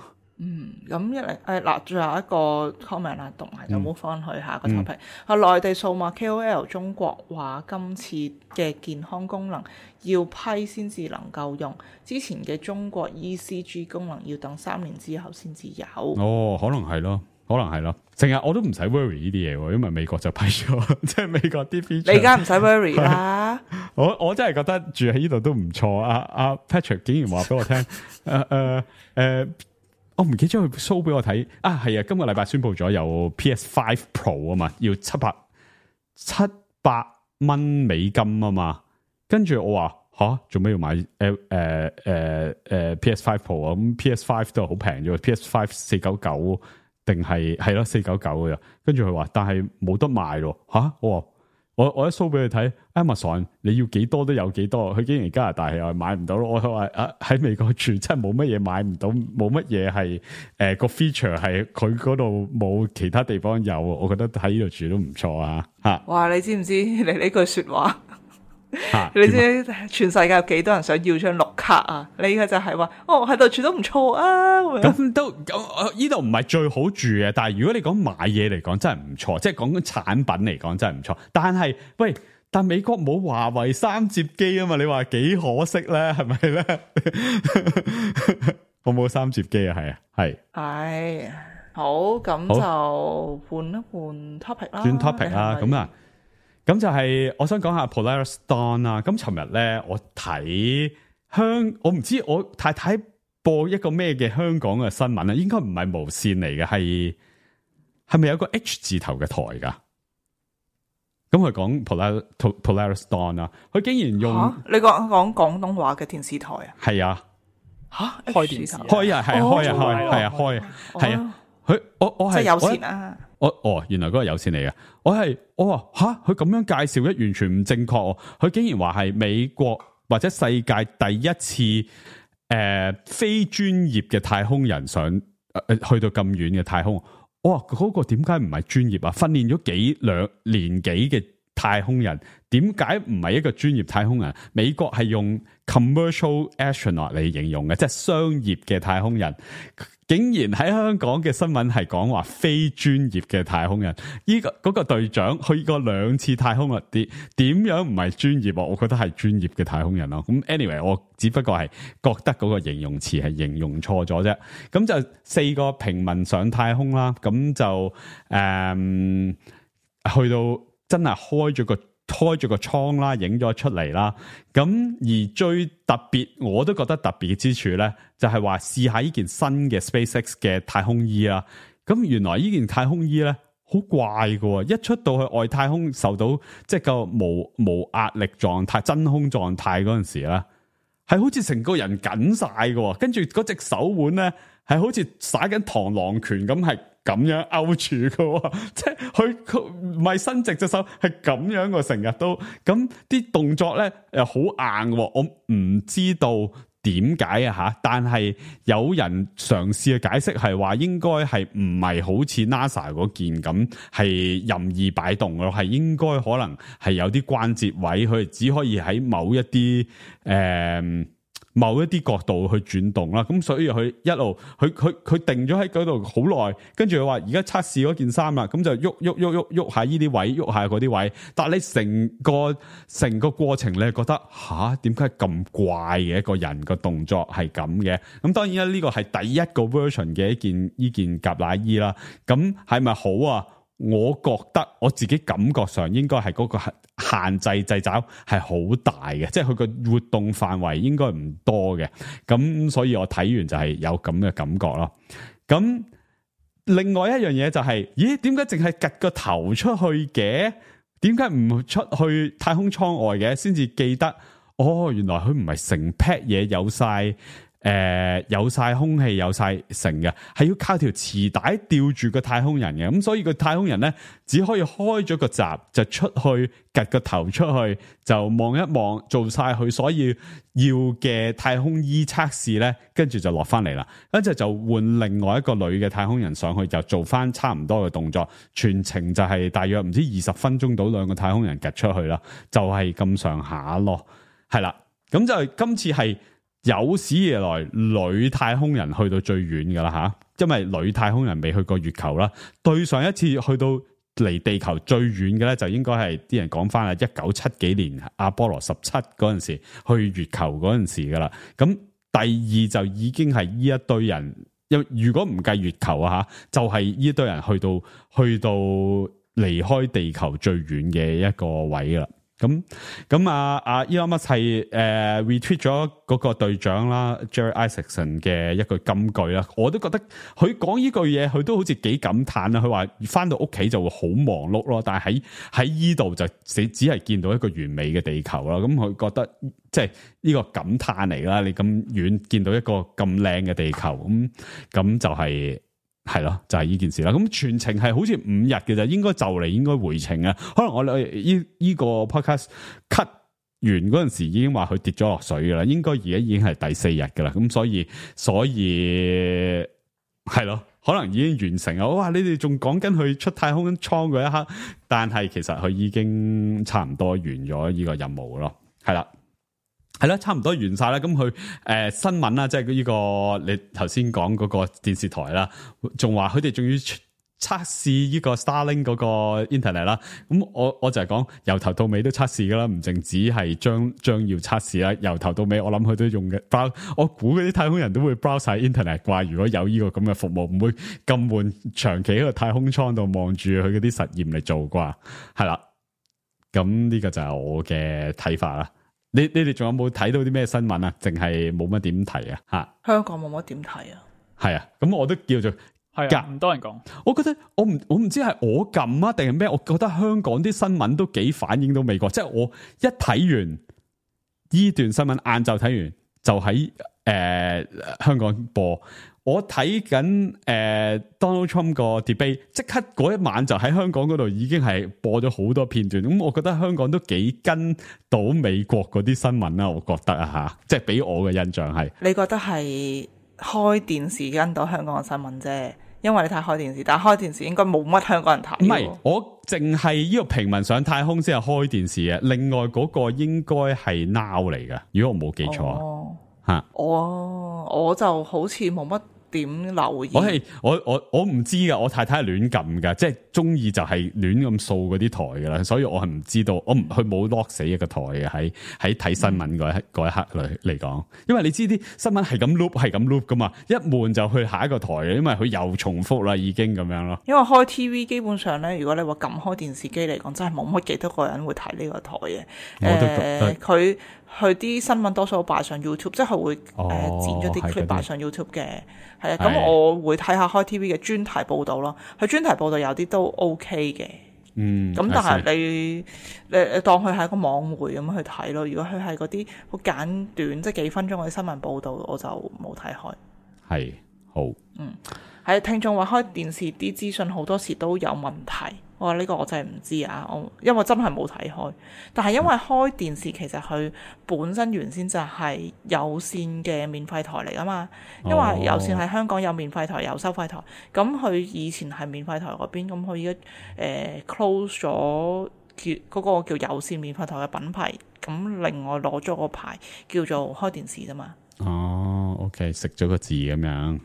嗯，咁一嚟誒嗱，最後一個 comment 啦，同埋就冇翻去下個 topic。啊、嗯，內地數碼 K O L 中國話今次嘅健康功能要批先至能夠用，之前嘅中國 E C G 功能要等三年之後先至有。哦，可能係咯，可能係咯。成日我都唔使 worry 呢啲嘢喎，因為美國就批咗，即係美國啲 feature。你而家唔使 worry 啦。我我真係覺得住喺呢度都唔錯。阿、啊、阿、啊、Patrick 竟然話俾我聽，誒誒誒。我唔記得咗佢 show 俾我睇啊，係啊，今個禮拜宣布咗有 P S five Pro 啊嘛，要七百七百蚊美金啊嘛，跟住我話吓，做咩要買誒誒誒誒 P S five Pro 啊？咁 P S five 都係好平啫 ，P S five 四九九定係係咯四九九嘅，跟住佢話，但係冇得賣咯吓，我話。我我一 show 俾佢睇 Amazon 你要幾多都有幾多，佢竟然加拿大又買唔到咯。我話啊喺美國住真係冇乜嘢買唔到，冇乜嘢係誒個 feature 係佢嗰度冇其他地方有，我覺得喺呢度住都唔錯啊吓。哇！你知唔知你呢句說話？啊、你知全世界有幾多人想要張綠卡啊？你嘅就係話哦喺度住都唔錯啊。咁都咁呢度唔係最好住嘅，但係如果你講買嘢嚟講真係唔錯，即係講緊產品嚟講真係唔錯。但係喂，但美國冇華為三摺機啊嘛？你話幾可惜咧？係咪咧？我冇三摺機啊，係啊，係係好咁就換一換 topic 啦，轉 topic 啦，咁啊。咁就係我想講下 Polaris Dawn 啦。咁尋日咧，我睇香，我唔知我太太播一個咩嘅香港嘅新聞啊，應該唔係無線嚟嘅，係係咪有個 H 字頭嘅台噶？咁佢講 Polaris Polaris Dawn 啊，佢竟然用、啊、你講講廣東話嘅電視台啊？係啊，吓開電視開啊，係啊，開啊，開係啊，開係啊，佢我我係即係有線啊。我哦，原來嗰個有線嚟嘅，我係我話吓，佢咁樣介紹咧，完全唔正確。佢竟然話係美國或者世界第一次誒、呃、非專業嘅太空人上誒、呃、去到咁遠嘅太空。我話嗰個點解唔係專業啊？訓練咗幾兩年幾嘅太空人，點解唔係一個專業太空人？美國係用 commercial astronaut 嚟形容嘅，即係商業嘅太空人。竟然喺香港嘅新聞係講話非專業嘅太空人，呢、這個嗰、那個隊長去過兩次太空啊，點點樣唔係專業？我覺得係專業嘅太空人咯。咁 anyway，我只不過係覺得嗰個形容詞係形容錯咗啫。咁就四個平民上太空啦，咁就誒、嗯、去到真係開咗個。開咗個倉啦，影咗出嚟啦。咁而最特別，我都覺得特別之處咧，就係話試下呢件新嘅 SpaceX 嘅太空衣啦。咁原來呢件太空衣咧好怪㗎，一出到去外太空，受到即係個無無壓力狀態、真空狀態嗰陣時咧，係好似成個人緊晒㗎，跟住嗰隻手腕咧係好似耍緊螳螂拳咁係。咁樣勾住嘅，即係佢佢唔係伸直隻手，係咁樣嘅，成日都咁啲動作咧，誒好硬。我唔知道點解啊吓，但係有人嘗試去解釋係話，應該係唔係好似 NASA 嗰件咁係任意擺動咯，係應該可能係有啲關節位，佢只可以喺某一啲誒。呃某一啲角度去轉動啦，咁所以佢一路佢佢佢定咗喺嗰度好耐，跟住佢話而家測試嗰件衫啦，咁就喐喐喐喐喐下呢啲位，喐下嗰啲位，但係你成個成個過程你係覺得吓，點解咁怪嘅一個人個動作係咁嘅？咁當然啦，呢個係第一個 version 嘅一件呢件夾奶衣啦，咁係咪好啊？我覺得我自己感覺上應該係嗰個限制掣肘係好大嘅，即係佢個活動範圍應該唔多嘅，咁所以我睇完就係有咁嘅感覺咯。咁另外一樣嘢就係、是，咦？點解淨係趌個頭出去嘅？點解唔出去太空艙外嘅？先至記得，哦，原來佢唔係成 pack 嘢有晒。誒有晒空氣有晒成嘅，係要靠條磁帶吊住個太空人嘅，咁所以個太空人咧只可以開咗個閘就出去，趌個頭出去就望一望，做晒佢所以要嘅太空衣測試咧，跟住就落翻嚟啦，跟住就換另外一個女嘅太空人上去，就做翻差唔多嘅動作，全程就係大約唔知二十分鐘到兩個太空人趌出去啦，就係咁上下咯，係啦，咁就今次係。有史以來女太空人去到最遠噶啦吓，因為女太空人未去過月球啦。對上一次去到離地球最遠嘅咧，就應該係啲人講翻啦，一九七幾年阿波羅十七嗰陣時去月球嗰陣時噶啦。咁第二就已經係呢一堆人，因如果唔計月球啊吓，就係、是、呢一堆人去到去到離開地球最遠嘅一個位啦。咁咁啊啊 Elon Musk 係誒 retweet 咗嗰個隊長啦 Jerry Isaacson 嘅一句金句啦，我都覺得佢講呢句嘢，佢都好似幾感嘆啦。佢話翻到屋企就會好忙碌咯，但係喺喺依度就只只係見到一個完美嘅地球啦。咁佢覺得即係呢個感嘆嚟啦。你咁遠見到一個咁靚嘅地球，咁咁就係、是。係咯，就係、是、呢件事啦。咁全程係好似五日嘅啫，應該就嚟應該回程啊。可能我哋呢呢個 podcast cut 完嗰陣時已經話佢跌咗落水噶啦，應該而家已經係第四日噶啦。咁所以所以係咯，可能已經完成啊。哇！你哋仲講緊佢出太空艙嗰一刻，但係其實佢已經差唔多完咗呢個任務咯。係啦。係啦，差唔多完晒啦。咁佢誒新聞啦，即係呢個你頭先講嗰個電視台啦，仲話佢哋仲要測試呢個 Starlink 嗰個 internet 啦。咁我我就係講由頭到尾都測試噶啦，唔淨止係將將要測試啦。由頭到尾，我諗佢都用嘅 browse。我估嗰啲太空人都會 browse 晒 internet 啩。如果有呢個咁嘅服務，唔會咁悶，長期喺個太空艙度望住佢嗰啲實驗嚟做啩。係啦，咁呢個就係我嘅睇法啦。你你哋仲有冇睇到啲咩新聞啊？淨係冇乜點提啊？吓，香港冇乜點睇啊？係啊，咁我都叫做係啊，唔多人講。我覺得我唔我唔知係我撳啊，定係咩？我覺得香港啲新聞都幾反映到美國。即係我一睇完呢段新聞，晏晝睇完就喺誒、呃、香港播。我睇緊誒 Donald Trump 個 debate， 即刻嗰一晚就喺香港嗰度已經係播咗好多片段。咁我覺得香港都幾跟到美國嗰啲新聞啦，我覺得啊吓，即係俾我嘅印象係。你覺得係開電視跟到香港嘅新聞啫？因為你睇開電視，但係開電視應該冇乜香港人睇。唔係，我淨係呢個平民上太空先係開電視嘅，另外嗰個應該係 Now 嚟㗎，如果我冇記錯。哦，吓，我我就好似冇乜點留意。我係我我我唔知噶，我太太係亂撳噶，即係中意就係亂咁掃嗰啲台噶啦，所以我係唔知道，我唔佢冇 lock 死一個台嘅，喺喺睇新聞嗰一嗰一刻嚟嚟講，因為你知啲新聞係咁 loop 係咁 loop 噶嘛，一悶就去下一個台，因為佢又重複啦，已經咁樣咯。因為開 T V 基本上咧，如果你話撳開電視機嚟講，真係冇乜幾多個人會睇呢個台嘅。我都覺得佢佢啲新聞多數擺上 YouTube，即係佢會誒、哦呃、剪咗啲 clip 擺上 YouTube 嘅。係啊，係咁我會睇下開 T V 嘅專題報導咯。佢專題報導有啲都 OK 嘅。嗯，咁但係你你你當佢係一個網媒咁去睇咯。如果佢係嗰啲好簡短，即係幾分鐘嗰啲新聞報導，我就冇睇開。係好。嗯，係聽眾話開電視啲資訊好多時都有問題。我話呢個我真係唔知啊，我因為真係冇睇開。但係因為開電視其實佢本身原先就係有線嘅免費台嚟㗎嘛，因為有線喺香港有免費台有收費台，咁佢以前係免費台嗰邊，咁佢而家誒 close 咗叫嗰個叫有線免費台嘅品牌，咁另外攞咗個牌叫做開電視啫嘛。哦 ，OK， 食咗個字咁樣，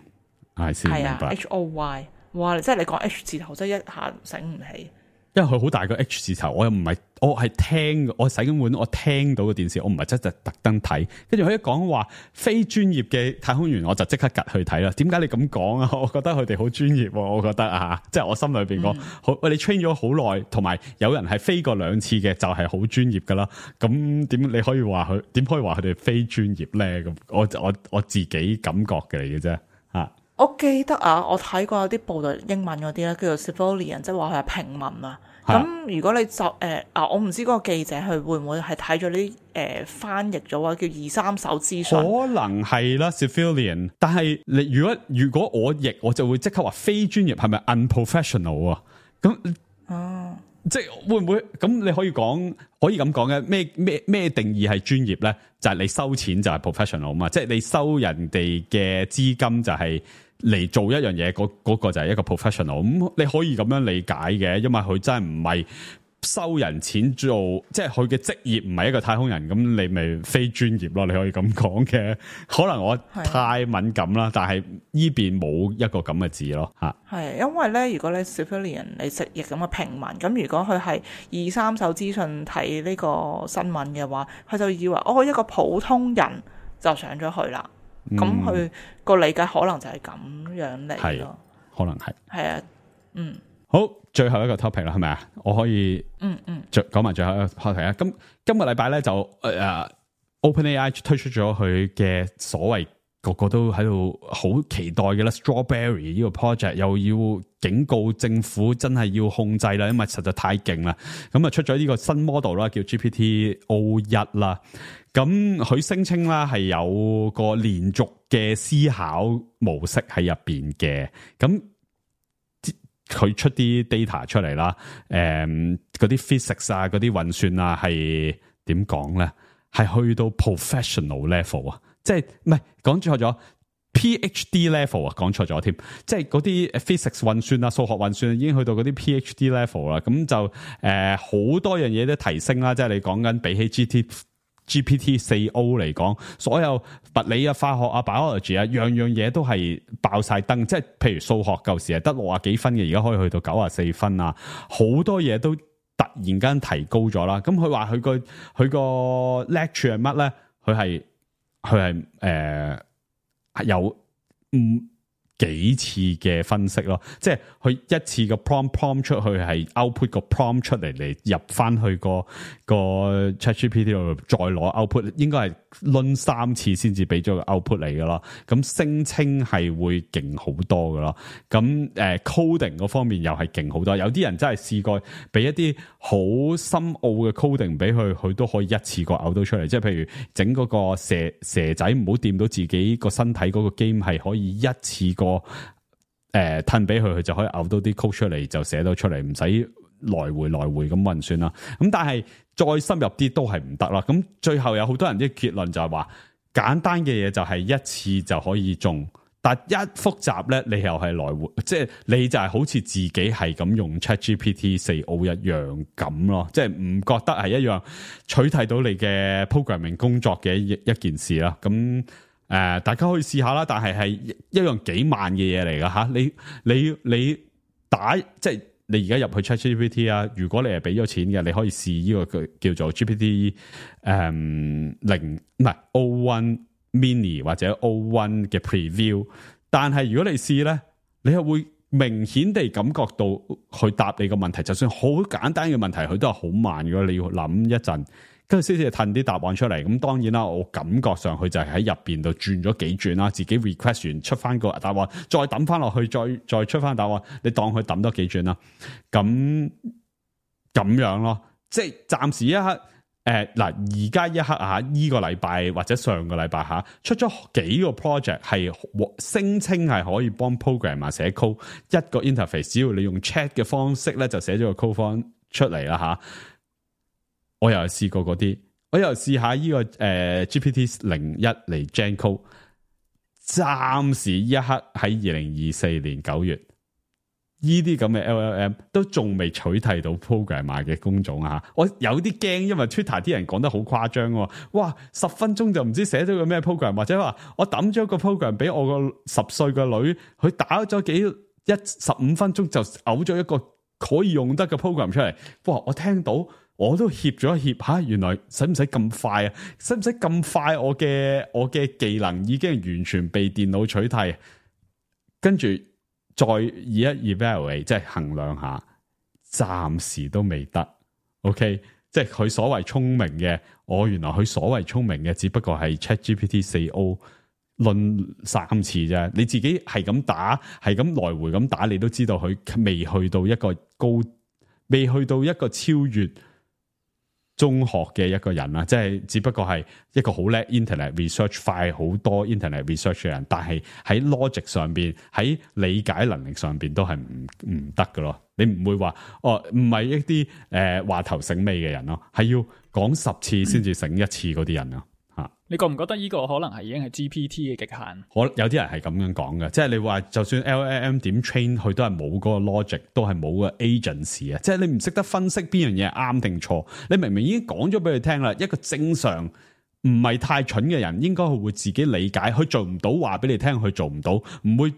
係先明白。係啊 ，H O Y。哇！即係你講 H 字頭，真係一下醒唔起。因為佢好大個 H 字頭，我又唔係，我係聽，我洗緊碗，我聽到個電視，我唔係真係特登睇。跟住佢一講話非專業嘅太空員，我就即刻趌去睇啦。點解你咁講啊？我覺得佢哋好專業，我覺得啊，即係我心裏邊講，好喂，你 train 咗好耐，同埋有人係飛過兩次嘅，就係好專業噶啦。咁點你可以話佢？點可以話佢哋非專業咧？咁我我我自己感覺嘅嚟嘅啫，吓。我記得啊，我睇過有啲報道英文嗰啲咧，叫做 civilian，即係話佢係平民啊。咁如果你就誒、呃、啊，我唔知嗰個記者佢會唔會係睇咗啲誒翻譯咗話叫二三手資訊，可能係啦 civilian。但係你如果如果我譯，我就會即刻話非專業係咪 unprofessional 啊？咁哦，即係會唔會咁？你可以講可以咁講嘅咩咩咩定義係專業咧？就係、是、你收錢就係 professional 嘛，即係你收人哋嘅資金就係、是。嚟做一樣嘢，嗰、嗰個就係一個 professional。咁你可以咁樣理解嘅，因為佢真係唔係收人錢做，即係佢嘅職業唔係一個太空人，咁你咪非專業咯。你可以咁講嘅。可能我太敏感啦，但係依邊冇一個咁嘅字咯嚇。係因為咧，如果你 civilian 你直譯咁嘅平民，咁如果佢係二三手資訊睇呢個新聞嘅話，佢就以為哦一個普通人就上咗去啦。咁佢個理解可能就係咁樣嚟咯，可能係係啊，嗯，好，最後一個 topic 啦，係咪啊？我可以，嗯嗯，講埋最後一個 topic 啊。咁今個禮拜咧就誒、呃、，OpenAI 推出咗佢嘅所謂個個都喺度好期待嘅啦 ，Strawberry 呢個 project 又要警告政府真係要控制啦，因為實在太勁啦。咁啊出咗呢個新 model 啦，叫 G P T O 一啦。咁佢聲稱啦係有個連續嘅思考模式喺入邊嘅，咁佢出啲 data 出嚟啦，誒嗰啲 physics 啊，嗰啲運算啊係點講咧？係去到 professional level 啊，即係唔係講錯咗 PhD level 啊，講錯咗添，即係嗰啲 physics 運算啊、數學運算已經去到嗰啲 PhD level 啦，咁就誒好、呃、多樣嘢都提升啦，即係你講緊比起 G T G P T 四 O 嚟講，所有物理啊、化學啊、biology 啊，樣樣嘢都係爆晒燈。即係譬如數學舊時係得六啊幾分嘅，而家可以去到九啊四分啊，好多嘢都突然間提高咗啦。咁佢話佢個佢個 lecture 係乜咧？佢係佢係誒係有嗯。幾次嘅分析咯，即係佢一次個 prompt prompt 出去係 output 個 prompt 出嚟嚟入翻去個個 ChatGPT 度再攞 output，應該係輪三次先至俾咗個 output 嚟噶咯。咁聲稱係會勁好多噶咯。咁誒 coding 嗰方面又係勁好多。有啲人真係試過俾一啲好深奧嘅 coding 俾佢，佢都可以一次過嘔到出嚟。即係譬如整嗰個蛇蛇仔唔好掂到自己個身體嗰個 game 係可以一次過。個誒褪俾佢，佢就可以嘔到啲 code 出嚟，就寫到出嚟，唔使來回來回咁運算啦。咁但係再深入啲都係唔得啦。咁最後有好多人啲結論就係話，簡單嘅嘢就係一次就可以中，但一複雜咧，你又係來回，即係你就係好似自己係咁用 ChatGPT 四 O 一樣咁咯，即係唔覺得係一樣取替到你嘅 programming 工作嘅一一件事啦。咁誒、呃，大家可以試下啦，但係係一樣幾萬嘅嘢嚟噶吓，你你你打即係你而家入去 ChatGPT 啊，如果你係俾咗錢嘅，你可以試呢個叫做 G P T 誒零唔係 O one Mini 或者 O one 嘅 Preview， 但係如果你試咧，你係會明顯地感覺到去答你個問題，就算好簡單嘅問題，佢都係好慢嘅，你要諗一陣。跟住先至褪啲答案出嚟，咁當然啦，我感覺上佢就係喺入邊度轉咗幾轉啦，自己 request 完出翻個答案，再抌翻落去，再再出翻答案，你當佢抌多幾轉啦，咁咁樣咯，即係暫時一刻，誒嗱而家一刻啊，呢個禮拜或者上個禮拜吓出咗幾個 project 係聲稱係可以幫 programmer 寫 code， 一個 interface， 只要你用 chat 嘅方式咧就寫咗個 code 方出嚟啦吓。我又試過嗰啲，我又試下呢、這個誒、呃、G P T 零一嚟 Gen Code， 暫時一刻喺二零二四年九月，呢啲咁嘅 L L M 都仲未取替到 programmer 嘅工種啊！我有啲驚，因為 Twitter 啲人講得好誇張喎，哇！十分鐘就唔知寫咗個咩 program， 或者話我抌咗個 program 俾我個十歲個女，佢打咗幾一十五分鐘就嘔咗一個可以用得嘅 program 出嚟，哇！我聽到。我都協咗一協吓，原來使唔使咁快啊？使唔使咁快？我嘅我嘅技能已經完全被電腦取替，跟住再以一 evaluate 即係衡量下，暫時都未得。OK， 即係佢所謂聰明嘅，我原來佢所謂聰明嘅，只不過係 ChatGPT 四 O 論三次啫，你自己係咁打，係咁來回咁打，你都知道佢未去到一個高，未去到一個超越中學嘅一個人啦，即係只不過係一個好叻 internet research 快好多 internet research 嘅人，但係喺 logic 上邊，喺理解能力上邊都係唔唔得㗎咯。你唔會話哦，唔係一啲誒話頭醒尾嘅人咯，係要講十次先至醒一次嗰啲人啊。你覺唔覺得呢個可能係已經係 G P T 嘅極限？可有啲人係咁樣講嘅，即係你話就算 L L M 點 train 佢都係冇嗰個 logic，都係冇個 agency 啊！即係你唔識得分析邊樣嘢啱定錯，你明明已經講咗俾佢聽啦。一個正常唔係太蠢嘅人，應該會自己理解，佢做唔到話俾你聽，佢做唔到，唔會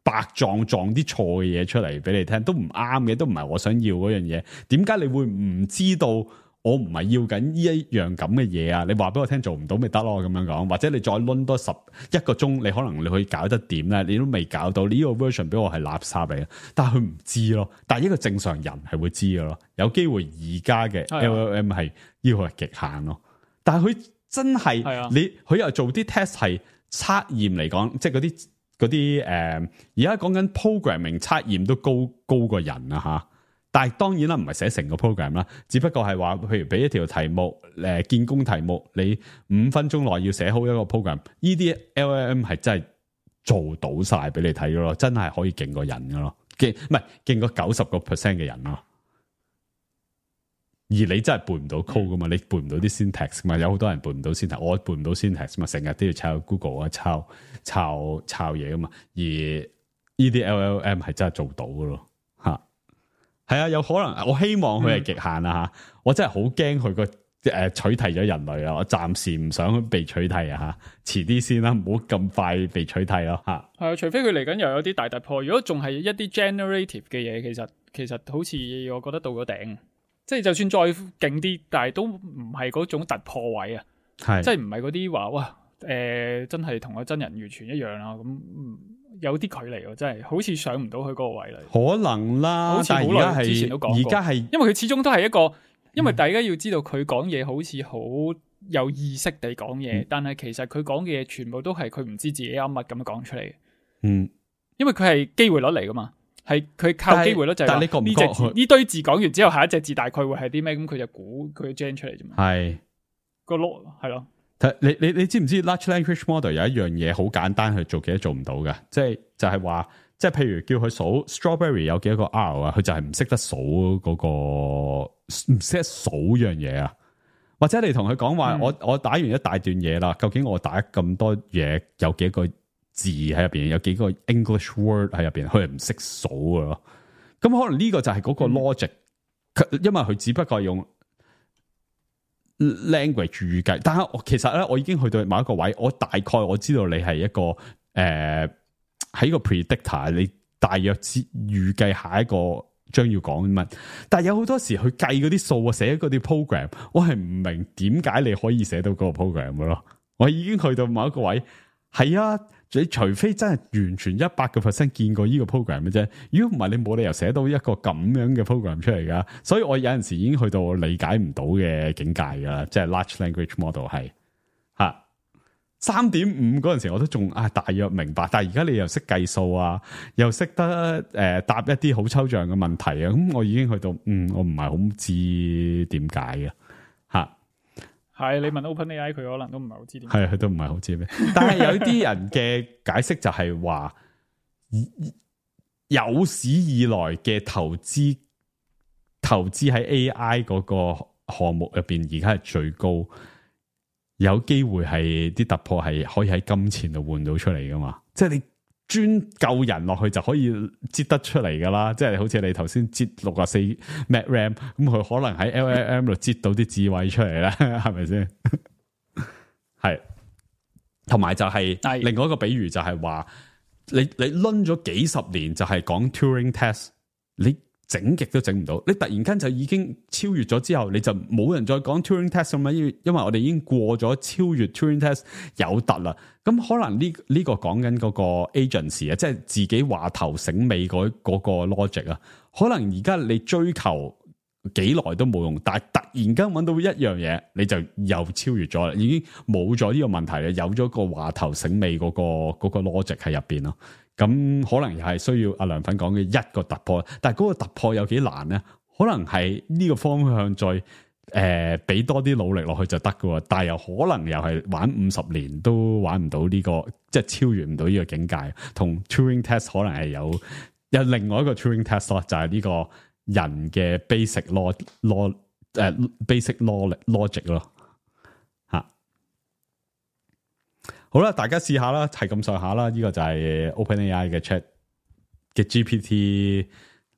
白撞撞啲錯嘅嘢出嚟俾你聽，都唔啱嘅，都唔係我想要嗰樣嘢。點解你會唔知道？我唔係要緊呢一樣咁嘅嘢啊！你話俾我聽做唔到咪得咯，咁樣講，或者你再掄多十一個鐘，你可能你可以搞得掂咧，你都未搞到呢個 version 俾我係垃圾嚟嘅，但係佢唔知咯。但係一個正常人係會知嘅咯，有機會而家嘅 L L M 係呢個係極限咯。但係佢真係、啊、你佢又做啲 test 係測驗嚟講，即係嗰啲嗰啲誒，而家講緊 programming 測驗都高高過人啊吓。但係當然啦，唔係寫成個 program 啦，只不過係話，譬如俾一條題目，誒見工題目，你五分鐘內要寫好一個 program，呢啲 L L M 係真係做到晒俾你睇噶咯，真係可以勁過人噶咯，勁唔係勁過九十個 percent 嘅人咯。而你真係背唔到 code 噶嘛，你背唔到啲 syntax 嘛，有好多人背唔到 syntax，我背唔到 syntax 嘛，成日都要抄 Google 啊，抄抄抄嘢噶嘛。而呢啲 L L M 係真係做到噶咯。係啊，有可能我希望佢係極限啊吓、嗯，我真係好驚佢個誒取締咗人類啊！我暫時唔想被取締啊吓，遲啲先啦，唔好咁快被取締咯吓。係啊，除非佢嚟緊又有啲大突破，如果仲係一啲 generative 嘅嘢，其實其實好似我覺得到咗頂，即係就算再勁啲，但係都唔係嗰種突破位啊，係即係唔係嗰啲話哇誒、呃、真係同個真人完全一樣啊咁。嗯有啲距離喎，真係好似上唔到去嗰個位啦。可能啦，好似好耐之前都講過。而家係因為佢始終都係一個，因為大家要知道佢講嘢好似好有意識地講嘢、嗯，但係其實佢講嘅嘢全部都係佢唔知自己啱乜咁樣講出嚟。嗯，因為佢係機會率嚟噶嘛，係佢靠機會率就係。但係你覺唔覺呢隻字呢堆字講完之後，下一隻字大概會係啲咩？咁佢就估佢 gen 出嚟啫嘛。係個囉係咯。你你你知唔知 large language model 有一樣嘢好簡單去做幾多做唔到嘅？即係就係話，即係譬如叫佢數 strawberry 有幾多個 R 啊，佢就係唔識得數嗰個唔識得數樣嘢啊。或者你同佢講話，我我打完一大段嘢啦，究竟我打咁多嘢有幾個字喺入邊，有幾個 English word 喺入邊，佢係唔識數嘅咯。咁可能呢個就係嗰個 logic，、嗯、因為佢只不過係用。language 預計，但係我其實咧，我已經去到某一個位，我大概我知道你係一個誒喺、呃、個 predictor， 你大約知預計下一個將要講乜，但係有好多時去計嗰啲數啊，寫嗰啲 program， 我係唔明點解你可以寫到嗰個 program 嘅咯，我已經去到某一個位，係啊。你除非真係完全一百個 percent 見過呢個 program 嘅啫，如果唔係你冇理由寫到一個咁樣嘅 program 出嚟噶。所以我有陣時已經去到我理解唔到嘅境界噶啦，即係 large language model 係吓三點五嗰陣時我都仲啊大約明白，但係而家你又識計數啊，又識得誒、呃、答一啲好抽象嘅問題啊，咁我已經去到嗯我唔係好知點解嘅吓。係你問 OpenAI 佢可能都唔係好知點，係佢都唔係好知咩。但係有啲人嘅解釋就係話，有史以來嘅投資投資喺 A I 嗰個項目入邊，而家係最高，有機會係啲突破係可以喺金錢度換到出嚟噶嘛？即係你專救人落去就可以擠得出嚟噶啦，即係好似你頭先擠六十四 Meg RAM， 咁佢可能喺 L L M 度擠到啲智慧出嚟咧，係咪先？係，同埋就係、是、另外一個比喻就係話，你你掄咗幾十年就係講 Turing test， 你整極都整唔到，你突然間就已經超越咗之後，你就冇人再講 Turing test 咁樣，因為因為我哋已經過咗超越 Turing test 有突啦。咁可能呢呢、這個講緊嗰個 agency 啊，即係自己話頭醒尾嗰嗰個 logic 啊，可能而家你追求幾耐都冇用，但係突然間揾到一樣嘢，你就又超越咗啦，已經冇咗呢個問題啦，有咗個話頭醒尾嗰、嗰個、嗰個 logic 喺入邊咯。咁可能又係需要阿涼粉講嘅一個突破，但係嗰個突破有幾難咧？可能係呢個方向再誒俾、呃、多啲努力落去就得噶，但係又可能又係玩五十年都玩唔到呢、呢個，即係超越唔到呢個境界。同 Turing test 可能係有有另外一個 Turing test 咯，就係呢個人嘅 basic law law 誒、呃、basic law logic 咯。好啦，大家試下啦，係咁上下啦。呢、這個就係 OpenAI 嘅 Chat 嘅 G P T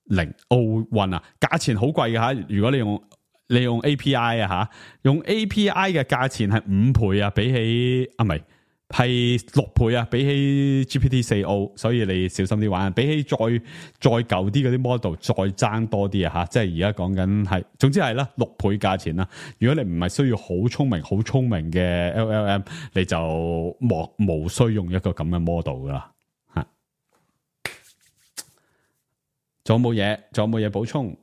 零 O One 啊，價錢好貴嘅吓。如果你用你用 A P I 啊吓，用 A P I 嘅價錢係五倍啊，比起啊唔係係六倍啊，比起 G P T 四 O， 所以你小心啲玩。比起再再舊啲嗰啲 model 再爭多啲啊吓，即係而家講緊係，總之係啦，六倍價錢啦。如果你唔係需要好聰明、好聰明嘅 L L M， 你就莫無需用一個咁嘅 model 噶啦吓。仲有冇嘢？仲有冇嘢補充？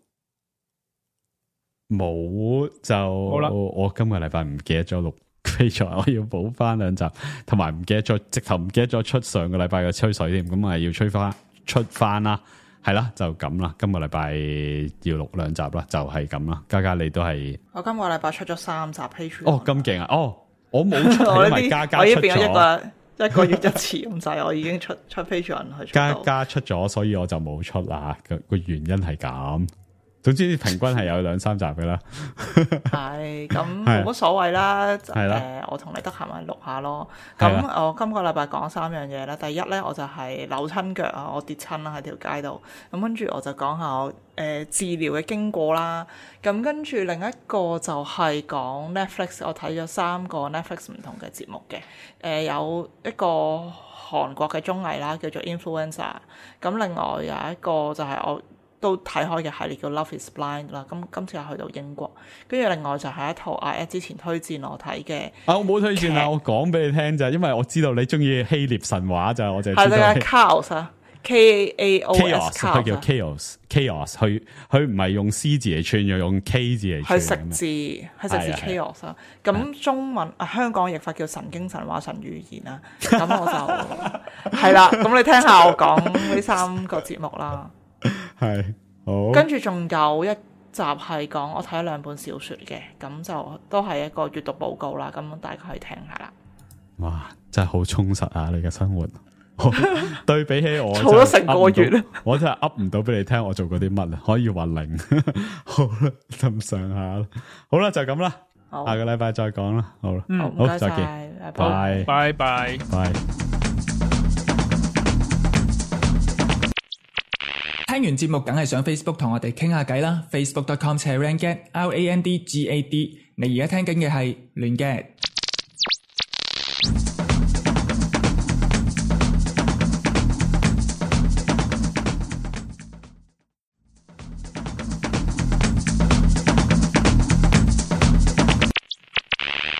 冇就好啦。我今個禮拜唔記得咗錄。非常，我要補翻兩集，同埋唔記得咗，直頭唔記得咗出上個禮拜嘅吹水添，咁啊要吹翻出翻啦，係啦，就咁啦。今個禮拜要錄兩集啦，就係咁啦。嘉嘉你都係，我今個禮拜出咗三集 Patreon。哦，咁勁啊！哦，我冇出，因為嘉嘉出咗，我已經變咗一個一個月一次咁滯，我已經出出 Patreon 去出。嘉嘉出咗，所以我就冇出啦。個個原因係咁。總之平均係有兩三集嘅啦，係咁冇乜所謂啦。誒、呃，我同你得閒咪錄下咯。咁我今個禮拜講三樣嘢啦。第一咧，我就係扭親腳啊，我跌親啦喺條街度。咁跟住我就講下我誒、呃、治療嘅經過啦。咁跟住另一個就係講 Netflix，我睇咗三個 Netflix 唔同嘅節目嘅。誒、呃、有一個韓國嘅綜藝啦，叫做 Influencer。咁另外有一個就係我都睇開嘅系列叫 Love is Blind 啦，咁今次又去到英國，跟住另外就係一套阿 Ed 之前推薦我睇嘅，啊我冇推薦啊，我講俾你聽咋，因為我知道你中意希臘神話咋，我就係啦 Chaos 啊 ，K A O S， 佢叫 Chaos Chaos， 佢佢唔係用 C 字嚟串，又用 K 字嚟串，係食字係食字 Chaos 啊，咁中文啊香港譯法叫神經神話神語言啊，咁我就係啦，咁你聽下我講呢三個節目啦。係好，跟住仲有一集係講我睇咗兩本小說嘅，咁就都係一個閱讀報告啦，咁大家可以聽下啦。哇，真係好充實啊！你嘅生活，對比起我做咗成個月啦，我真係噏唔到俾你聽我做過啲乜啊，可以話零。好啦，咁上下啦，好啦，就咁啦，下個禮拜再講啦，好啦，嗯，好，再見，拜拜拜拜。聽完節目梗係上 Facebook 同我哋傾下偈啦 ，facebook dot com slash randgad R A N D G A D。你而家聽緊嘅係亂 gad。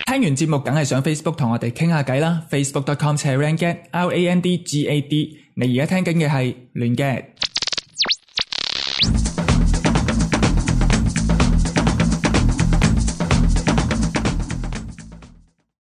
聽完節目梗係上 Facebook 同我哋傾下偈啦 ，facebook dot com slash randgad R A N D G A D。你而家聽緊嘅係亂 gad。